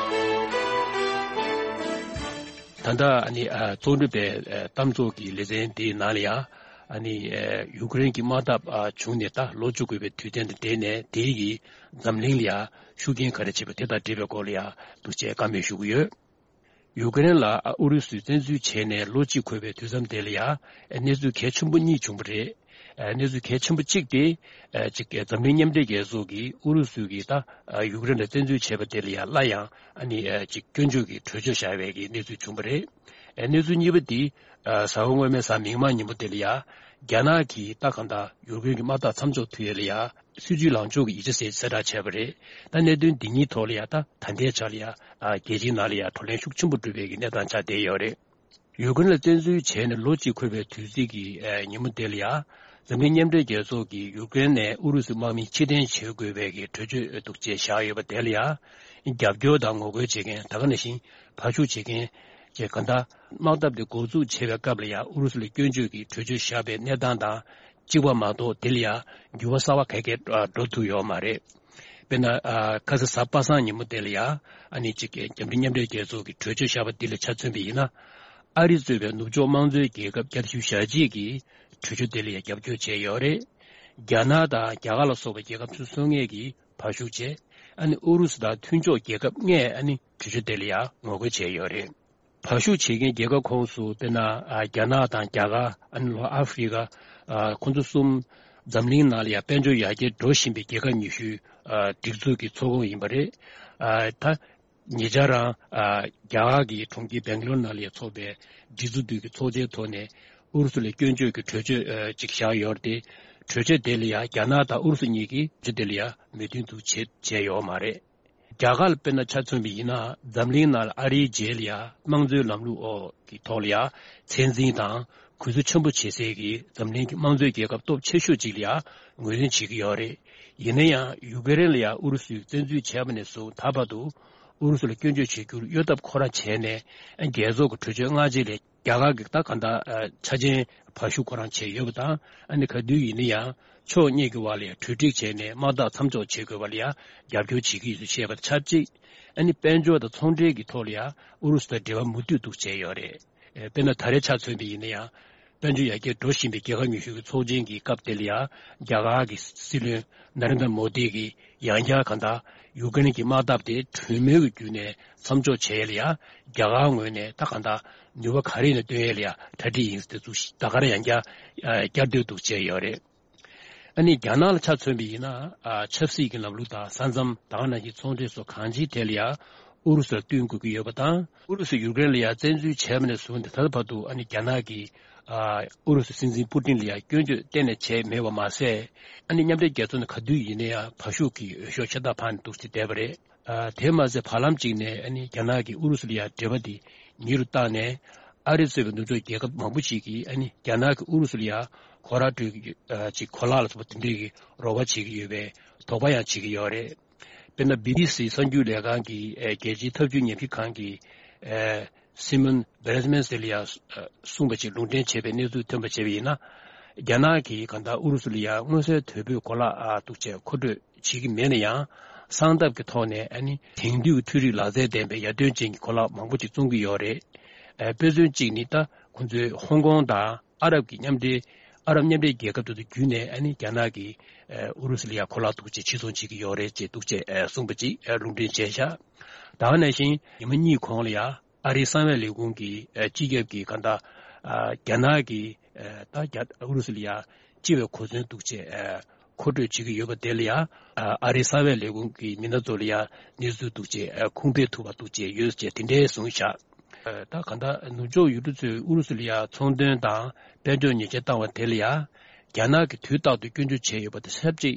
ད་ལྟ་ཨ་ནི་ཨ་གཙོ་གྲུབ་པའི་ཨ་གཏམ་ཚོགས་ཀྱི་ལེ་ཚན་དེའི་ནང་ལ་ཡང་། ཨ་ནི་ཨ་ཡུཀ་རེན་གྱི་དམག་འཐབ་ཨ་བྱུང་ནས་ད་ལོ་བཅུ་དགུ་པའི་དུས་དྲན་དང་འབྲེལ་ནས། དེའི་གི་འཛམ་གླིང་ལ་ཡང་ཤུགས་རྐྱེན་ག་རེ་བྱས་པ་དེ་དང་འབྲེལ་བའི་སྐོར་ལ་ཡང་འདུག་ཅེས་བཀའ་མོལ་ཞུ་གི་ཡོད། ཡུཀ་རེན་ལ་ཨུ་རུ་སུས་བཙན་འཛུལ་བྱས་ནས་ལོ་གཅིག་འཁོར་བའི་དུས་མཚམས་དེ་ལ་ཡང་གནས་ཚུལ་གལ་ཆེན་པོ་གཉིས་བྱུང་བ་རེད། གནས་ཚུལ་གལ་ཆེན་པོ་གཅིག་དེ་གཅིག་འཛམ་གླིང་མཉམ་འབྲེལ་རྒྱལ་ཚོགས་ཀྱིས་ཨུ་རུ་སུ་གིས་ད་ཡུཀ་རེན་ལ་བཙན་འཛུལ་བྱས་པ་དེ་ལ་ཡང་སླར་ཡང་ཨ་ནི་གཅིག་སྐྱོན་བརྗོད་ཀྱི་གྲོས་ཆོད་བཞག་པའི་གི་གནས་ཚུལ་བྱུང་བ་རེད། གནས་ཚུལ་གཉིས་པ་དེ་གཟའ་འཁོར་སྔོན་མའི་གཟའ་མིག་དམར་ཉིན་མོ་དེ་ལ་ཡང་རྒྱ་ནག་གིས་ད་གང་ལྟར་ཡུཀ་རེན་གྱི་དམག་འཐབ་མཚམས་འཇོག་ཐུབ་ཡས་ལ་ཡང་། སྲིད་ཇུས་ལངས་ཕྱོགས་ཀྱི་ཡིག་ཆ་ཟེར་གསལ་བསྒྲགས་བྱས་པ་རེད། ད་གནད་དོན་འདི་གཉིས་ཐོག་ལ་ཡང་ད་ད་ལྟའི་ཆར་ལ་ཡང་རྒྱལ་སྤྱིའི་ནང་ལ་ཡང་བགྲོ་གླེང་ཤུགས་ཆེན་པོ་འགྲོ་བའི་གི་གནས་སྟངས་ཆགས་བསྡད་ཡོད་རེད། ཡུཀ་རེན་ལ་བཙན་འཛུལ་བྱས་ནས་ལོ་གཅིག་འཁོར་བའི་དུས་ཚིགས་ཀྱི་ཉིན་མོ་དེ་ལ་ཡང་། འཛམ་གླིང་མཉམ་འབྲེལ་རྒྱལ་ཚོགས་ཀྱིས་ཡུཀ་རེན་ནས་ཨུ་རུ་སུའི་དམག་མི་ཕྱིར་འཐེན་བྱེད་དགོས་པའི་གི་གྲོས་ཆོད་འདུག་ཅེས་བཞག་ཡོད་པ་དེ་ལ་ཡང་། རྒྱབ་སྐྱོར་དང་ངོ་རྒོལ་བྱེད་མཁན། ད་ག་ནང་བཞིན་བར་ཞུགས་བྱེད་མཁན་བཅས། གང་ལྟར་དམག་འཐབ་དེ་འགོ་འཛུགས་བྱེད་པའི་སྐབས་ལ་ཡང་ཨུ་རུ་སུ་ལ་སྐྱོན་བརྗོད་ཀྱི་གྲོས་ཆོད་བཞག་པའི་གནས་སྟངས་དང་། གཅིག་པ་མ་གཏོགས་དེ་ལ་ཡང་འགྱུར་བ་གསར་པ་ག་གེ་འགྲོ་ཐུབ་ཡོད་མ་རེད། དཔེར་ན། ཨ། ཁ་སང་གཟའ་པ་སངས་ཉིན་མོ་དེ་ལ་ཡང་ཨ་ནི་གཅིག་རྒྱ་མི་རིགས་མཉམ་འབྲེལ་རྒྱལ་ཚོགས་ཀྱི་གྲོས་ཆོད་བཞག་པ་འདི་ལ་ཆ་མཚོན་པ་ཡིན་ན། ཨ་རི་གཙོས་པའི་ནུབ་ཕྱོགས་དམངས་གཙོའི་རྒྱལ་ཁབ་བརྒྱ་དང་བཞི་བཅུ་ཞེ་གཅིག་གིས་གྲོས་ཆོད་དེ་ལ་ཡང་རྒྱབ་སྐྱོར་བྱས་ཡོད་རེད། རྒྱ་ནག་དང་རྒྱ་གར་ལ་སོགས་པའི་རྒྱལ་ཁབ་སོ་སོ་ལྔས་ཀྱིས་བར་ཞུགས་བྱས། ཨ་ནི་ཨུ་རུ་སུ་དང་མཐུན་ཕྱོགས་རྒྱལ་ཁབ་ལྔས་ཨ་ནི་གྲོས་ཆོད་དེ་ལ་ཡང་ངོ་རྒོལ་བྱས་ཡོད་རེད། བར་ཞུགས་བྱེད་མཁན་རྒྱལ་ཁབ་ཁོངས་སུ་དཔེར་ན། ཨ། རྒྱ་ནག་དང་རྒྱ་གར། ཨ་ནི་ལྷོ་ཨ་ཧྥི་རི་ཀ། ཨ། ཁོང་ཚོ་གསུམ་འཛམ་གླིང་ནང་ལ་ཡང་དཔལ་འབྱོར་ཡར་རྒྱས་འགྲོ་བཞིན་པའི་རྒྱལ་ཁབ་ཉི་ཤུའི། ཨ། སྒྲིག་འཛུགས་ཀྱི་ཚོགས་ཁོངས་ཡིན་པ་རེད། ཨ། ད་ཉེ་ཆར་རང་། ཨ། རྒྱ་གར་གྱི་གྲོང་ཁྱེར་སྦེང་ལོར་ནང་ལ་ཡང་ཚོགས་པའི་སྒྲིག་འཛུགས་དུས་ཀྱི་ཚོགས་ཆེན་ཐོག་ནས་ཨུ་རུ་སུ་ལ་སྐྱོན་བརྗོད་ཀྱི་གྲོས་ཆོད། ཨ། ཅིག་བཞག་ཡོད་རེད་དེ། གྲོས་ཆོད་དེ་ལ་ཡང་རྒྱ་ནག་དང་ཨུ་རུ་སུ་གཉིས་ཀྱིས་གྲོས་ཆོད་དེ་ལ་ཡང་མོས་མཐུན་དུ་བྱེད་བྱས་ཡོད་མ་རེད། རྒྱ་གར་ལ་དཔེར་ན་ཆ་མཚོན་པ་ཡིན་ན། འཛམ་གླིང་ནང་ལ་ཨ་རིའི་རྗེས་ལ་ཡང་དམངས་གཙོའི་ལམ་ལུགས་འོག་གི་ཐོག་ལ་ཡང་། ཚད་འཛིན་དང་གུས་བསུ་ཆེན་པོ་བྱེད་སའི་གི་འཛམ་གླིང་གི་དམངས་གཙོའི་རྒྱལ་ཁབ་སྟོབས་ཆེ་ཤོས་ཅིག་ལ་ཡང་ངོས་འཛིན་བྱེད་ཀྱི་ཡོད་རེད། ཡིན་ན་ཡང་ཡུ་ཀེ་རེན་ལ་ཡང་ཨུ་རུ་སུས་བཙན་འཛུལ་བྱས་པ་ནས་བཟུང་ད་བར་དུ་ཨུ་རུ་སུ་ལ་སྐྱོན་བརྗོད་བྱེད་རྒྱུར་གཡོ་ཐབས་ཁོ་རང་བྱས་ནས། རྒྱལ་ཚོགས་ཀྱི་གྲོས་ཆོད་སྔ་རྗེས་ལས་རྒྱ་གར་གྱི་ད་གང་ལྟར་ཆ་རྐྱེན་བར་ཞུགས་ཁོ་རང་བྱས་ཡོད་པ་དང་། ཨ་ནི་ག་དུས་ཡིན་ན་ཡང་ཕྱོགས་གཉིས་ཀྱི་བར་ལ་ཡང་གྲོས་འགྲིག་བྱས་ནས་དམག་འཐབ་མཚམས་འཇོག་བྱེད་དགོས་པ་ལ་ཡང་རྒྱབ་སྐྱོར་བྱེད་ཀྱི་ཡོད་ཚུལ་བཤད་པ་ཆབས་ཅིག་ཨ་ནི་དཔལ་འབྱོར་དང་ཚོང་འབྲེལ་གྱི་ཐོག་ལ་ཡང་ཨུ་རུ་སུ་དང་འབྲེལ་བ་མུ་མཐུད་འདུག་བྱས་ཡོད་རེད། ཨེ། དཔེར་ན་ད་རེས་ཆ་མཚོན་པ་ཡིན་ན་ཡང་། དཔལ་འབྱོར་ཡར་རྒྱས་འགྲོ་བཞིན་པའི་རྒྱལ་ཁབ་ཉི་ཤུ་གི་ཚོགས་ཆེན་གྱི་སྐབས་དེ་ལ་ཡང་རྒྱ་གར་གྱི་སྲིད་བློན་ན་རེན་དྲ་མོ་དི་གིས་ཡང་བསྐྱར་གང་ལྟར་ཡུ་ཀེ་རེན་གྱི་དམག་འཐབ་དེ་གྲོས་མོལ་གྱི་བརྒྱུད་ནས་མཚམས་འཇོག་བྱེད་ཡས་ལ་ཡང་རྒྱ་གར་ངོས་ནས་ད་གང་ལྟར་ནུས་པ་ག་རེ་ཡིན་ན་བཏོན་ཡས་ལ་ཡང་གྲ་སྒྲིག་ཡིན་ཟེར་དེ་ཚོ་ད་ག་རང་ཡང་བསྐྱར་ཨ་བསྐྱར་ཟློས་འདུག་བྱས་ཡོད་རེད། ཨ་ནི་རྒྱ་ནག་ལ་ཆ་མཚོན་པ་ཡིན་ན། ཨ། ཆབ་སྲིད་ཀྱི་ལམ་ལུགས་དང་ས་མཚམས་དང་ནང་བཞིན་ཚོང་འབྲེལ་སོགས་གང་ཅིའི་ཐད་ལ་ཡང་ཨུ་རུ་སུར་བསྟུན་དགོས་ཀྱི་ཡོད་པ་དང་། ཨུ་རུ་སུས་ཡུཀ་རེན་ལ་ཡང་བཙན་འཛུལ་བྱས་པ་ནས་བཟུང་སྟེ་ད་ལྟ་བར་དུ་ཨ་ནི་རྒྱ་ནག་གིས། ཨ། ཨུ་རུ་སུའི་སྲིད་འཛིན་པུ་ཏིན་ལ་ཡང་སྐྱོན་བརྗོད་གཏན་ནས་བྱས་མེད་པ་མ་ཟད། ཨ་ནི་མཉམ་འབྲེལ་རྒྱལ་ཚོགས་ནས་ག་དུས་ཡིན་ན་ཡང་བར་ཞུགས་ཀྱི་འོས་ཤོག་ཤ་སྟག་འཕངས་ནས་འདུག་སེ་བསྡད་པ་རེད། ཨ། དེ་མ་ཟད་བར་ལམ་གཅིག་ནས་ཨ་ནི་རྒྱ་ནག་གིས་ཨུ་རུ་སུ་ལ་ཡང་འབྲེལ་བ་དེ་ཉེ་རུ་བཏང་ནས། ཨ་རི་གཙོས་པའི་ནུབ་ཕྱོགས་རྒྱལ་ཁབ་མང་པོ་ཞིག་གིས་ཨ་ནི་རྒྱ་ནག་གིས་ཨུ་རུ་སུ་ལ་ཡང་གོ་ར་སྤྲོད་ཀྱི། ཨ། ཅིག་གོ་ལག་ལ་སོགས་པ་དེ་འདྲའི་གི་རོགས་པ་བྱེད་ཀྱི་ཡོད་པའི་དོགས་པ་ཡང་བྱེད་ཀྱི་ཡོད་རེད། དཔེར་ན་བི་བི་སི་གསར་འགྱུར་ལས་ཁང་གིས། ཨ། རྒྱལ་སྤྱིའི་འཐབ་ཇུས་ཉམས་ཞིབ་ཁང་གི། ཨ། སི་མོན་བྷེར་ཛི་མན་ཟེར་ལ་ཡང་། ཨ། གསུངས་པ་ཅིག་ལུང་འདྲེན་བྱས་པའི་གནས་ཚུལ་ཐོན་པ་བྱས་པ་ཡིན་ན། རྒྱ་ནག་གིས་གང་ལྟར་ཨུ་རུ་སུ་ལ་ཡང་མངོན་གསལ་དོད་པོའི་གོ་ལག་ཨ་འདུག་ཅེས་མཁོ་སྤྲོད་བྱེད་ཀྱི་མེད་ན་ཡང་། གསང་ཐབས་ཀྱི་ཐོག་ནས་ཨ་ནི་དེང་དུས་ཀྱི་འཕྲུལ་རིག་ལག་རྩལ་ལྡན་པའི་ཡར་ཐོན་ཅན་གྱི་གོ་ལག་མང་པོ་ཅིག་བཙོང་གི་ཡོད་རེད། ཨ་དཔེ་མཚོན་གཅིག་ནི་ད་ཁོང་ཚོས་ཧོང་ཀོང་དང་ཨ་རབ་ཀྱི་མཉམ་འབྲེལ། ཨ་རབ་མཉམ་འབྲེལ་རྒྱལ་ཁབ་དེ་ཚོ་བརྒྱུད་ནས་ཨ་ནི་རྒྱ་ནག་གིས་ཨ་ཨུ་རུ་སུ་ལ་ཡང་གོ་ལག་འདུག་ཅེས་ཕྱིར་ཚོང་བྱེད་ཀྱི་ཡོད་རེད་ཅེས་འདུག་ཅེས་ཨ་གསུངས་པ་ཅིག་ཨ་ལུང་འདྲེན་བྱས་ཤག་ད་ག་ནང་བཞིན་ཉི་མ་གཉིས་གོང་ལ་ཡང་ཨ་རིའི་གསང་བའི་ལས་ཁུངས་ཀྱིས་ཨ་སྤྱི་ཁྱབ་ཀྱིས་གང་ལྟར་ཨ་རྒྱ་ནག་གིས་ཨ་ད་རྒྱ་ཨུ་རུ་སུ་ལ་ཡང་སྤྱི་བའི་གོ་མཚོན་འདུག་ཅེས་ཨ་མཁོ་སྤྲོད་བྱེད་ཀྱི་ཡོད་པ་དེ་ལ་ཡང་ཨ་ཨ་རིའི་གསང་བའི་ལས་ཁུངས་ཀྱི་མི་སྣ་ཚོ་ལ་ཡང་གནས་ཚུལ་འདུག་ཅེས་ཨ་ཁུངས་སྤེལ་ཐུབ་པ་འདུག་ཅེས་ཡོད་ཅེས་དེ་འདྲའི་གསུངས་ཤག་ཨ་ད་གང་ལྟར་ནུབ་ཕྱོགས་ཡུལ་གྲུ་ཚོས་ཨུ་རུ་སུ་ལ་ཡང་ཚོང་དོན་དང་དཔལ་འབྱོར་ཉེས་ཆད་བཏང་བ་དེ་ལ་ཡང་རྒྱ་ནག་གིས་དུས་རྟག་ཏུ་སྐྱོན་བརྗོད་བྱས་ཡོད་པ་དང་ཆབས་ཅིག་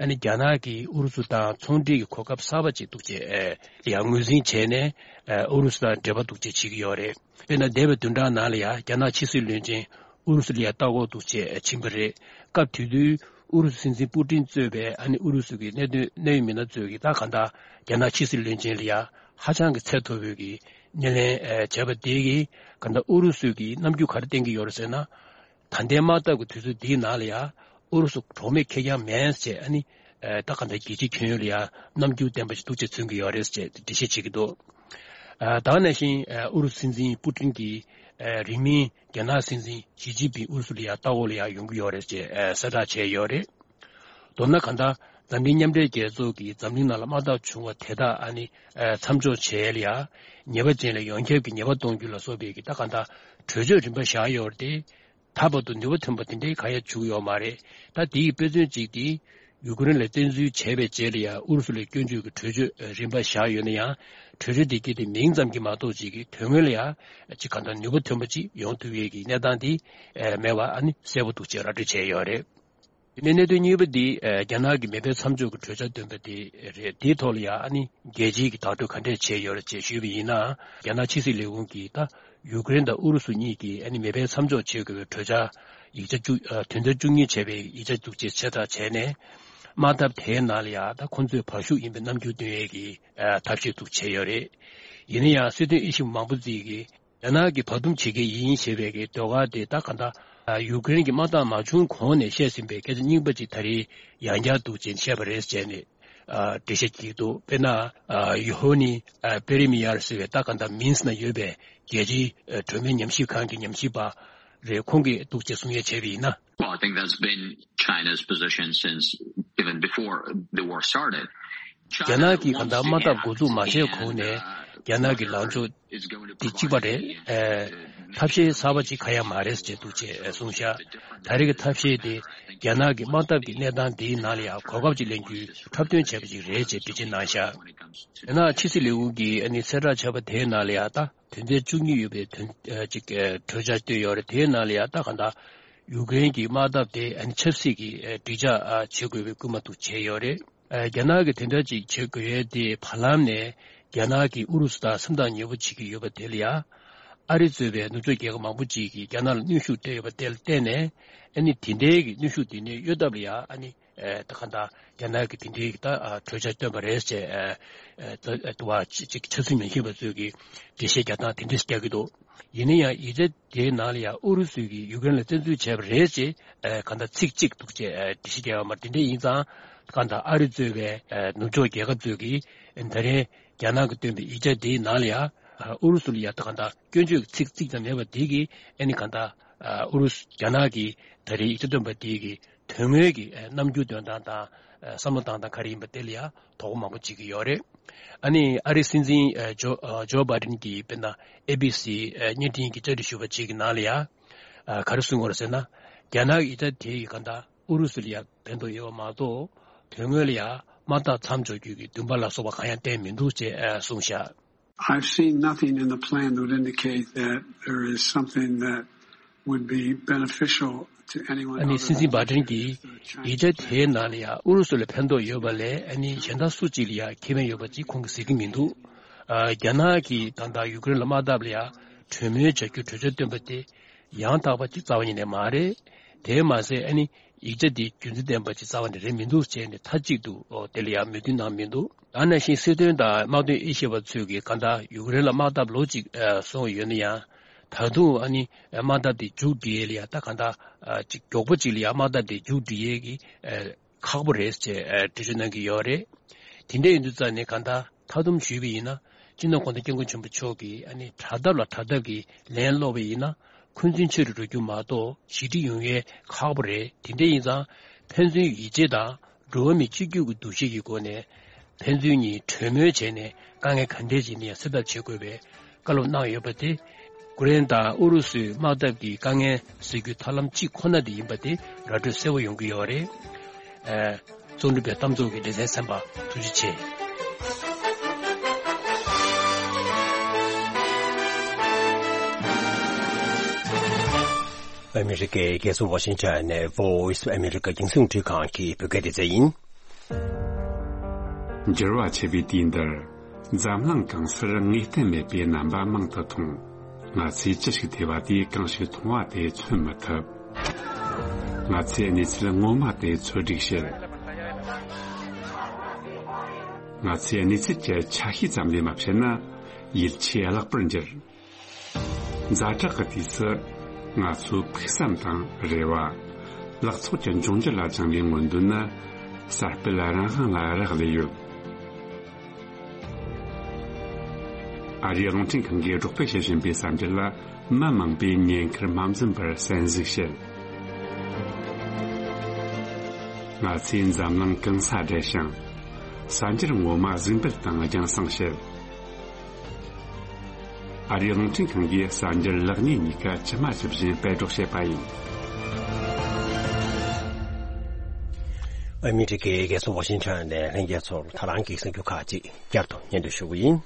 ཨ་ནི་རྒྱ་ནག་གིས་ཨུ་རུ་སུ་དང་ཚོང་འབྲེལ་གྱི་གོ་སྐབས་གསར་པ་ཅིག་འདུག་ཅེས་ཨེ་ཡང་ངོས་འཛིན་བྱས་ནས་ཨེ་ཨུ་རུ་སུ་དང་འབྲེལ་བ་འདུག་ཅེས་བྱེད་ཀྱི་ཡོད་རེད། དཔེར་ན་འདས་པའི་བདུན་ཕྲག་ནང་ལ་ཡང་རྒྱ་ནག་ཕྱི་སྲིད་བློན་ཆེན་ཨུ་རུ་སུ་ལ་ཡང་ལྟ་སྐོར་འདུག་ཅེས་ཕྱིན་པ་རེད། སྐབས་དེ་དུས་ཨུ་རུ་སུ་སྲིད་འཛིན་པུ་ཏིན་གཙོས་པའི་ཨ་ནི་ཨུ་རུ་སུ་གི་གནད་དོན་གནད་ཡོད་མི་སྣ་ཚོས་ཀྱིས་ད་གང་ལྟར་རྒྱ་ནག་ཕྱི་སྲིད་བློན་ཆེན་ལ་ཡང་ཧ་ཅང་གི་ཚད་མཐོ་བོའི་གི་སྣེ་ལེན་ཨེ་བྱས་པ་དེ་གིས་གང་ལྟར་ཨུ་རུ་སུ་གིས་རྣམ་འགྱུར་ག་རེ་བསྟན་གྱི་ཡོད་རེད་ཟེར་ན། ད་ལྟའི་དམག་འཐབ་ཀྱི་དུས་ཚོད་འདིའི་ནང་ལ་ཡང་ཨུ་རུ་སུ་གྲོགས་མེད་ཁེར་རྐྱང་མིན་ཟེར་ཨ་ནི་ཨེ་ད་གང་ལྟར་རྒྱལ་སྤྱིའི་ཁྱོན་ཡོངས་ལ་ཡང་རྣམ་འགྱུར་ལྡན་པ་ཞིག་འདུག་ཅེས་མཚོན་གྱི་ཡོད་རེད་ཅེས་འགྲེལ་བཤད་བྱེད་ཀྱི་འདུག་ཨ་ད་ག་ནང་བཞིན་ཨ་ཨུ་རུ་སུ་སྲིད་འཛིན་པུ་ཏིན་གྱིས་ཨ་རིང་མིན་རྒྱ་ནག་སྲིད་འཛིན་ཞི་ཅིན་ཕིང་ཨུ་རུ་སུ་ལ་ཡང་ལྟ་སྐོར་ལ་ཡང་ཡོང་གི་ཡོད་རེད་ཅེས་ཨ་གསལ་བསྒྲགས་བྱས་ཡོད་རེད། མདོར་ན་གང་ལྟར་འཛམ་གླིང་མཉམ་འབྲེལ་རྒྱལ་ཚོགས་ཀྱིས་འཛམ་གླིང་ནང་ལ་དམག་འཐབ་བྱུང་བ་དེ་དག་ཨ་ནི་ཨ་མཚམས་འཇོག་བྱས་ལ་ཡང་ཉེས་པ་ཅན་ལ་ཡོངས་ཁྱབ་ཀྱི་ཉེས་པ་གཏོང་རྒྱུ་ལ་སོགས་པའི་གི་ད་གང་ལྟར་གྲོས་ཆོད་རིམ་པ་བཞག་ཡོད་རེད་དེ། ད་བར་དུ་ནུས་པ་ཐོན་པ་དེ་འདྲའི་གང་ཡང་བྱུང་ཡོད་མ་རེད། ད་དེའི་དཔེ་མཚོན་གཅིག་དེ་ཡུ་ཀེ་རེན་ལ་བཙན་འཛུལ་བྱས་པའི་རྗེས་ལ་ཡང་ཨུ་རུ་སུ་ལ་སྐྱོན་བརྗོད་ཀྱི་གྲོས་ཆོད་རིམ་པ་བཞག་ཡོད་ན་ཡང་། གྲོས་ཆོད་དེ་གྱད་དེ་མིང་ཙམ་གྱིས་མ་གཏོགས་ཅིག་གི་དོན་དངོས་ལ་ཡང་ཅིག་གང་ལྟར་ནུས་པ་ཐོན་པ་ཅིག་ཡོང་ཐུབ་ཡས་ཀྱི་གནས་སྟངས་དེ་མེད་པ་ཨ་ནི་གསལ་པོ་འདུག་ཅེས་ར་སྤྲོད་བྱས་ཡོད་རེད། དེ་ནས་གནད་དོན་གཉིས་པ་འདི་ཨ་རྒྱ་ནག་གི་མེ་འཕེན་མཚམས་འཇོག་གི་གྲོས་འཆར་བཏོན་པ་དེ་རེད། དེའི་ཐོག་ལ་ཡང་ཨ་ནི་རྒྱལ་སྤྱིའི་གི་བརྡ་སྤྲོད་ག་འདྲས་བྱས་ཡོད་རེད་ཅེས་ཞུས་པ་ཡིན་ན། རྒྱ་ནག་ཕྱི་སྲིད་ལས་ཁུངས་ཀྱིས་ད་ཡུ་ཀེ་རེན་དང་ཨུ་རུ་སུ་གཉིས་ཀྱིས་ཨ་ནི་མེ་འཕེན་མཚམས་འཇོག་བྱེད་དགོས་པའི་གྲོས་འཆར་ཡིག་ཆ་བཅུ་ཨ་དོན་ཚན་བཅུ་གཉིས་བྱས་པའི་ཡིག་ཆ་འདུག་ཅེས་ཕྱིར་བསྒྲགས་བྱས་ནས། དམག་འཐབ་དེའི་ནང་ལ་ཡང་ད་ཁོང་ཚོའི་བར་ཤུགས་ཡིན་པའི་རྣམ་འགྱུར་སྟོན་ཡས་ཀྱི་ཨ་ཐབས་ཤེས་འདུག་བྱས་ཡོད་རེད། ཡིན་ན་ཡང་སྲིད་དོན་དབྱེ་ཞིབ་མང་པོ་ཅིག་གིས། རྒྱ་ནག་གིས་བར་འདུམ་བྱེད་མཁན་ཡིན་ཞེས་པའི་གི་ཟློས་གར་དེ་ད་ག་འདྲ། ཡུ་ཀེ་རེན་གྱི་དམག་འཐབ་མ་བྱུང་གོང་ནས་བཤད་ཟིན་པའི་སྐད་ཆ་རྙིང་པ་ཅིག་ད་རེས་ཡང་བསྐྱར་འདུག་ཅེས་བཤད་པ་རེད་ཅེས་ནས་འགྲེལ་བཤད་བགྱིས་འདུག་དཔེར་ན། ཡུ་ཧོ་ནི་པེ་རི་མི་ཡར་ཟེར་བའི་ད་ག་འདྲ་མིན་སི་ན་ཡོད་པའི་རྒྱལ་སྤྱིའི་གྲོས་མོལ་ཉམས་ཞིབ་ཁང་གི་ཉམས་ཞིབ་པ་རེད། ཁོང་གིས་འདུག་ཅེས་གསུང་ཡས་བྱས་པ་ཡིན་ན། Well, I think that's been China's position since even before the war started. རྒྱ་ནག་གིས་གང་ལྟར་དམག་འཐབ་འགོ་འཛུགས་མ་བྱས་གོང་ནས་རྒྱ་ནག་གི་ལངས་ཕྱོགས་འདི་གཅིག་པ་རེད། ཨེ། ཐབས་ཤེས་གསར་པ་ཅིག་གང་ཡང་མ་རེད་ཅེས་འདུག་ཅེས་གསུངས་ཤག་ད་རེས་ཀྱི་ཐབས་ཤེས་དེ་རྒྱ་ནག་གི་དམག་འཐབ་ཀྱི་གནས་སྟངས་འདིའི་ནང་ལ་ཡང་གོ་སྐབས་ཅིག་ལེན་རྒྱུའི་འཁྲབ་སྟོན་བྱས་པ་ཅིག་རེད་ཅེས་འགྲེལ་བརྗོད་གནང་ཤག་རྒྱ་ནག་ཕྱི་སྲིད་ལས་ཁུངས་ཀྱིས་ཨ་ནི་གསལ་བསྒྲགས་བྱས་པ་དེའི་ནང་ལ་ཡང་ད་དོན་ཚན་བཅུ་གཉིས་ཡོད་པའི་དོན་ཨ་ཅིག་ཨ་གྲོས་འཆར་བཏོན་ཡོད་རེད། དེའི་ནང་ལ་ཡང་ད་གང་ལྟར་ཡུ་ཀེ་རེན་གྱི་དམག་འཐབ་དེ་ཨ་ནི་ཆབ་སྲིད་ཀྱི་ཨ་འགྲིག་འཇགས་ཨ་བྱེད་དགོས་པའི་སྐུལ་མ་འདུག་བྱས་ཡོད་རེད། ཨ་རྒྱ་ནག་གིས་དེ་འདྲ་ཅིག་བྱེད་དགོས་ཡས་དེ་བར་ལམ་ནས་རྒྱ་ནག་གིས་ཨུ་རུ་སུ་དང་སེམས་ཐག་ཉེ་པོ་བྱེད་ཀྱི་ཡོད་པ་དེ་ལ་ཡང་། ཨ་རི་གཙོས་པའི་ནུབ་ཕྱོགས་རྒྱལ་ཁབ་མང་པོ་ཅིག་གིས་རྒྱ་ནག་ལ་གནོན་ཤུགས་སྤྲད་ཡོད་པ་དེ་ལ་བརྟེན་ནས། ཨ་ནི་དེ་འདྲའི་གི་གནོན་ཤུགས་དེ་ནས་གཡོལ་ཐབས་ལ་ཡང་ཨ་ནི་ཨ་ད་ག་འདྲ་རྒྱ་ནག་གིས་དེ་འདྲའི་གི་ད་ཨ་གྲོས་འཆར་བཏོན་པ་རེད་ཅེས་ཨ་ཨ་ད་ཨ་དུ་བ་ཅིག་ཆབ་སྲིད་ཉམས་ཞིབ་པ་ཚོས་ཀྱི་འགྲེལ་བཤད་རྒྱག་སྟངས་དེ་འདྲ་ཞིག་རྒྱག་གི་འདུག་ཡིན་ན་ཡང་ཡིག་ཆ་དེའི་ནང་ལ་ཡང་ཨུ་རུ་སུ་གིས་ཡུ་ཀེ་རེན་ལ་བཙན་འཛུལ་བྱས་པ་རེད་ཅེས་ཨ་གང་ལྟར་ཚིག་གཅིག་འདུག་ཅེས་ཨ་འགྲེལ་བཤད་རྒྱག་ཡོད་མ་རེད། དེ་འདྲ་ཡིན་ཙང་གང་ལྟར་ཨ་རི་གཙོས་པའི་ཨ་ནུབ་ཕྱོགས་རྒྱལ་ཁབ་ཚོས་ཀྱིས་ད་རེས་རྒྱ་ནག་གིས་བཏོན་པའི་ཡིག་ཆ་དེའི་ནང་ལ་ཡང་ཨ་ཨུ་རུ་སུ་ལ་ཡང་ད་གང་ལྟར་སྐྱོན་བརྗོད་ཀྱི་ཚིག་གཅིག་ཀྱང་མེད་པ་དེ་གིས་ཨ་ནི་གང་ལྟར་ཨ་ཨུ་རུ་སུ་རྒྱ་ནག་གིས་ད་རེས་ཡིག་ཆ་བཏོན་པ་དེ་གིས་དོན་དངོས་ཀྱི་ཨ་རྣམ་འགྱུར་སྟོན་སྟངས་དང་ཨ་བསམ་བློ་བཏང་སྟངས་ག་རེ་ཡིན་པ་དེ་ལ་ཡང་དོ་ཁུར་མང་པོ་བྱེད་ཀྱི་ཡོད་རེད། ཨ་ནི་ཨ་རིའི་སྲིད་འཛིན་ཨ་ཇོ་ཨ་ཇོ་བྷའི་ཌེན་གྱིས་དཔེར་ན་ཨེ་བྷི་སི་ཨ་བརྙན་འཕྲིན་གྱི་བཅར་འདྲི་ཞུས་པ་ཅིག་གི་ནང་ལ་ཡང་ཨ་ག་རེ་གསུངས་ཡོད་རེད་ཟེར་ན། རྒྱ་ནག་གི་ཡིག་ཆ་དེ་ཡིས་གང་ལྟར་ཨུ་རུ་སུ་ལ་ཡང་ཕན་ཐོགས་ཡོད་པ་མ་གཏོགས། དོན་དངོས་ལ་ཡང་དམག་འཐབ་མཚམས་འཇོག་རྒྱུ་གི་འདུན་པ་ལ་སོགས་པ་གང་ཡང་བསྟན་མི་འདུག་ཅེས་ཨ་གསུངས་ཤག I've seen nothing in the plan that would indicate that there is something that would be beneficial to anyone ཨ་ནི་other སྲིད་འཛིན་than བྷའི་ཌེན་གྱིས་ཡིག་ཆ་དེའི་ནང་ལ་ཡང་ཨུ་རུ་སུ་ལ་ཕན་ཐོགས་ཡོད་པ་ལས་ཨ་ནི་གཞན་དག་སུ་གཅིག་ལ་ཡང་ཁེ་ཕན་ཡོད་པ་ཅིག་ཁོང་གིས་གཟིགས་ཀྱི་མི་འདུག་ཨ་རྒྱ་ནག་གིས་ད་ལྟ་ཡུ་ཀེ་རེན་ལ་དམག་འཐབ་ལ་ཡང་གྲོས་མོལ་བྱ་རྒྱུའི་གྲོས་འཆར་བཏོན་པ་དེ་ཡང་དག་པ་ཅིག་རྩ་བ་ཉིད་ནས་མ་རེད། དེས་མ་ཟད་ཨ་ནི་ཡིག་ཆ་འདི་རྒྱུ་མཚན་ལྡན་པ་ཅིག་རྩ་བ་ནས་རེད་མི་འདུག་ཅེས་ནས་མཐའ་གཅིག་ཏུ་ཨོ་དེ་ལ་ཡང་མོས་མཐུན་གནང་མི་འདུག་ད་ནང་བཞིན་སྲིད་དོན་དང་དམག་དོན་དབྱེ་ཞིབ་པ་ཚོས་ཀྱིས་གང་ལྟར་ཡུཀ་རེན་ལ་དམག་འཐབ་ལོ་གཅིག་ཨ་སོང་ཡོད་ན་ཡང་། ད་དུང་ཨ་ནི་དམག་འཐབ་དེ་མཇུག་སྒྲིལ་ཡས་ལ་ཡ་ད་གང་ལྟར་ཨ་ཅིག་མགྱོགས་པོ་ཅིག་ལ་ཡ་དམག་འཐབ་དེ་མཇུག་སྒྲིལ་ཡས་ཀྱི་ཨ་ཁག་པོ་རེད་ཅེས་ཨ་འགྲེལ་བརྗོད་གནང་གི་ཡོད་རེད། དེ་འདྲ་ཡིན་དུས་ཙང་ནས་གང་ལྟར་མཐའ་སྡོམ་ཞུས་པ་ཡིན་ན་སྤྱི་ནོར་གོང་ས་སྐྱབས་མགོན་ཆེན་པོ་མཆོག་གིས་ཨ་ནི་དྲག་འཐབ་ལ་དྲག་འཐབ་ཀྱི་ལན་སློག་པ་ཡིན་ན་འཁོན་འཛིན་ཆེ་རུ་འགྲོ་རྒྱུ་མ་གཏོགས་ཞི་འགྲིག་ཡོང་ཡས་ཁག་པོ་རེད། དེ་འདྲ་ཡིན་ཙང་ཕན་ཚུན་ཡིད་ཆེས་དང་། འགྲོ་བ་མི་གཅིག་གྱུར་གྱི་འདུ་ཤེས་ཀྱི་སྒོ་ནས་ཕན་ཚུན་གཉིས་གྲོས་མོལ་བྱས་ནས་དཀའ་ངལ་ག་འདྲས་ཅིག་ནས་སེལ་ཐབས་བྱེད་དགོས་པའི་བཀའ་སློབ་གནང་ཡོད་པ་དེ་ཀུ་རེན་དང་ཨུ་རུ་སུའི་དམག་འཐབ་ཀྱི་དཀའ་ངལ་སེལ་རྒྱུའི་ཐབས་ལམ་གཅིག་ཁོ་ན་དེ་ཡིན་པ་དེ་ར་སྤྲོད་གསལ་པོ་ཡོང་གི་ཡོད་རེད། ཨ། རྩོམ་སྒྲིག་པའི་གཏམ་ཚོགས་ཀྱི་སྡེ་ཚན་གསན་པ་ཐུགས་རྗེ་ཆེ། ཨ་མི་རི་ཀའི་རྒྱལ་ས་ཝ་ཤིང་ཊོན་ནས་Voice of America རྒྱང་སྲིང་རླུང་འཕྲིན་ཁང་གི་བོད་སྐད་སྡེ་ཚན་ཡིན། འགྱུར་བ་ཆེ་བའི་དུས་འདིར། འཛམ་གླིང་གང་སར་ངེས་གཏན་མེད་པའི་རྣམ་པ་མང་དུ་མཐོང་། ང་ཚོས་ཅི་ཞིག་ཐོས་པ་དེས་གང་ཞིག་མཐོང་བ་དེ་མཚོན་མི་ཐུབ། ང་ཚོས་གནས་ཚུལ་ངོ་མ་དེ་འཚོལ་སྒྲིག་བྱེད། ང་ཚོས་གནས་ཚུལ་གྱི་ཆ་ཤས་ཙམ་ལས་མ་བཤད་ན་ཡིད་ཆེས་བརླག་པར་འགྱུར། ཛ་དྲག་གི་དུས་སུ་ང་ཚོའི་ཕུགས་བསམ་དང་རེ་བ། ལག་ཚོགས་ཀྱི་འབྱུང་འགྱུར་ལ་བཅངས་པའི་མངོན་འདོད་ནི་གསར་སྤེལ་རང་དབང་ལ་རག་ལས་ཡོད། ཨ་རིའི་རླུང་འཕྲིན་ཁང་གིས་སྒྲོག་སྤེལ་བྱེད་བཞིན་པའི་གསར་འགྱུར་ལ་མི་མང་པོས་ཉེན་ཁར་མ་འཛེམས་པར་གསན་གཟིགས་བྱེད། ང་ཚོས་འཛམ་གླིང་གང་སར་བསྡད་ཞིང་། གསར་འགྱུར་ངོ་མ་གཟིགས་འབུལ་དང་རྒྱང་སྲིང་བྱེད། ཨ་རིའི་རླུང་འཕྲིན་ཁང་གིས་གསར་འགྱུར་ལེགས་ཉེས་གཉིས་ཀ་ཇི་མ་ཇི་བཞིན་སྤེལ་སྒྲོག་བྱེད་པ་ཡིན། ཨ་མི་རི་ཀའི་རྒྱལ་ས་ཝ་ཤིང་ཊོན་ནས་ལྷན་རྒྱས་ཚོར་ད་རང་གི་གསར་འགྱུར་ཁག་ཅིག་བསྐྱར་དུ་སྙན་སྒྲོན་ཞུ་གི་ཡིན།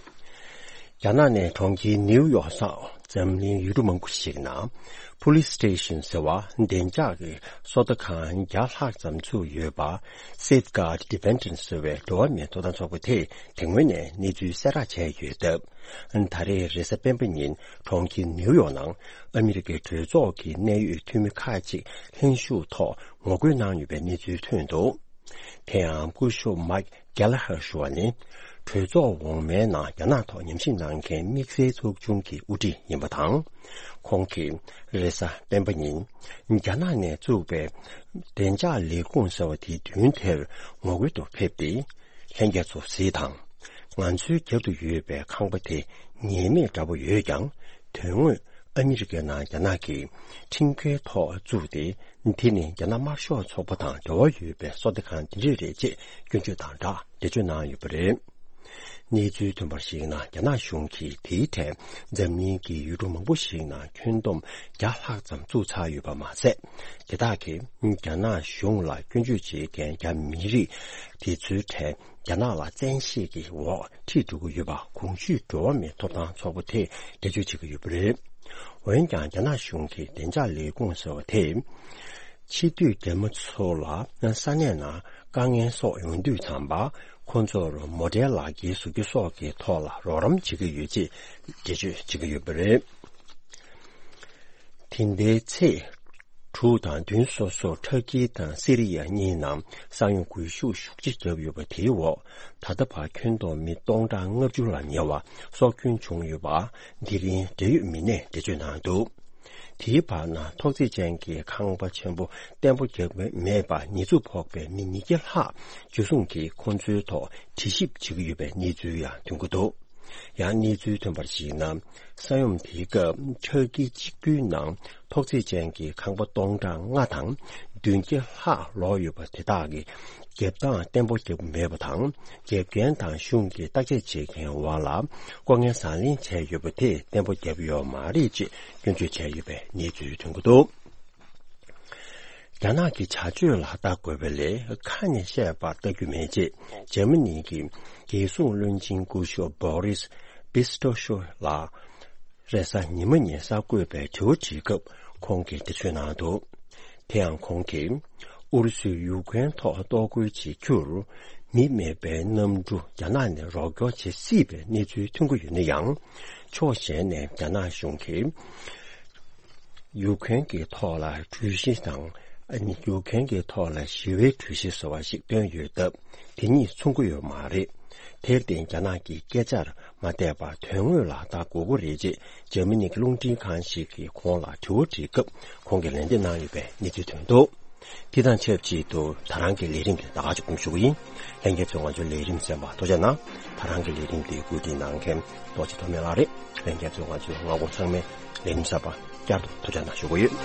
རྒྱ་ནག་ནས་གྲོང་ཁྱེར་ནིའུ་ཡོག་སོགས་འཛམ་གླིང་ཡུལ་གྲུ་མང་པོ་ཞིག་ནང་Police Station ཟེར་བ་བདེ་འཇགས་ཀྱི་སོ་ལྟ་ཁང་བརྒྱ་ལྷག་ཙམ་ཚུགས་ཡོད་པ་Safeguard Defenders ཟེར་བའི་འགྲོ་བ་མིའི་ཐོབ་ཐང་ཚོགས་པ་དེས་དེ་སྔོན་ནས་གནས་ཚུལ་གསལ་བསྒྲགས་བྱས་ཡོད་སྟབས། ད་རེས་རེས་གཟའ་སྤེན་པ་ཉིན་གྲོང་ཁྱེར་ནིའུ་ཡོག་ནང་ཨ་མི་རི་ཀའི་གྲོས་ཚོགས་ཀྱི་གནད་ཡོད་འཐུས་མི་ཁག་ཅིག་ལྷན་ཞུགས་ཐོག་ངོ་རྒོལ་གནང་ཡོད་པའི་གནས་ཚུལ་ཐོན་འདུག་དེ་ཡང་སྐུ་ཞབས་Mike Gallagher ཞུ་བ་ནི། གྲོས་ཚོགས་འོག་མའི་ནང་རྒྱ་ནག་ཐོག་ཉམས་ཞིབ་གནང་མཁན་དམིགས་བསལ་ཚོགས་ཆུང་གི་དབུ་ཁྲིད་ཡིན་པ་དང་། ཁོང་གིས་རེས་གཟའ་སྤེན་པ་ཉིན་རྒྱ་ནག་ནས་བཙུགས་པའི་བདེ་འཇགས་ལས་ཁུངས་ཟེར་བ་དེའི་མདུན་དེར་ངོ་རྒོལ་དུ་ཕེབས་ཏེ། ལྷན་རྒྱས་ཚོ་གཟིགས་དང་། ང་ཚོའི་རྒྱབ་ཏུ་ཡོད་པའི་ཁང་པ་དེ་ངེས་མེད་འདྲ་པོ་ཡོད་ཀྱང་། དོན་དངོས་ཨ་མི་རི་ཀའི་ནང་རྒྱ་ནག་གི་ཁྲིམས་འགལ་ཐོག་བཙུགས་ཏེ། དེ་ནི་རྒྱ་ནག་དམར་ཤོག་ཚོགས་པ་དང་འབྲེལ་བ་ཡོད་པའི་སོ་ལྟ་ཁང་དེ་འདྲས་རེད་ཅེས་སྐྱོན་བརྗོད་དང་སྦྲགས་འགྲེལ་བརྗོད་གནང་ཡོད་པ་རེད། གནས་ཚུལ་ཐོན་པར་གཞིགས་ན། རྒྱ་ནག་གཞུང་གིས་དེའི་ཐད་འཛམ་གླིང་གི་ཡུལ་གྲུ་མང་པོ་ཞིག་ནང་ཁྱོན་བསྡོམས་བརྒྱ་ལྷག་ཙམ་བཙུགས་ཚར་ཡོད་པ་མ་ཟད། དེ་དག་གིས་རྒྱ་ནག་གཞུང་ལ་སྐྱོན་བརྗོད་བྱེད་མཁན་རྒྱ་མི་རིགས་དེ་ཚོའི་གྲས་རྒྱ་ནག་ལ་བཙན་ཤེད་ཀྱི་འོག་ཁྲིད་འགྲོ་གི་ཡོད་པ་གོང་ཞུས་འགྲོ་བ་མིའི་ཐོབ་ཐང་ཚོགས་པ་དེས་འགྲེལ་བརྗོད་བྱེད་ཀྱི་ཡོད་པ་རེད། འོན་ཀྱང་རྒྱ་ནག་གཞུང་གི་བདེ་འཇགས་ལས་ཁུངས་ཟེར་བ་དེས། ཕྱི་སྡོད་རྒྱ་མི་ཚོ་ལ་ས་གནས་ནང་དཀའ་ངལ་སོགས་ཡོང་དུས་ཙམ་པ། ཁོ་ཚོར་མོ་ཊའི་ལག་འཁྱེར་བཟོ་རྒྱུ་སོགས་ཀྱི་ཐོག་ལ་རོགས་རམ་བྱེད་ཀྱི་ཡོད་ཅེས་འགྲེལ་བརྗོད་བྱེད་ཀྱི་ཡོད་པ་རེད། དེ་ཟླའི་ཚེས་དྲུག་དང་བདུན་སོ་སོར་ཊར་ཀི་དང་སི་རི་ཡ་གཉིས་ནང་ས་ཡོམ་འགུལ་ཤུགས་ཤུགས་ཆེ་བརྒྱབ་ཡོད་པ་དེའི་འོག་ད་ལྟ་བར་ཁྱོན་བསྡོམས་མི་སྟོང་ཕྲག་ལྔ་བཅུ་ལ་ཉེ་བ་སྲོག་སྐྱོན་བྱུང་ཡོད་པ། དེ་རིང་འབྲེལ་ཡོད་མི་སྣས་འགྲེལ་བརྗོད་གནང་འདུག་དེའི་བར་ན་ཐོག་བརྩེགས་ཅན་གྱི་ཁང་པ་ཆེན་པོ་གཏན་པོ་བརྒྱབ་མེད་པར་ཉེས་འཛུགས་ཕོག་པའི་མི་ཉིས་བརྒྱ་ལྷག་འཇུ་བཟུང་གིས་ཁོང་ཚོའི་ཐོག་དྲི་ཞིབ་བྱེད་ཀྱི་ཡོད་པའི་གནས་ཚུལ་ཡང་ཐོན་གྱི་འདུག་ཡང་གནས་ཚུལ་ཐོན་པར་གཞིགས་ན། ས་ཡོམ་དེའི་སྐབས་ཊར་ཀི་གཅིག་པུའི་ནང་ཐོག་བརྩེགས་ཅན་གྱི་ཁང་པ་སྟོང་ཕྲག་ལྔ་དང་བདུན་བརྒྱ་ལྷག་ལོག་ཡོད་པ་དེ་དག་གི་རྒྱབ་སྟངས་བརྟན་པོ་བརྒྱབ་མེད་པ་དང་། འགེབས་མཁན་དང་གཞུང་གི་བརྟག་དཔྱད་བྱེད་མཁན་དབར་ལ་ལྐོག་རྔན་བཟང་ལེན་བྱས་ཡོད་པ་དེ་བརྟན་པོ་བརྒྱབ་ཡོད་མ་རེད་ཅེས་སྐྱོན་བརྗོད་བྱས་ཡོད་པའི་གནས་ཚུལ་ཐོན་གྱི་འདུག་རྒྱ་ནག་གི་བྱ་སྤྱོད་ལ་ལྟ་དགོས་པ་ལས་ཁ་ནས་བཤད་པར་ལྟ་རྒྱུ་མེད་ཅེས་འཇར་མ་ནི་གི་རྒྱལ་སྲུང་བློན་ཆེན་སྐུ་ཞབས་Boris Pistorius ལགས་རེས་གཟའ་ཉི་མ་ཉིན་གསར་འགོད་པའི་དྲི་བ་དྲིས་སྐབས་ཁོང་གིས་འགྲེལ་བརྗོད་གནང་འདུག་དེ་ཡང་ཁོང་གིས་ཨུ་རུ་སུས་ཡུཀ་རེན་ཐོག་གཏོར་རྒོལ་བྱེད་རྒྱུར་མི་མེད་པའི་གནམ་གྲུ་རྒྱ་ནག་ནས་རོགས་སྐྱོར་བྱེད་སྲིད་པའི་གནས་ཚུལ་ཐོན་གྱི་ཡོད་ན་ཡང་། ཕྱོགས་གཞན་ནས་རྒྱ་ནག་གཞུང་གིས་ཡུཀ་རེན་གྱི་ཐོག་ལ་གྲོས་གཞི་དང་ ཨ་ནི་རྒྱུག་མཁན་གྱི་ཐོག་ལ་ཞི་བའི་གྲོས་གཞི་ཟེར་བ་ཞིག་བཏོན་ཡོད་སྟབས། དེ་གཉིས་མཚུངས་ཀྱི་ཡོད་མ་རེད། དེར་བརྟེན་རྒྱ་ནག་གིས་སྐད་ཆར་མ་བལྟས་པར་དོན་དངོས་ལ་ལྟ་དགོས་ཀྱི་རེད་ཅེས་འཇར་མ་ནི་གི་རླུང་འཕྲིན་ཁང་ཞིག་གིས་ཁོང་ལ་དྲི་བ་དྲིས་སྐབས། ཁོང་གིས་ལན་འདེབས་གནང་ཡོད་པའི་གནས་ཚུལ་ཐོན་འདུག། དེ་དང་ཆབས་ཅིག་ཏུ་ད་རང་གི་ལས་རིམ་དེ་ད་ག་ཅིག་སྐུ་ཞུ་གི་ཡིན། ལྷན་རྒྱས་ཚོས་ང་ཚོའི་ལས་རིམ་གསན་པར་ཐུགས་རྗེ་གནང་། ད་རང་གི་ལས་རིམ་དེ་བཀོད་སྒྲིག་གནང་མཁན་རྡོ་རྗེ་ཐོགས་མེད་ལགས་རེད། ལྷན་རྒྱས་ཚོས་ང་ཚོའི་མངའ་ཁོངས་ཚང་མའི་ལས་རིམ་གསར་པ་བསྐྱར་དུ་ཐུགས་རྗེ་གནང་ཞུ་གི་ཡོད།